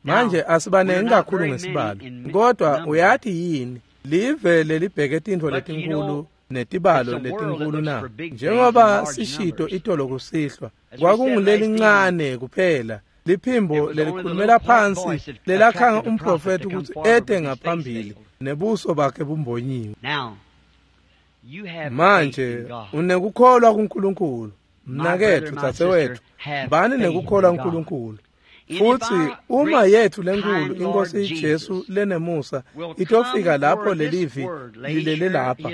Manje asibanengi kakhulu ngesibalo, kodwa uyati yini live lelibheke tintfo letinkulu netibalo letinkulu na? Njengoba sishito itolo kusihlwa, kwakungulelincane kuphela liphimbo lelikhulumela phansi lelakhanga umprofethi ukuthi ete ngaphambili nebuso bakhe bumbonyiwe. Manje unekukholwa kuNkulunkulu, mnaketfu, dzadzewetfu, bani nekukholwa kuNkulunkulu. Futsi uma yethu lenkulu inkosi Jesu lenemusa itofika lapho lelivi lilele lapha,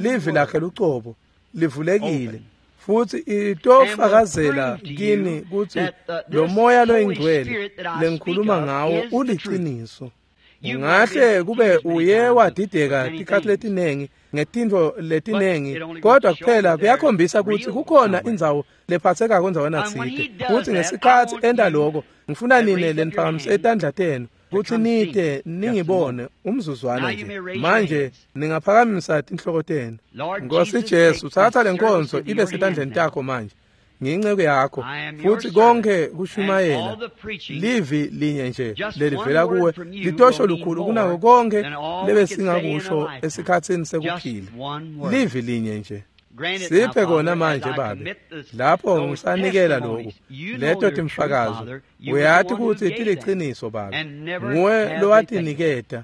livi lakhe lucobo livulekile, futsi itofakazela kini kutsi lo moya loyingcwele lengikhuluma ngawo uliciniso. Ungahle kube uye wadideka tikhatsi letinengi ngetintfo letinengi, kodwa kuphela kuyakhombisa kutsi kukhona indzawo lephatsekako endzaweni tsite. Futsi ngesikhatsi enta loko, ngifuna nine leniphakamise etandla tenu kutsi nite ningibone umzuzwana nje. Manje ningaphakamisa tinhloko tenu. Nkosi Jesu, tsatsa lenkonzo ibe setandleni takho manje. Ngiyinceku yakho, futsi konke kushumayela livi linye nje lelivela kuwe litosho lukhulu kunako konke lebesingakusho esikhatsini sekuphila. Livi linye nje. Siphe kona manje Babe, lapho ngisanikela lokhu, leto timfakazo, uyati kutsi tiliciniso Babe, nguwe lowatiniketa,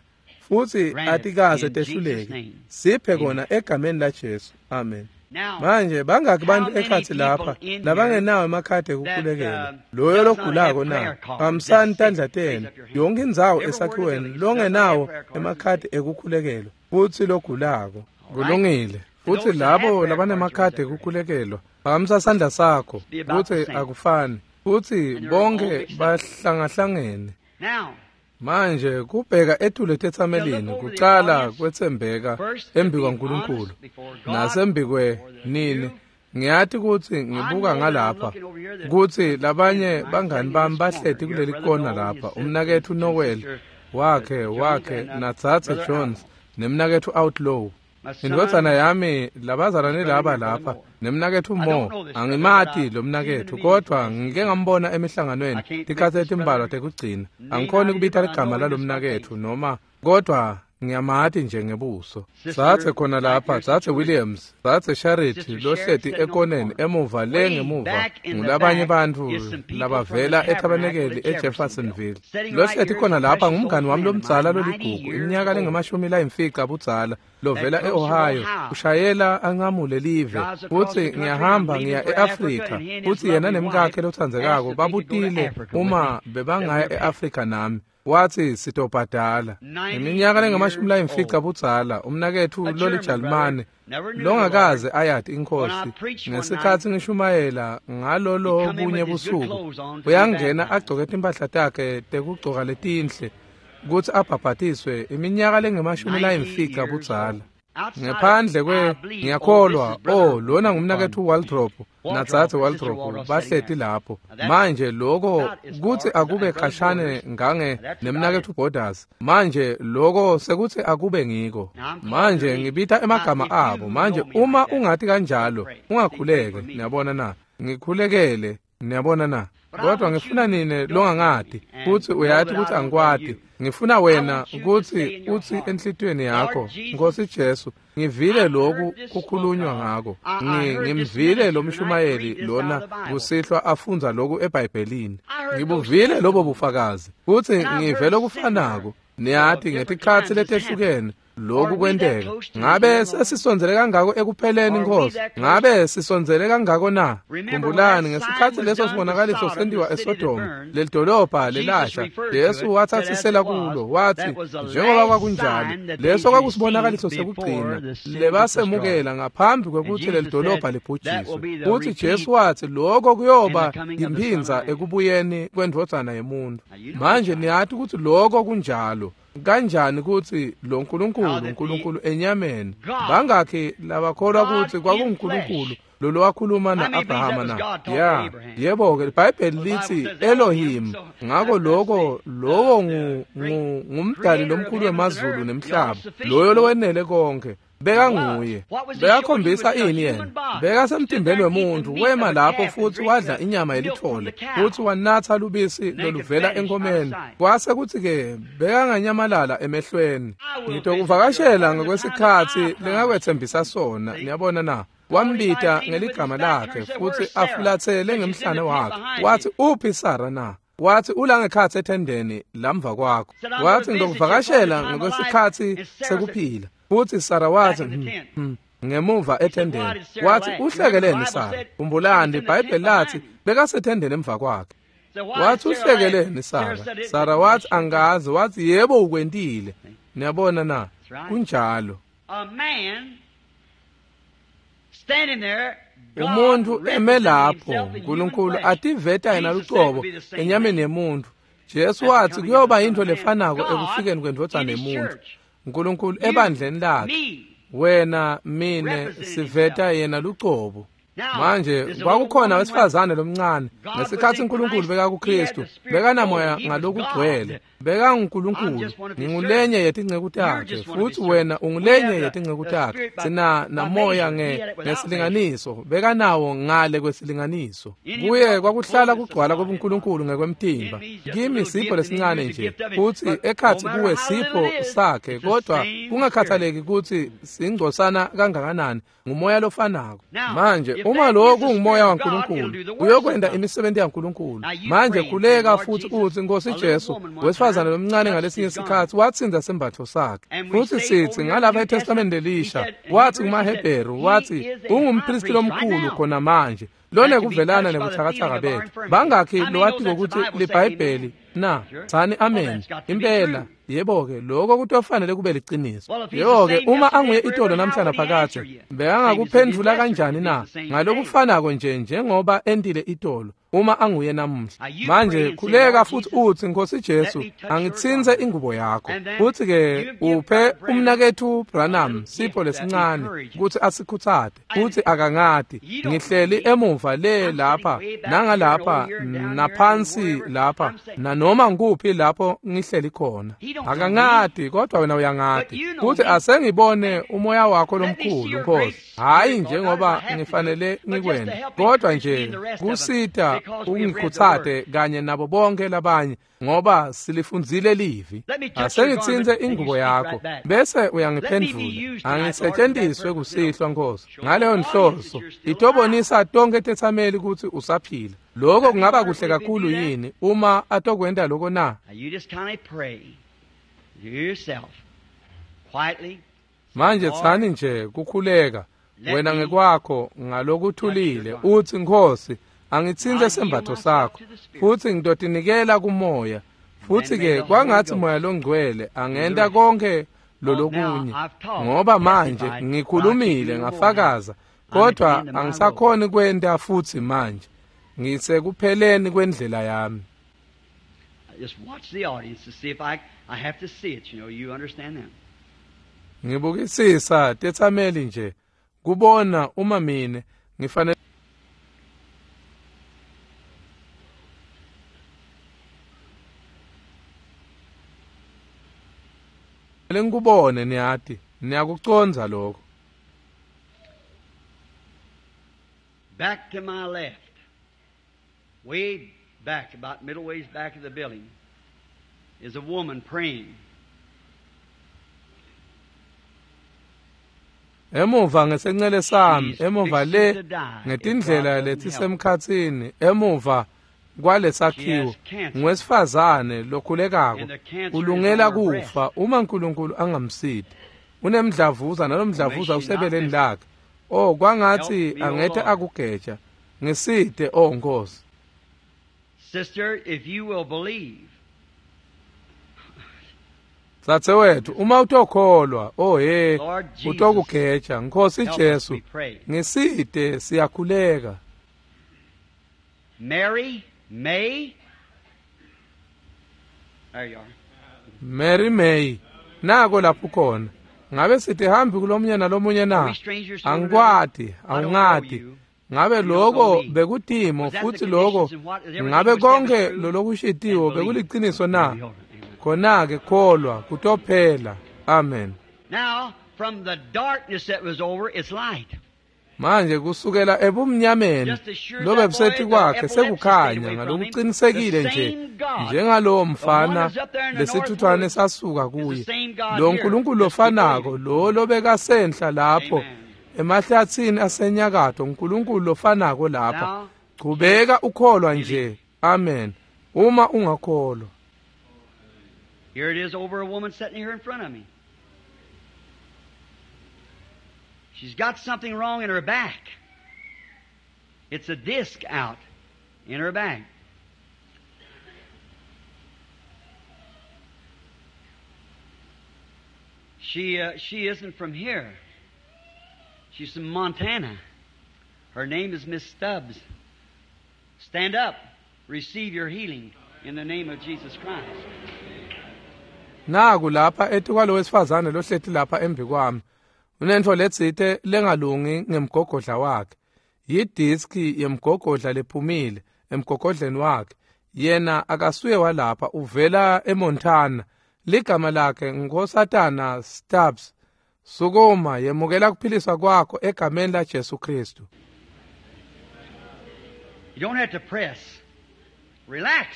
futsi atikaze tehluleke. Siphe kona egameni laJesu. Amen. Manje bangaki bantu ekhatsi lapha labangenawo emakhadi ekukhulekela, loyo logulako na? Phakamisani tandla tenu yonke indzawo esakhiweni longenawo emakhadi ekukhulekelwa futsi logulako. Kulungile. Futsi labo labanemakhadi ekukhulekelwa, phakamisa sandla sakho, kutsi akufani, futsi bonke bahlangahlangene. Manje kubheka etulu etetsamelini kucala kwetsembeka embikwaNkulunkulu nasembikwe nini. Ngiyati kutsi ngibuka ngalapha kutsi labanye bangani bami bahleti kuleli kona lapha, umnaketfu Noel wakhe wakhe naDzadze Jones nemnaketfu Outlaw. Indvodzana yami labazalwane laba lapha nemnaketfu Mo. Angimati lo mnaketfu, kodvwa ngike ngambona emihlanganweni tikhatsi letimbalwa tekugcina. Angikhoni kubita ligama lalo mnaketfu noma, kodvwa ngiyamati nje ngebuso. Dzadze khona lapha, Dzadze Williams, Dzadze Charity lohleti ekoneni emuva le ngemuva ngulabanye bantfu labavela ethabanekeli eJeffersonville. Lohleti khona lapha ngumngani wami lomdzala loligugu, iminyaka lengemashumi layimfica budzala, lovela e-Ohio, ushayela anqamule live, futsi ngiyahamba ngiya e-Afrika, futsi yena nemkakhe lotsandzekako babutile uma bebangaya e-Afrika nami. Wathi sitobhadala. Iminyaka lengamashumi layimfica budzala, umnaketfu lolijalimane longakaze ayati iNkhosi, ngesikhatsi ngishumayela ngalolo bunye busuku, uyangena agcoke timphahla takhe tekugcoka letinhle kutsi abhabhatiswe, iminyaka lengemashumi layimfica budzala. Ngephandle kwe ngiyakholwa, oh lona ngumnaketfu Waldrop naDzadze Waldrop bahleti lapho. Manje lokho kutsi akube khashane ngange nemnaketfu Borders. Manje lokho sekutsi akube ngiko. Manje ngibita emagama abo. Manje uma ungati kanjalo, ungakhuleke, niyabona na? Ngikhulekele, niyabona na? Kodwa ngifuna nine longangati kutsi uyati kutsi angikwati. Ngifuna wena kutsi utsi enhlitiyweni yakho, Nkosi Jesu, ngivile lokhu kukhulunywa ngako. Ngimvile lo mshumayeli lona kusihlwa afundza lokhu eBhayibhelini. Ngibuvile lobo bufakazi kutsi ngive lokufanako. Niyati ngetikhatsi letehlukene lokhu kwenteka. Ngabe sesisondzele kangako ekupheleni, Nkosi? Ngabe sisondzele kangako na? Khumbulani ngesikhatsi leso sibonakaliso sentiwa eSodoma, lelidolobha lelasha, Jesu watsatsisela kulo, wathi njengoba kwakunjalo, leso kwakusibonakaliso sekugcina lebasemukela ngaphambi kwekutsi lelidolobha libhujiswe. Futsi Jesu wathi lokho kuyoba yimphindza ekubuyeni kwendvodzana yemuntu. Manje niyati kutsi lokho kunjalo. Kanjani kutsi lo Nkulunkulu, uNkulunkulu enyameni, bangakhi labakholwa kutsi kwakunguNkulunkulu lolo wakhuluma na-Abrahama na? Ya, yebo-ke iBhayibheli litsi Elohim. Ngako lokho lowo ngumdali lomkhulu wemazulu nemhlaba, loyo lowenele konke. Bekanguye. Bekakhombisa ini yena? Bekasemtimbeni wemuntfu, wema lapho futsi wadla inyama yelithole, futsi wanatsa lubisi loluvela enkomeni. Kwase kutsi-ke bekanganyamalala emehlweni. Ngitokuvakashela ngokwesikhatsi lengakwetsembisa sona, niyabona na? Wambita ngeligama lakhe futsi afulatsele ngemhlane wakhe. Wathi uphi Sara na? Wathi ulangekhatsi ethendeni lamva kwakho. Wathi ngitokuvakashela ngokwesikhatsi sekuphila. Futsi Sara wathi hmm, ngemuva ethendeni. Wathi uhlekeleni Sara? Khumbulani iBhayibheli lathi bekasethendeni emva kwakhe. Wathi uhlekeleni Sara? Sara wathi angazi. Wathi yebo ukwentile. Niyabona na? Kunjalo. Umuntu eme lapho, uNkulunkulu ativeta yena lucobo enyameni yemuntu. Jesu wathi kuyoba yintfo lefanako ekufikeni kwendvodzana yemuntu. uNkulunkulu ebandleni lakhe, wena mine siveta yena lucobo. Manje kwakukhona wesifazane lomncane ngesikhathi uNkulunkulu bekakuKristu, bekanamoya ngalokugcwele, bekanguNkulunkulu. Ngingulenye yetinceku takhe futhi wena ungulenye yetinceku takhe. Sina namoya ngesilinganiso, bekanawo ngale kwesilinganiso. Kuye kwakuhlala kugcwala kobuNkulunkulu ngekwemtimba. Kimi sipho lesincane nje futhi ekhathi kuwe sipho sakhe, kodwa kungakhathaleki ukuthi singcosana kangakanani, ngumoya lofanako. Manje uma lokhu kungumoya waNkulunkulu, uyokwenda imisebenzi yaNkulunkulu. Manje khuleka futhi uthi, Nkosi Jesu, wesifazane lomncane ngalesinye isikhathi watsinza sembatho sakhe. Futhi sithi ngalapha eTestamenteni lelisha, wathi kumaHebheru, wathi ungumpristi lomkhulu khona manje lona kuvelana nebuthakathaka bethu. Bangakhi lowatiko ukuthi liBhayibheli na? Tsani amen. Impela yebo-ke, lokho kutofanele kube liciniso. Yebo-ke, uma anguye itolo namhlanje phakathe, bekangakuphendvula kanjani na? Ngalokufanako nje njengoba entile itolo, uma anguye namuhla. Manje khuleka futhi uthi, Nkosi Jesu, angitsintse ingubo yakho. Futhi-ke uphe umnakethu Branham sipho lesincane ukuthi asikhutsate, futhi akangati. Ngihleli emuva le lapha, nangalapha, naphansi lapha, nanoma ngikuphi lapho ngihleli khona. Akangati, kodwa wena uyangati. Futhi asengibone umoya wakho lomkhulu, Nkosi. Hayi njengoba ngifanele ngikwente, kodwa nje kusita ungikhutsate kanye nabo bonke labanye, ngoba silifundzile livi. Asengitsintse ingubo yakho bese uyangiphendvula. Angisetshenziswe kusihlwa, Nkosi, ngaleyo nhloso itobonisa tonke tetsameli ukuthi usaphila. Lokho kungaba kuhle kakhulu yini uma atokwenta lokho na? Manje tsani nje kukhuleka wena ngekwakho ngalokuthulile, uthi, Nkosi, angitsintse sembatho sakho futhi ngitotinikela kumoya. Futhi-ke kwangathi moya longcwele angenta konke lolokunye, ngoba manje ngikhulumile ngafakaza, kodwa angisakhoni kwenta futhi manje. Ngisekupheleni kwendlela yami. Ngibukisisa tetsameli nje kubona uma mine ngifanele ngikubone. Niyati, niyakucondza lokho. Back to my left, way back, about middle ways back of the building, is a woman praying. Emuva ngesencele sami, emuva le ngetindlela letisemkhatsini, emuva kwalesakhiwo, ngwesifazane lokhulekako ulungela kufa uma uNkulunkulu angamsidi. Unemdlavuza, nalomdlavuza usebeleni lakhe. Oh, kwangathi angethe akugeja. Ngiside, oh Nkosi. Sister, if you will believe. Dzadzewethu, uma utokholwa, oh he, utokugeja. Nkosi Jesu, ngiside, siyakhuleka. Mary May. There you are. Mary May. Nako lapho khona. Ngabe sithi hambi kulomunye nalomunye na? Angikwati, awungati. Ngabe lokho bekutimo futhi lokho ngabe konke lolokushitiwo bekuliciniso na? Khona-ke kholwa kutophela. Amen. Now from the darkness that was over, it's light. Manje kusukela ebumnyameni lobe busethi kwakhe sekukhanya ngalokuqinisekile nje njengalowo mfana lesithuthwane sasuka kuye. Lo nkulunkulu lofanako lo lobekasenhla lapho emahlathini asenyakatho, uNkulunkulu lofanako lapha. Chubeka ukholwa nje. Amen. Uma ungakholwa. Here it is over a woman sitting here in front of me. She's got something wrong in her back. It's a disc out in her back. She, uh, she isn't from here. She's from Montana. Her name is Miss Stubbs. Stand up. Receive your healing in the name of Jesus Christ. Naku lapha etukwalo wesifazane lohleti lapha embi kwami. Unentfo letsite lengalungi ngemgogodla wakhe. Yidiski yemgogodla lephumile emgogodleni wakhe. Yena akasuye walapha, uvela eMontana. Ligama lakhe Nkosatana Stubbs. Sukuma, yemukela kuphiliswa kwakho egameni la Jesu Kristu. You don't have to press. Relax.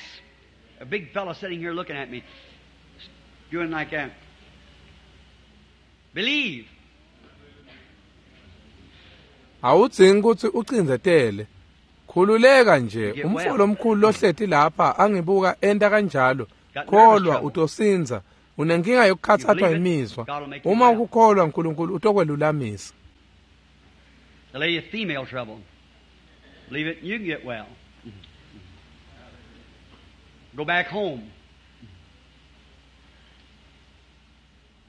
A big fellow sitting here looking at me, doing like that. Believe. Awudzingi kutsi ucindzetele. Khululeka nje. Umfo lomkhulu lohleti lapha angibuka enta kanjalo. Kholwa utosinza. Unenkinga yokukhathathwa imizwa. Uma ukukholwa uNkulunkulu utokwelulamisa. The lady of female trouble. Believe it, you can get well. Go back home.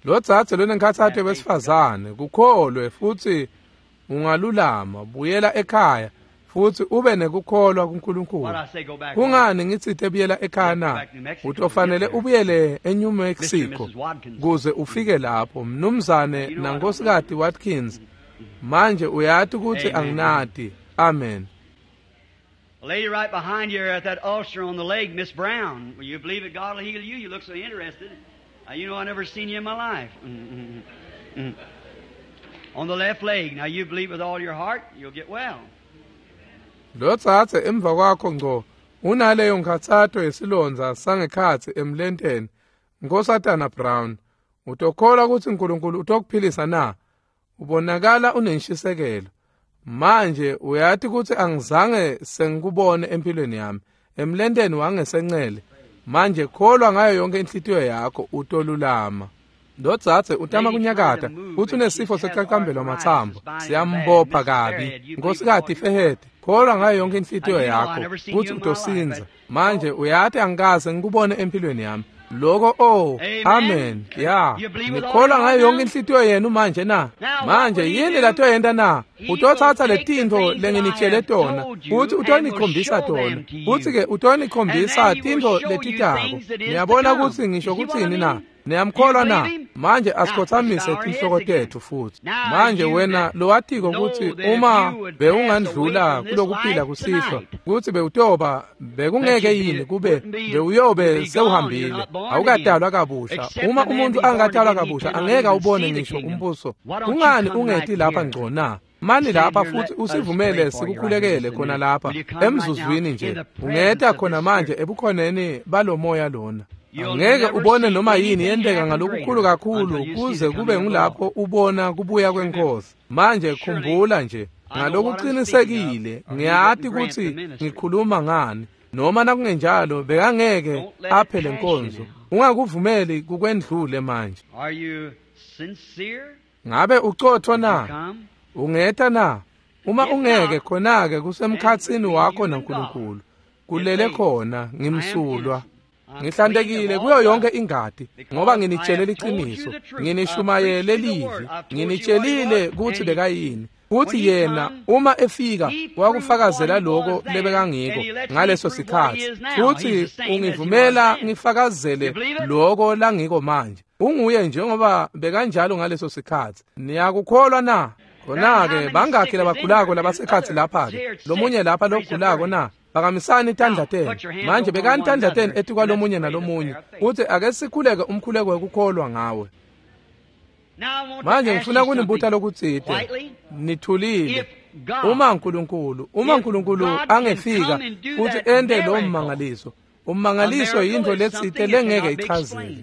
Lo dzadze lonenkhatsato wesifazane, kukholwe futsi ungalulama, buyela ekhaya futsi ube nekukholwa kuNkulunkulu. Kungani ngitsite buyela ekhaya na? Utofanele ubuyele eNew Mexico kuze ufike lapho, mnumzane nankosikazi Watkins. Manje uyati kutsi anginati. Amen. A lady right behind you at that ulcer on the leg, Miss Brown. Will you believe that God will heal you? You look so interested. Now, you know I never seen you in my life. Mm-hmm. Mm-hmm. On the left leg. Now you believe with all your heart, you'll get well. Lo tsatse emva kwakho ngco unaleyo nkhatsato yesilondza sangekhatsi emlenteni, Nkosatana Brown. Utokholwa kutsi uNkulunkulu utokuphilisa na? Ubonakala unenshisekelo. Manje uyati kutsi angizange sengikubone empilweni yami emlenteni wangesencele. Manje kholwa ngayo yonke inhlitiyo yakho, utolulama. Lo dzadze utama kunyakata kutsi unesifo secacambelo matsambo, siyambopha kabi. Nkosikazi Fehede, kholwa ngayo yonke inhlitiyo yakho kutsi utosinza. Manje uyati angikaze ngikubone empilweni yami. Loko oh, amen. Ya, nikholwa ngayo yonke inhlitiyo yenu manje na? Manje yini latoyenta na? Utotsatsa letintfo lenginitshele tona futsi utonikhombisa tona, futsi-ke utonikhombisa tintfo letitako. Niyabona kutsi ngisho kutsini na? Niyamkholwa na? Manje asikhotsamise tinhloko tetfu futsi. Manje wena lowatiko kutsi uma bewungandlula kulokuphila kusihlwa, kutsi bewutoba bekungeke yini kube bewuyobe sewuhambile, awukatalwa kabusha. Uma umuntu angatalwa kabusha angeke awubone ngisho umbuso. Kungani ungeti lapha ngco na? Mani lapha futsi usivumele sikukhulekele khona lapha emzuzwini nje. Ungeta khona manje ebukhoneni balomoya lona. Angeke ubone noma yini yenteka ngalokukhulu kakhulu kuze kube ngulapho ubona kubuya kwenkosi. Manje khumbula nje ngalokuqinisekile, ngiyati kutsi ngikhuluma ngani, noma nakungenjalo bekangeke aphe lenkonzo. Ungakuvumeli kukwendlule manje. Ngabe ucotfo na? Ungeta na? Uma ungeke, khona-ke kusemkhatsini wakho naNkulunkulu. Kulele khona ngimsulwa. Ngihlantekile kuyo yonke ingati, ngoba nginitshele liciniso, nginishumayele livi, nginitshelile kutsi bekayini, kutsi yena uma efika wakufakazela loko lebekangiko ngaleso sikhatsi, futsi ungivumela ngifakazele loko langiko manje. Unguye njengoba bekanjalo ngaleso sikhatsi. Niyakukholwa na? Khona-ke bangakhi labagulako labasekhatsi lapha-ke? Lomunye lapha logulako na? Phakamisani tandla tenu. Manje bekani tandla tenu etikwalomunye nalomunye, kutsi ake sikhuleke umkhuleko wekukholwa ngawe. Manje ngifuna kunibuta lokutsite. Nithulile. Uma uNkulunkulu, uma uNkulunkulu angefika futsi ente lo mmangaliso, ummangaliso yintfo letsite lengeke ichazeke.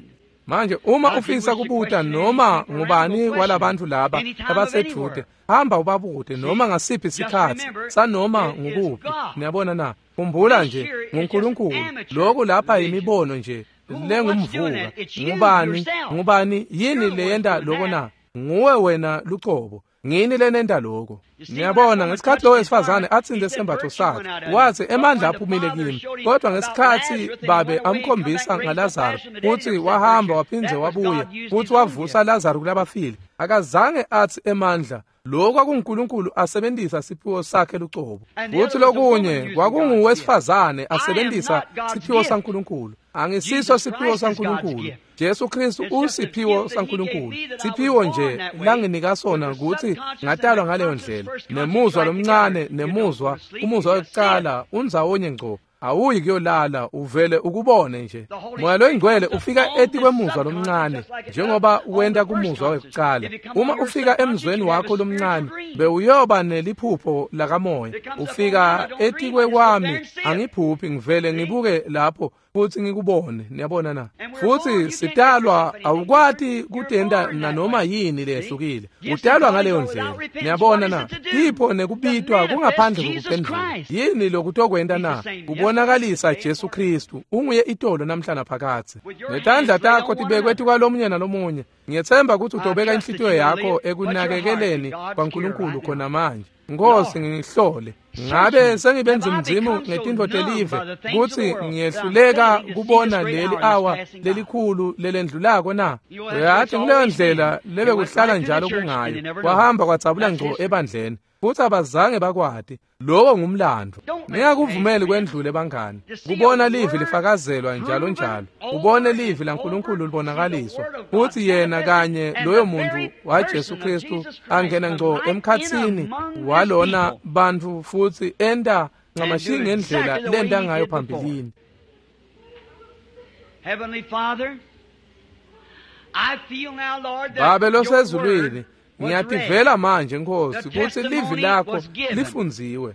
Manje uma ufisa kubuta noma ngubani walabantu laba abasedude, hamba ubabute noma ngasiphi isikhatsi sanoma ngukuphi. Niyabona na? Khumbula nje nguNkulunkulu. Lokhu lapha imibono nje lengumvuka. Ngubani? Ngubani yini leyenta loko na? Nguwe wena lucobo. Ngini lenenta lokho. Niyabona ngesikhathi lo wesifazane atsinte sembatho sakhe, wathi emandla aphumile kimi. Kodwa ngesikhathi babe amkhombisa ngaLazaro kutsi wahamba waphindze wabuya, futsi wavusa Lazaro kulabafile, akazange athi emandla. Lokho kwakunguNkulunkulu asebenzisa siphiwo sakhe lucobo, futhi lokunye kwakunguwesifazane asebenzisa siphiwo saNkulunkulu. Angisiso siphiwo saNkulunkulu. Jesu Kristu usiphiwo saNkulunkulu. Siphiwo nje langinika sona ukuthi ngatalwa ngaleyo ndlela. Nemuzwa lomncane nemuzwa umuzwa wokuqala unzawonye ngco. Awuyi kuyolala, uvele ukubone nje. Moya loyingcwele ufika etikwemuzwa lomncane njengoba wenta kumuzwa wekuqala. Uma ufika emzweni wakho lomncane bewuyoba neliphupho lakamoya. Ufika etikwe kwami angiphuphi, ngivele ngibuke lapho futhi ngikubone. Niyabona na? Futhi sitalwa, awukwati kutenta nanoma yini lehlukile. Utalwa ngaleyo ndlela. Niyabona na? Tipho nekubitwa kungaphandle kokuphendula. Yini lokutokwenta na? Kubonakalisa Jesu Kristu unguye itolo namhla naphakadze. Netandla takho tibekwe tikwalomunye nalomunye. Ngiyethemba ukuthi utobeka inhlitiyo yakho ekunakekeleni kwaNkulunkulu khona manje. Nkosi, ngihlole. Ngabe sengibe nzimzimu ngetintfo telive kutsi ngiyehluleka kubona leli awa lelikhulu lelendlulako na? Uyathi nguleyo ndlela lebekuhlala njalo kungayo. Kwahamba kwadzabula ngco ebandleni, futhi abazange bakwati. Lowo ngumlando. Ningakuvumeli kwendlule bangani. Kubona livi lifakazelwa njalo njalo. Ubone livi laNkulunkulu libonakaliswa. Futhi yena kanye loyo muntu waJesu Kristu angena ngco emkhatsini walona bantfu futhi enta ncamashi ngendlela lenta ngayo phambilini. Heavenly Father, I feel now, Lord, that Babe losezulwini, your word ngiyativela manje Nkosi kutsi livi lakho lifundziwe.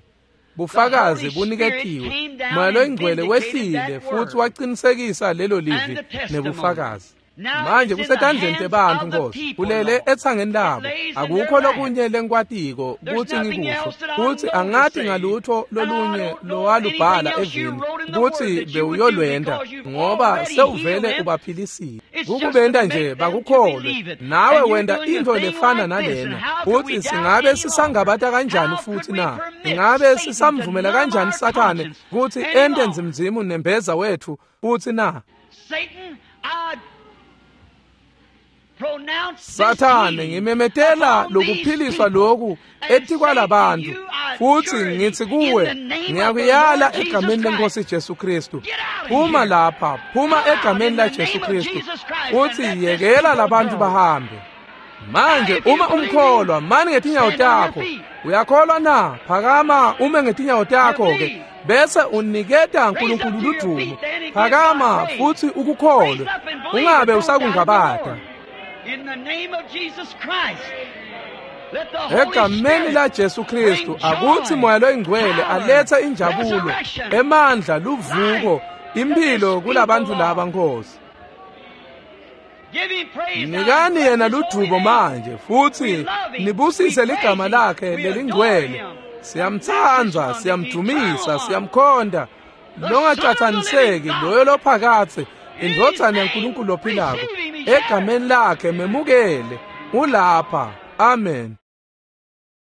Bufakazi buniketiwe. Moya loyingcwele wehlile futhi waqinisekisa lelo livi nebufakazi. Manje kusetandleni tebantfu Nkosi, kulele etsangeni labo. Akukho lokunye lengikwatiko kutsi ngikusho, kutsi angati ngalutho lolunye lowalubhala evini kutsi bewuyolwenta, ngoba sewuvele ubaphilisile. Kukubenta nje bakukholwe, nawe wenta intfo lefana nalena. Futsi singabe sisangabata kanjani futhi na? Ingabe sisamvumela kanjani Sathane kutsi ente nzimzimu nembeza wethu futhi na? Satan, I Sathane, ngimemetela lokuphiliswa lokhu etikwalabantu, futhi ngithi kuwe, ngiyakuyala egameni lenkosi Jesu Kristu, phuma lapha, phuma egameni la Jesu Kristu, futhi yekela labantu bahambe. Manje uma umkholwa, mani ngetinyawo takho. Uyakholwa na? Phakama ume ngetinyawo takho ke, bese uniketa uNkulunkulu ludumo. Phakama futhi ukukholwe, ungabe usakungabata. In the name of Jesus Christ, let the Holy Egameni la Jesu Kristu, akuthi moya loyingcwele alethe injabulo, emandla, luvuko, impilo kulabantu laba Nkosi. Give him praise now. Nikani yena ludumo manje futhi nibusise ligama lakhe lelingcwele. Siyamtsandza, siyamdumisa, siyamkhonda. Longacathaniseki loyo lophakathe, indvodzana yaNkulunkulu lophilako. Egameni lakhe memukele. Ulapha. Amen.